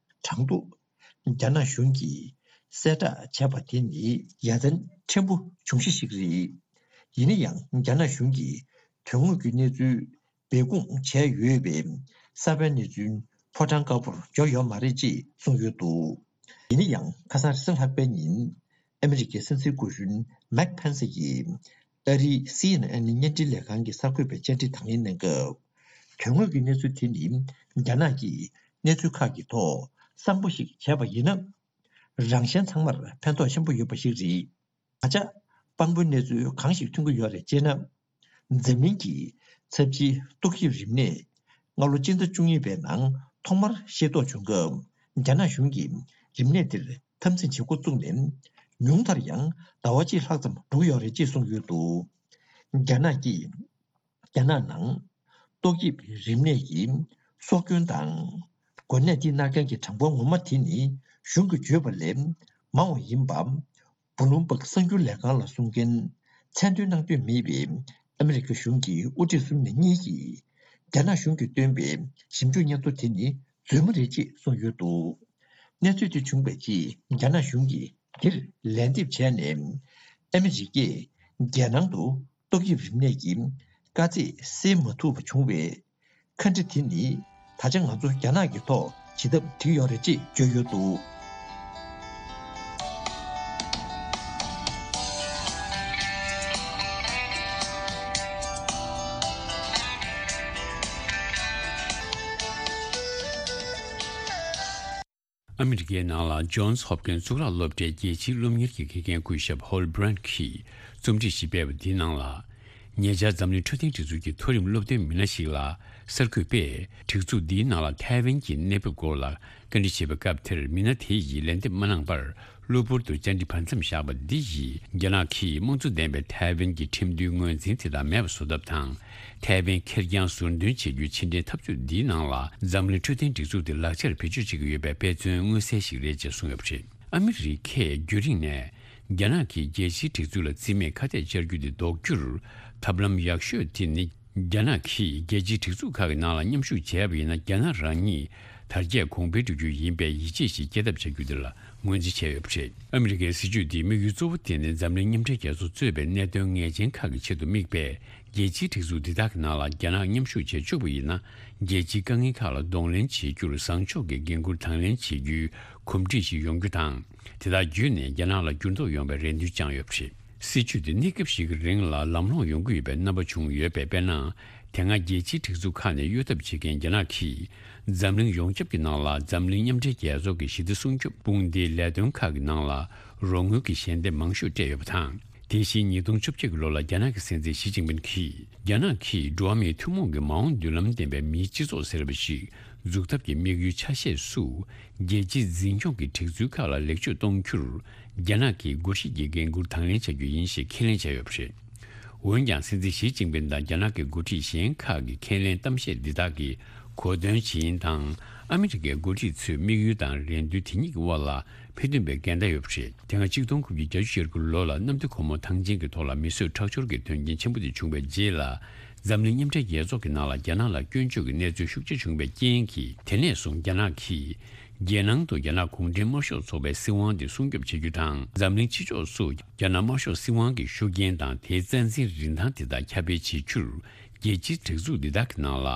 གྲངས་ཐོ་རྒྱ་ནག་གཞུང་གིས་གསལ་བསྒྲགས་བྱས་པ་དེ་ནི་ཡ་མཚན་ཕྲན་བུ་བྱུང་གཞི་ཞིག་རེད། ཡིན་ན་ཡང་རྒྱ་ནག་གཞུང་གིས་དོན་དངོས་ཀྱི་གནས་ཚུལ་སྦས་སྐུང་བྱས་ཡོད་པས་གསར་པའི་གནས་ཚུལ་ཕོ་བྲང་དཀར་པོར་འབྱོར་ཡོད་མ་རེད་ཅེས་གསུངས་ཡོད་འདུག་ཡིན་ན་ཡང་ཁ་སང་རེས་གཟའ་ལྷག་པའི་ཉིན་ཨ་མི་རི་ཀའི་སྲིད་འཛིན་སྐུ་གཞོན་མེག་ཕན་སི་ཡིས་ཨ་རིའི་སི་ཨེན་ཨེན་བརྙན་འཕྲིན་ལས་ཁང་གི་གསར་འགོད་པའི་བཅར་འདྲི་དང་ལེན་གནང་སྐབས། དོན་དངོས་ཀྱི་གནས་ཚུལ་དེ་ནི་རྒྱ་ནག་གིས་གནས་ཚུལ་ཁག་གི་ཐོག་བསམ་བློ་ཞིག་བྱས་པ་ཡིན་ན། རང་གཞན་ཚང་མར་ཕན་ཐོགས་ཆེན་པོ་ཡོད་པ་ཞིག་རེད། ད་ཆ་དཔང་པོའི་གནས་ཚུལ་གང་ཞིག་ཐོན་གྱི་ཡོད་རེད་ཅེ་ན། འཛམ་གླིང་གི་ཚབས་ཆེའི་ཏོག་དབྱིབས་རིམས་ནད་སྔ་ལོ་སྤྱི་ཟླ་བཅུ་གཉིས་པའི་ནང་ཐོག་མར་ཤེས་རྟོགས་བྱུང་སྐབས། རྒྱ་ནག་གཞུང་གིས་རིམས་ནད་དེར་འཐབ་འཛིང་བྱེད་འགོ་བཙུགས་ནས་ཉུང་མཐར་ཡང་ཟླ་བ་གཅིག་ལྷག་ཙམ་འགྲོ་གི་ཡོད་རེད་ཅེས་གསུངས་ཡོད་འདུག་རྒྱ་ནག་གིས། རྒྱ་ནག་ནང་ཏོག་དབྱིབས་རིམས་ནད་ཀྱི་སྲོག་སྐྱོན་དང་། འགོས་ནད་འདིས་མནར་མཁན་གྱི་གྲངས་འབོར་ངོ་མ་དེ་ནི་གཞུང་གིས་བརྗོད་པ་ལས་མང་བ་ཡིན་པ། བྷུ་ལུམ་སྦག་གསར་འགྱུར་ལས་ཁང་ལ་གསུང་མཁན་མཚན་འདོན་གནང་འདོད་མེད་པའི་ཨ་མི་རི་ཀ་གཞུང་གི་དབུ་ཁྲིད་གསུམ་ནས་གཉིས་ཀྱིས། རྒྱ་ནག་གཞུང་གིས་བཏོན་པའི་ཞིབ་འཇུག་སྙན་ཐོ་དེ་ནི་རྫུན་མ་རེད་ཅེས་གསུངས་ཡོད་འདུག་གནས་ཚུལ་དེ་བྱུང་བའི་རྗེས་རྒྱ་ནག་གཞུང་གིས་དེར་ལན་འདེབས་བྱས་ནས། ཨ་མི་རི་ཀས་རྒྱལ་ནང་དུ་ཏོག་དབྱིབས་རིམས་ནད་ཀྱི་དཀའ་ཚེགས་སེལ་མ་ཐུབ་པ་བྱུང་བའི་ཁ་འདྲི་དེ་ནི། ད་ཆ་ང་ཚོ་རྒྱ་ནག་གི་ཐོག་བྱེད་ཐབས་བྲིས་ཡོད་རེད་ཅེས་བརྗོད་ཡོད་འདུག་ཨ་མི་རི་ཀའི་ནང་ལ་ཇོན་སི་ཧོབ་ཀིན་སི་གཙུག་ལག་སློབ་གྲྭའི་རྒྱལ་སྤྱིའི་སློབ་གཉེར་གྱི་དགེ་རྒན་སྐུ་ཞབས་ཧོལ་བྷི་རན་གྱིས་རྩོམ་སྒྲིག་ཞིག་སྤེལ་བ་འདིའི་ནང་ལ། ཉེ་ཆར་འཛམ་གླིང་འཕྲོད་བསྟེན་སྒྲིག་འཛུགས་ཀྱི་མཐོ་རིམ་སློབ་སྟོན་མི་སྣ་ཞིག་ལ་གསར་འགོད་པས་སྒྲིག་འཛུགས་འདིའི་ནང་ལ་ཐའེ་ཝན་གྱི་གནས་བབ་སྐོར་ལ་བཀའ་འདྲི་བྱེད་པའི་སྐབས་དེར། མི་སྣ་དེ་ཡིས་ལན་འདེབས་མ་གནང་བར། གློ་བུར་དུ་བཅར་འདྲི་བར་མཚམས་བཞག་པ་འདི་ཡིས། རྒྱ་ནག་གིས་དམངས་གཙོ་ལྡན་པའི་ཐའེ་ཝན་གྱི་ཁྲིམས་མཐུན་ངོས་འཛིན་དེ་དག་མེད་པ་བཟོ་ཐབས་དང་། ཐའེ་ཝན་ཁེར་རྐྱང་ཟུར་འདོན་བྱེད་རྒྱུའི་ཕྱི་འབྲེལ་འཐབ་རྩོད་འདིའི་ནང་ལ། འཛམ་གླིང་འཕྲོད་བསྟེན་སྒྲིག་འཛུགས་དེ་ལག་ཆར་བེད་སྤྱོད་བྱེད་ཀྱི་ཡོད་པའི་དཔེ་མཚོན་མངོན་གསལ་ཞིག་རེད་ཅེས་གསུངས་ཡོད་པ་རེད། ཨ་མི་རི་ཀས་རྒྱུན་རིང་ནས་རྒྱ་ནག་གིས་རྒྱལ་སྤྱིའི་སྒྲིག་འཛུགས་ལ་རྩིས་མེད་ཁ་གཏད་བཅར་རྒྱུ་དེ་ཟློག་རྒྱུར་ཐབས་ལམ་ཡག་ཤོས་དེ་ནི། རྒྱ་ནག་གིས་རྒྱལ་སྤྱིའི་སྒྲིག་འཛུགས་ཁག་གི་ནང་ལ་མཉམ་ཞུགས་བྱས་པ་ཡིན་ན། རྒྱ་ནག་རང་ཉིད་དར་རྒྱས་གོང་འཕེལ་འགྲོ་རྒྱུ་ཡིན་པའི་ཡིད་ཆེས་ཤིག་སྐྱེ་ཐབས་བྱ་རྒྱུ་དེ་ལ་ངོས་འཛིན་བྱས་ཡོད་པ་རེད། ཨ་མི་རི་ཀའི་སྲིད་ཇུས་འདིའི་དམིགས་ཡུལ་གཙོ་བོ་དེ་ནི། འཛམ་གླིང་མཉམ་འབྲེལ་རྒྱལ་ཚོགས་གཙོས་པའི་གནད་དོན་ངེས་ཅན་ཁག་གི་ཆེད་དུ་དམིགས་པའི་རྒྱལ་སྤྱིའི་སྒྲིག་འཛུགས་འདི་དག་གི་ནང་ལ་རྒྱ་ནག་མཉམ་ཞུགས་བྱེད་བཅུག་པ་ཡིན་ན། རྒྱལ་སྤྱིའི་དཀའ་ངལ་ཁག་ལ་གདོང་ལེན་བྱེད་རྒྱུར་བཟང་ཕྱོགས་ཀྱི་འགན་འཁུར་དང་ལེན་བྱེད་རྒྱུའི་གོམས་འདྲིས་ཤིག་ཡོང་རྒྱུ་དང་། དེ་དག་བརྒྱུད་ནས་རྒྱ་ནག་ལ་འགྱུར་ལྡོག་ཡོང་བའི་རེ་འདུན་བཅངས་ཡོད་པ་རེད། སྲིད་ཇུས་དེ་གནས་སྐབས་ཤིག་གི་རིང་ལ་ལམ་ལྷོང་ཡོང་གི་ཡོད་པའི་རྣམ་པ་བྱུང་ཡོད་པས། དཔེར་ན། དེ་སྔ་རྒྱལ་སྤྱིའི་སྒྲིག་འཛུགས་ཁག་ནས་གཡོལ་ཐབས་བྱེད་མཁན་རྒྱ་ནག་གིས། འཛམ་གླིང་ཡོངས་ཁྱབ་ཀྱི་ནང་ལ་འཛམ་གླིང་མཉམ་འབྲེལ་རྒྱལ་ཚོགས་ཀྱི་ཞི་བདེ་སྲུང་སྐྱོབ་དཔུང་སྡེའི་ལས་དོན་ཁག་གི་ནང་ལ་རོགས་དངུལ་གྱི་ཞལ་འདེབས་མང་ཤོས་སྤྲད་ཡོད་པ་དང་། དེ་བཞིན་ཉིས་སྟོང་བཅོ་བརྒྱད་ཀྱི་ལོ་ལ་རྒྱ་ནག་གི་སྲིད་འཛིན་ཞི་ཅིན་ཕིན་གྱིས། རྒྱ་ནག་གིས་འགྲོ་བ་མིའི་ཐུན་མོང་གི་མ་འོངས་མདུན་ལམ་ལྡན་པའི་མིའི་སྤྱི་ཚོགས་ཟེར་བ་ཞིག་འཛུགས་ཐབས་ཀྱི་དམིགས་ཡུལ་ཆ་ཤས་སུ། རྒྱལ་སྤྱིའི་འཛིན་སྐྱོང་གི་སྒྲིག་འཛུགས་ཁག་ལ་ལེགས་བཅོས་གཏོང་རྒྱུར། རྒྱ་ནག་གིས་སྒོ་ཁྲིད་ཀྱི་འགན་འཁུར་དང་ལེན་བྱ་རྒྱུ་ཡིན་ཞེས་ཁས་ལེན་བྱས་ཡོད་པ་རེད། འོན་ཀྱང་། སྲིད་འཛིན་ཞི་ཅིན་ཕིན་དང་རྒྱ་ནག་གི་འགོ་ཁྲིད་གཞན་ཁག་གི་ཁས་ལེན་གཏམ་བཤད་འདི་དག་གི་གོ་དོན་ཇི་ཡིན་དང་། ཨ་མི་རི་ཀའི་འགོ་ཁྲིད་ཚོའི་དམིགས་ཡུལ་དང་རེ་འདུན་དེ་གཉིས་ཀྱི་དབར་ལ་ཕན་ཐོགས་པའི་འགལ་ཟླ་ཡོད་པ་རེད། དེ་སྔ་གཅིག་སྟོང་དགུ་བརྒྱ་བརྒྱད་ཅུ་གྱ་དགུ་ལོ་ལ་གནམ་བདེ་སྒོ་མོ་ཐང་ཆེན་གྱི་ཐོག་ལ་མི་གསོད་ཁྲག་སྦྱོར་གྱི་དོན་རྐྱེན་ཆེན་པོ་དེ་བྱུང་བའི་རྗེས་ལ། འཛམ་གླིང་མཉམ་འབྲེལ་རྒྱལ་ཚོགས་ཀྱི་ནང་ལ་རྒྱ་ནག་ལ་སྐྱོན་བརྗོད་ཀྱི་གནས་ཚུལ་ཤུགས་ཆེ་བྱུང་བའི་རྐྱེན་གྱིས། དེ་ནས་བཟུང་རྒྱ་ནག་གིས། རྒྱལ་ནང་དུ་རྒྱ་ནག་གུང་ཁྲན་དམར་ཤོག་ཚོགས་པའི་སྲིད་དབང་དེ་སྲུང་སྐྱོབ་བྱེད་རྒྱུ་དང་། འཛམ་གླིང་ཕྱི་ཕྱོགས་སུ་རྒྱ་ནག་དམར་ཤོག་སྲིད་དབང་གི་ཤུགས་རྐྱེན་དང་དེའི་རྩ་འཛིན་རིན་ཐང་དེ་དག་ཁྱབ་སྤེལ་བྱེད་རྒྱུར། རྒྱལ་སྤྱིའི་སྒྲིག་འཛུགས་འདི་དག་གི་ནང་ལ་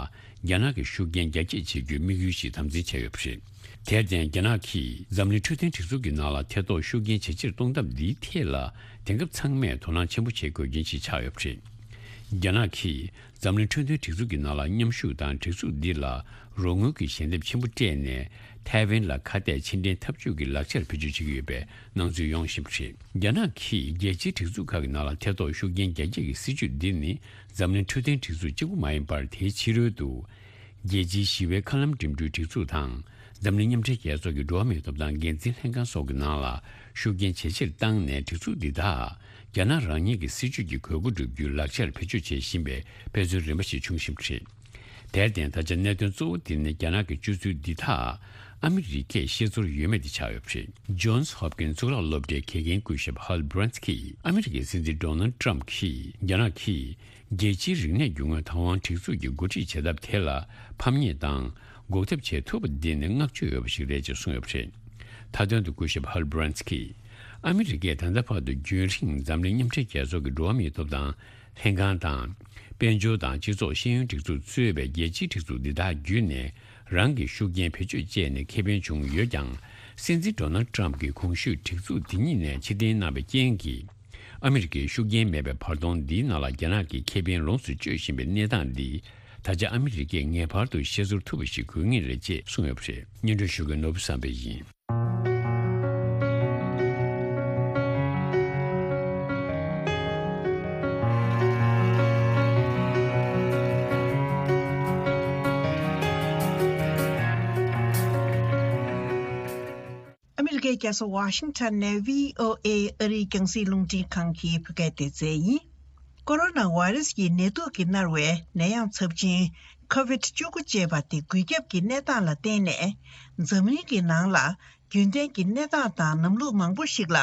རྒྱ་ནག་གི་ཤུགས་རྐྱེན་རྒྱ་སྐྱེད་བྱེད་རྒྱུའི་དམིགས་ཡུལ་ཞིག་དམ་འཛིན་བྱས་ཡོད་པ་རེད། དེར་བརྟེན། རྒྱ་ནག་གིས་འཛམ་གླིང་འཕྲོད་བསྟེན་སྒྲིག་འཛུགས་ཀྱི་ནང་ལ་ཐེ་གཏོགས་ཤུགས་རྐྱེན་ཇེ་ཆེར་གཏོང་ཐབས་འདིའི་ཐད་ལ། དེང་སྐབས་ཚང་མས་དོ་སྣང་ཆེན་པོ་བྱེད་དགོས་རྐྱེན་ཞིག་ཆགས་ཡོད་པ་རེད། རྒྱ་ནག་གིས་འཛམ་གླིང་འཕྲོད་བསྟེན་སྒྲིག་འཛུགས་ཀྱི་ནང་ལ་མཉམ་ཞུགས་དང་། སྒྲིག་འཛུགས་འདི་ལ་རོགས་དངུལ་གྱི་ཞལ་འདེབས་ཆེན་པོ་སྤྲད་ནས། ཐའེ་ཝན་ལ་ཁ་གཏད་ཕྱིར་འཐེན་འཐབ་ཇུས་ཀྱི་ལག་ཆར་བེད་སྤྱོད་བྱེད་ཀྱི་ཡོད་པའི་སྣང་ཚུལ་ཡོང་བཞིན་པ་རེད། རྒྱ་ནག་གིས་རྒྱལ་སྤྱིའི་སྒྲིག་འཛུགས་ཁག་གི་ནང་ལ་ཐེ་གཏོགས་ཤུགས་རྐྱེན་རྒྱ་སྐྱེད་ཀྱི་སྲིད་ཇུས་འདི་ནི། འཛམ་གླིང་འཕྲོད་བསྟེན་སྒྲིག་འཛུགས་གཅིག་པུ་མ་ཡིན་པར། དེའི་ཕྱི་རོལ་དུ། རྒྱལ་སྤྱིའི་ཞི་བའི་མཁའ་ལམ་འགྲིམ་འགྲུལ་སྒྲིག་འཛུགས་དང་། འཛམ་གླིང་མཉམ་འབྲེལ་རྒྱལ་ཚོགས་ཀྱི་འགྲོ་བ་མིའི་ཐོབ་ཐང་འགན་འཛིན་ལྷན་ཁང་སོགས་ཀྱི་ནང་ལ་ཤུགས་རྐྱེན་ཇེ་ཆེར་བཏང་ནས། སྒྲིག་འཛུགས་འདི་དག་རྒྱ་ནག་རང་ཉིད་ཀྱི་སྲིད་ཇུས་ཀྱི་དགོས་མཁོ་བསྒྲུབ་རྒྱུའི་ལག་ཆར་བེད་སྤྱོད་བྱེད་བཞིན་པའི་དཔེ་མཚོན་རིམ་པ་ཞིག་བྱུང་བཞིན་པ་རེད། དེར་བརྟེན། ད་ཆ་གནད་དོན་གཙོ་བོ་དེ་ནི་རྒྱ་ནག་གི་སྤྱོད་ཚུལ་འདི་དག་ཨ་མི་རི་ཀས་ཤེས་ཚོར་ཡོད་མེད་དེ་ཆགས་ཡོད་པ་རེད། Johns Hopkins གཙུག་ལག་སློབ་གྲྭའི་དགེ་རྒན་སྐུ་ཞབས་Hal Brands གྱིས་ཨ་མི་རི་ཀའི་སྲིད་འཛིན་Donald Trump གྱིས་རྒྱ་ནག་གིས་རྒྱལ་སྤྱིའི་རིག་གནས་རྒྱུ་དངོས་ཐའེ་ཝན་སྒྲིག་འཛུགས་ཀྱི་འགོ་ཁྲིད་བྱེད་ཐབས་དེ་ལ་ཕམ་ཉེས་དང་འགོག་ཐབས་བྱེད་ཐུབ་པ་འདི་ནི་བསྔགས་བརྗོད་འོས་པ་ཞིག་རེད་ཅེས་གསུངས་ཡོད་པ་རེད། མཐའ་དོན་དུ་སྐུ་ཞབས་Hal Brands གྱིས། ཨ་མི་རི་ཀས་ད་ལྟ་བར་དུ་རྒྱུན་རིང་འཛམ་གླིང་མཉམ་འབྲེལ་རྒྱལ་ཚོགས་ཀྱི་འགྲོ་བ་མིའི་ཐོབ་ཐང་ལྷན་ཁང་དང་། དཔལ་འབྱོར་དང་སྤྱི་ཚོགས་ཤེས་ཡོན་སྒྲིག་འཛུགས་གཙོས་པའི་རྒྱལ་སྤྱིའི་སྒྲིག་འཛུགས་འདི་དག་བརྒྱུད་ནས་རང་གི་ཤུགས་རྐྱེན་བེད་སྤྱོད་སྤྱད་ནས་ཁེ་ཕན་བྱུང་ཡོད་ཀྱང་། སྲིད་འཛིན་Donald Trump གྱིས་གོང་ཞུས་སྒྲིག་འཛུགས་འདི་ཉིད་ནས་ཕྱིར་འཐེན་གནང་བའི་རྐྱེན་གྱིས། ཨ་མི་རི་ཀའི་ཤུགས་རྐྱེན་མེད་པའི་བར་སྟོང་འདིའི་ནང་ལ་རྒྱ་ནག་གི་ཁེ་ཕན་ལོངས་སུ་སྤྱོད་བཞིན་པའི་གནས་སྟངས་འདི། ད་ཆ་ཨ་མི་རི་ཀས་ངེས་པར་དུ་ཤེས་ཚོར་ཐུབ་པ་ཞིག་དགོས་ངེས་རེད་ཅེས་གསུངས་ཡོད་པ་རེད། སྙན་སྒྲོན་ཞུ་མཁན་ནོར་བུ་བསམ་འཕེལ་ཡིན། ཨ་མི་རི་ཀའི་རྒྱལ་ས་ཝ་ཤིང་ཊོན་ནས་ཝི་ཨོ་ཨེ་ཨ་རིའི་རྒྱང་སྲིང་རླུང་འཕྲིན་ཁང་གི་བོད་སྐད་སྡེ་ཚན་ཡིན། ཀོ་རོ་ན་བྷ་རེ་སི་ཡི་ནད་དུག་གིས་མནར་བའི་ནད་ཡམས་ཚབས་ཆེན་ཁོ་ཝིད་བཅུ་དགུ་ཅེས་པ་དེ་འགོས་ཁྱབ་ཀྱི་གནས་སྟངས་ལ་བརྟེན་ནས། འཛམ་གླིང་གི་ནང་ལ་རྒྱུན་ལྡན་གྱི་གནས་སྟངས་དང་ནམ་ལུགས་མང་པོ་ཞིག་ལ་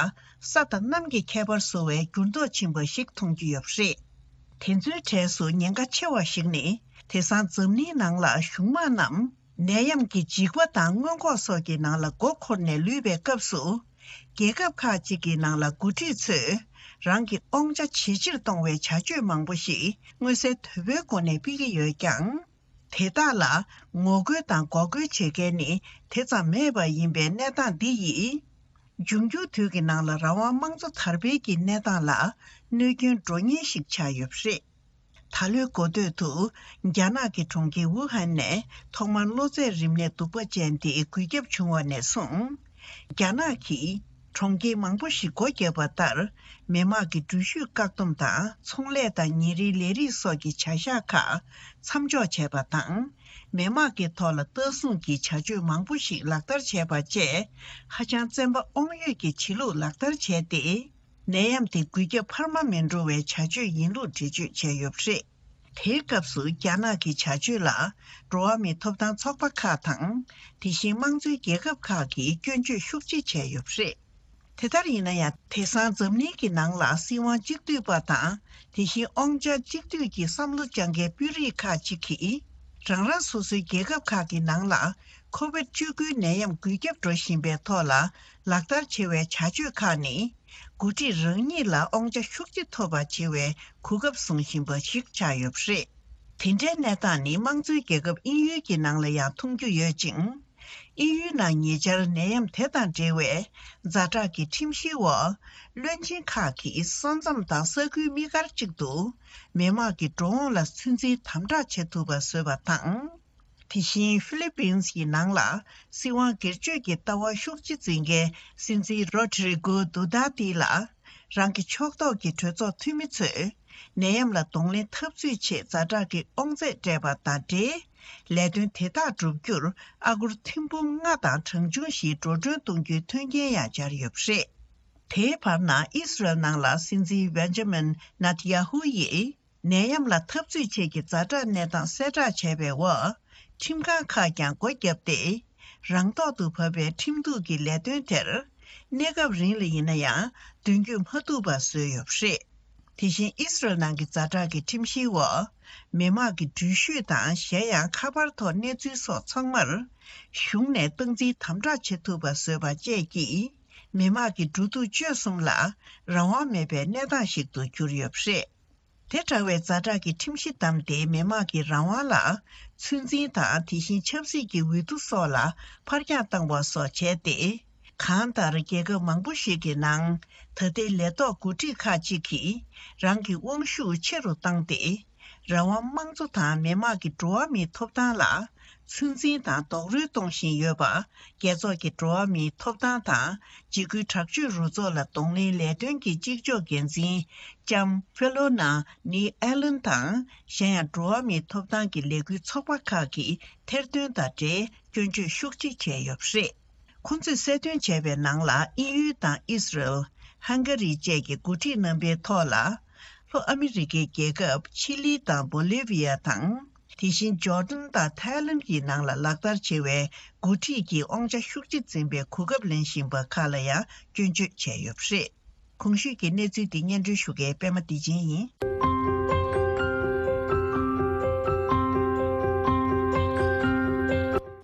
ས་དང་གནམ་གྱི་ཁྱད་པར་བཟོ་བའི་འགྱུར་ལྡོག་ཕྱིན་པ་ཞིག་མཐོང་རྒྱུ་ཡོད་པ་རེད། དེ་ཚོའི་གྲས་སུ་ཉེན་ཁ་ཆེ་བ་ཞིག་ནི། དེང་སང་འཛམ་གླིང་ནང་ལ་གཞུང་དམངས་རྣམས། ནད་ཡམས་ཀྱི་འཇིགས་པ་དང་སྔོན་འགོག་སོགས་ཀྱི་ནང་ལ་མགོ་འཁོར་ནས་ལུས་པའི་སྐབས་སུ། རྒྱལ་ཁབ་ཁག་ཅིག་གི་ནང་ལ་འགོ་ཁྲིད་ཚོས་རང་གི་དབང་ཆ་ཇེ་ཆེར་གཏོང་བའི་བྱ་སྤྱོད་མང་པོ་ཞིག་མངོན་གསལ་དོད་པོའི་སྒོ་ནས་སྤེལ་གྱི་ཡོད་ཀྱང་། དེ་དག་ལ་ངོ་རྒོལ་དང་འགོག་རྒོལ་བྱེད་མཁན་ནི་དེ་ཙམ་མེད་པ་ཡིན་པའི་གནས་སྟངས་འདི་ཡིས། འབྱུང་འགྱུར་དུས་ཀྱི་ནང་ལ་རང་དབང་དམངས་གཙོ་དར་སྤེལ་གྱི་གནས་སྟངས་ལ་གནོད་སྐྱོན་འགྲོ་ཉེན་ཞིག་ཆགས་ཡོད་པ་རེད། ད་ལོའི་འགོ་སྟོད་དུ། རྒྱ་ནག་གི་གྲོང་ཁྱེར་ཝུ་ཧན་ནས་ཐོག་མར་གློ་ཚད་རིམས་ནད་གདུག་པ་ཅན་དེ་འགོས་ཁྱབ་བྱུང་བ་ནས་བཟུང་། རྒྱ་ནག་གིས་གྲོང་ཁྱེར་མང་པོ་ཞིག་སྒོ་བརྒྱབ་པ་ལྟར། མི་དམངས་ཀྱི་འགྲུལ་བཞུད་བཀག་སྡོམ་དང་ཚོང་ལས་དང་ཉིན་རེའི་ལས་རིགས་སོགས་ཀྱི་བྱ་གཞག་ཁག་མཚམས་འཇོག་བྱས་པ་དང་། མི་དམངས་ཀྱི་ཐོག་ལ་ལྟ་སྲུང་གི་བྱ་སྤྱོད་མང་པོ་ཞིག་ལག་བསྟར་བྱས་པ་བཅས། ཧ་ཅང་བཙན་པ་དབང་ཡོད་ཀྱི་བྱེད་ལུགས་ལག་བསྟར་བྱས་ཏེ། ནད་ཡམས་དེ་འགོས་ཁྱབ་འཕར་མ་མི་འགྲོ་བའི་བྱ་སྤྱོད་ཡིན་ལུགས་འགྲེལ་བརྗོད་བྱས་ཡོད་པ་རེད། དེའི་སྐབས་སུ་རྒྱ་ནག་གི་བྱ་སྤྱོད་ལ་འགྲོ་བ་མིའི་ཐོབ་ཐང་ཚོགས་པ་ཁག་དང་། དེ་བཞིན་དམངས་གཙོའི་རྒྱལ་ཁབ་ཁག་གིས་སྐྱོན་བརྗོད་ཤུགས་ཆེ་བྱས་ཡོད་པ་རེད། དེ་ལྟར་ཡིན་ན་ཡང་། དེང་སང་འཛམ་གླིང་གི་ནང་ལ་སྲིད་དབང་གཅིག་སྡུད་པ་དང་། དེ་བཞིན་དབང་ཆ་གཅིག་སྡུད་ཀྱི་བསམ་བློ་བཅངས་མཁན་དཔོན་རིགས་ཁག་ཅིག་གིས། རང་རང་སོ་སོའི་རྒྱལ་ཁབ་ཁག་གི་ནང་ལ་ཁོ་ཝིད་བཅུ་དགུའི་ནད་ཡམས་འགོས་ཁྱབ་འགྲོ་བཞིན་པའི་ཐོག་ལ་ལག་བསྟར་བྱེད་པའི་བྱ་སྤྱོད་ཁག་ནི། འགོ་ཁྲིད་རང་ཉིད་ལ་དབང་ཆ་ཤུགས་ཆེ་ཐོབ་པ་བྱེད་པའི་གོ་སྐབས་བཟུང་བཞིན་པ་ཞིག་ཆགས་ཡོད་པ་རེད། དེ་འདྲའི་གནས་སྟངས་ནི་དམངས་གཙོའི་རྒྱལ་ཁབ་དབྱིན་ཡུལ་གྱི་ནང་ལ་ཡང་མཐོང་རྒྱུ་ཡོད་ཅིང་། དབྱིན་ཡུལ་ནང་ཉེ་ཆར་ནད་ཡམས་དེ་དང་འབྲེལ་བའི་ཛ་དྲག་གི་ཁྲིམས་གཞིའི་འོག་བློན་ཆེན་ཁག་གིས་ས་མཚམས་དང་ས་ཁུལ་དམིགས་བཀར་གཅིག་ཏུ་མི་དམངས་ཀྱི་འགྲོ་འོང་ལ་ཚོད་འཛིན་དམ་དྲག་བྱེད་ཐུབ་པ་བཟོས་པ་དང་། དེ་བཞིན་ཧྥི་ལི་པིན་སི་ཡི་ནང་ལ་སྲིད་དབང་སྒེར་གཅོད་ཀྱི་ལྟ་བ་ཤུགས་ཆེ་འཛིན་མཁན་སྲིད་འཛིན་རོ་ཌི་རི་གོ་དུ་ཏཱ་ཏི་ལ་རང་གི་ཕྱོགས་གཏོགས་ཀྱི་གྲོས་ཚོགས་འཐུས་མི་ཚོས་ནད་ཡམས་ལ་གདོང་ལེན་འཐབ་རྩོད་ཆེད་ཛ་དྲག་གི་དབང་ཚད་སྤྲད་པ་དང་འབྲེལ། ལས་དོན་དེ་དག་བསྒྲུབ་རྒྱུར་ཨ་སྒོར་ཐེར་འབུམ་ལྔ་དང་གྲངས་ཆུང་ཞིག་འགྲོ་གྲོན་གཏོང་རྒྱུའི་མཐུན་རྐྱེན་ཡང་སྦྱར་ཡོད་པ་རེད། དེའི་བར་ན་ཨི་སི་རལ་ནང་ལ་སྲིད་འཛིན་བན་ཇ་མིན་ནེ་ཐན་ཡ་ཧུ་ཡིས། ནད་ཡམས་ལ་འཐབ་རྩོད་ཆེད་ཀྱི་ཛ་དྲག་གནས་སྟངས་གསལ་བསྒྲགས་བྱས་པའི་འོག་ཁྲིམས་ཁང་ཁག་ཀྱང་སྒོ་བརྒྱབ་སྟེ། རང་ཐོག་ཏུ་བབས་པའི་ཁྲིམས་གཏུག་གི་ལས་དོན་དེར། གནས་སྐབས་རིང་ལ་ཡིན་ན་ཡང་མདུན་སྐྱོད་མ་ཐུབ་པ་བཟོས་ཡོད་པ་རེད། དེ་བཞིན་ཨི་སི་རལ་ནང་གི་ཛ་དྲག་གི་ཁྲིམས་གཞིའི་འོག་མི་དམངས་ཀྱི་འགྲུལ་བཞུད་དང་གཞན་ཡང་ཁ་པར་ཐོག་གནས་ཚུལ་སོགས་ཚང་མར། གཞུང་ནས་སྟངས་འཛིན་དམ་དྲག་བྱེད་ཐུབ་པ་བཟོས་པ་བཅས་ཀྱིས། མི་དམངས་ཀྱི་འགྲོ་འདུག་སྤྱོད་གསུམ་ལ་རང་དབང་མེད་པའི་གནས་སྟངས་ཤིག་ཏུ་གྱུར་ཡོད་པ་རེད། དེ་འདྲ་བའི་ཛ་དྲག་གི་ཁྲིམས་གཞི་བསྡམས་ཏེ་མི་དམངས་ཀྱི་རང་དབང་ལ་ཚོད་འཛིན་དང་། དེ་བཞིན་ཆབ་སྲིད་ཀྱི་འོས་བསྡུ་སོགས་ལ་ཕར་འགྱངས་བཏང་བ་སོགས་བྱས་ཏེ། གང་ལྟར་རྒྱལ་ཁབ་མང་པོ་ཞིག་གི་ནང་ད་ལྟའི་ལས་ཐོག་འགོ་ཁྲིད་ཁག་ཅིག་གིས་རང་གི་དབང་ཤུགས་ཆེ་རུ་བཏང་སྟེ། རང་དབང་དམངས་གཙོ་དང་མི་དམངས་ཀྱི་འགྲོ་བ་མིའི་ཐོབ་ཐང་ལ་ཚོད་འཛིན་དང་རྡོག་རོལ་གཏོང་བཞིན་ཡོད་པ། རྒྱལ་ཚོགས་ཀྱི་འགྲོ་བ་མིའི་ཐོབ་ཐང་དང་འཇིགས་སྐུལ་དྲག་སྤྱོད་རུ་ཚོགས་ལ་གདོང་ལེན་ལས་དོན་གྱི་གཅིག་ལྕོགས་འགན་འཛིན་ལྕམ་ཧྥེ་ལོ་ན་ནི་ཨེ་ལན་དང་། གཞན་ཡང་འགྲོ་བ་མིའི་ཐོབ་ཐང་གི་ལས་འགུལ་ཚོགས་པ་ཁག་གིས་ཐེར་འདོན་དང་འབྲེལ་སྐྱོན་བརྗོད་ཤུགས་ཆེ་བྱས་ཡོད་པ་རེད། ཁོང་ཚོས་གསལ་སྟོན་བྱས་པའི་ནང་ལ། དབྱིན་ཡུལ་དང་ཨི་སི་རལ། ཧང་ག་རི་བཅས་ཀྱི་འགོ་ཁྲིད་རྣམ་པའི་ཐོག་ལ། ལྷོ་ཨ་མི་རི་ཀའི་རྒྱལ་ཁབ་ཆི་ལི་དང་བོ་ལི་བི་ཡ་དང་། དེ་བཞིན་ཇོར་ཌན་དང་ཐའི་ལན་གྱི་ནང་ལ་ལག་བསྟར་བྱེད་པའི་འགོ་ཁྲིད་ཀྱི་དབང་ཆ་ཤུགས་ཆེ་འཛིན་པའི་གོ་སྐབས་ལེན་བཞིན་པ་ཁག་ལ་ཡང་སྐྱོན་བརྗོད་བྱས་ཡོད་པ་རེད། གོང་ཞུས་ཀྱི་གནས་ཚུལ་འདི་སྙན་སྒྲོན་ཞུ་མཁན་པད་མ་བདེ་ཆེན་ཡིན།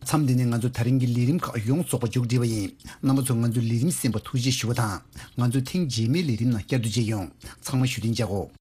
མཚམས་འདི་ནས་ང་ཚོ་ད་རིང་གི་ལས་རིམ་ཁག་ཡོངས་རྫོགས་པ་མཇུག་སྒྲིལ་བ་ཡིན། རྣམ་པ་ཚོ་ང་ཚོའི་ལས་རིམ་གསན་པར་ཐུགས་རྗེ་ཞུ་བ་དང་། ང་ཚོ་ཐེངས་རྗེས་མའི་ལས་རིམ་ནང་བསྐྱར་དུ་མཇལ་ཡོང་། ཚང་མ་བཞུགས་གདན་འཇགས་གོ།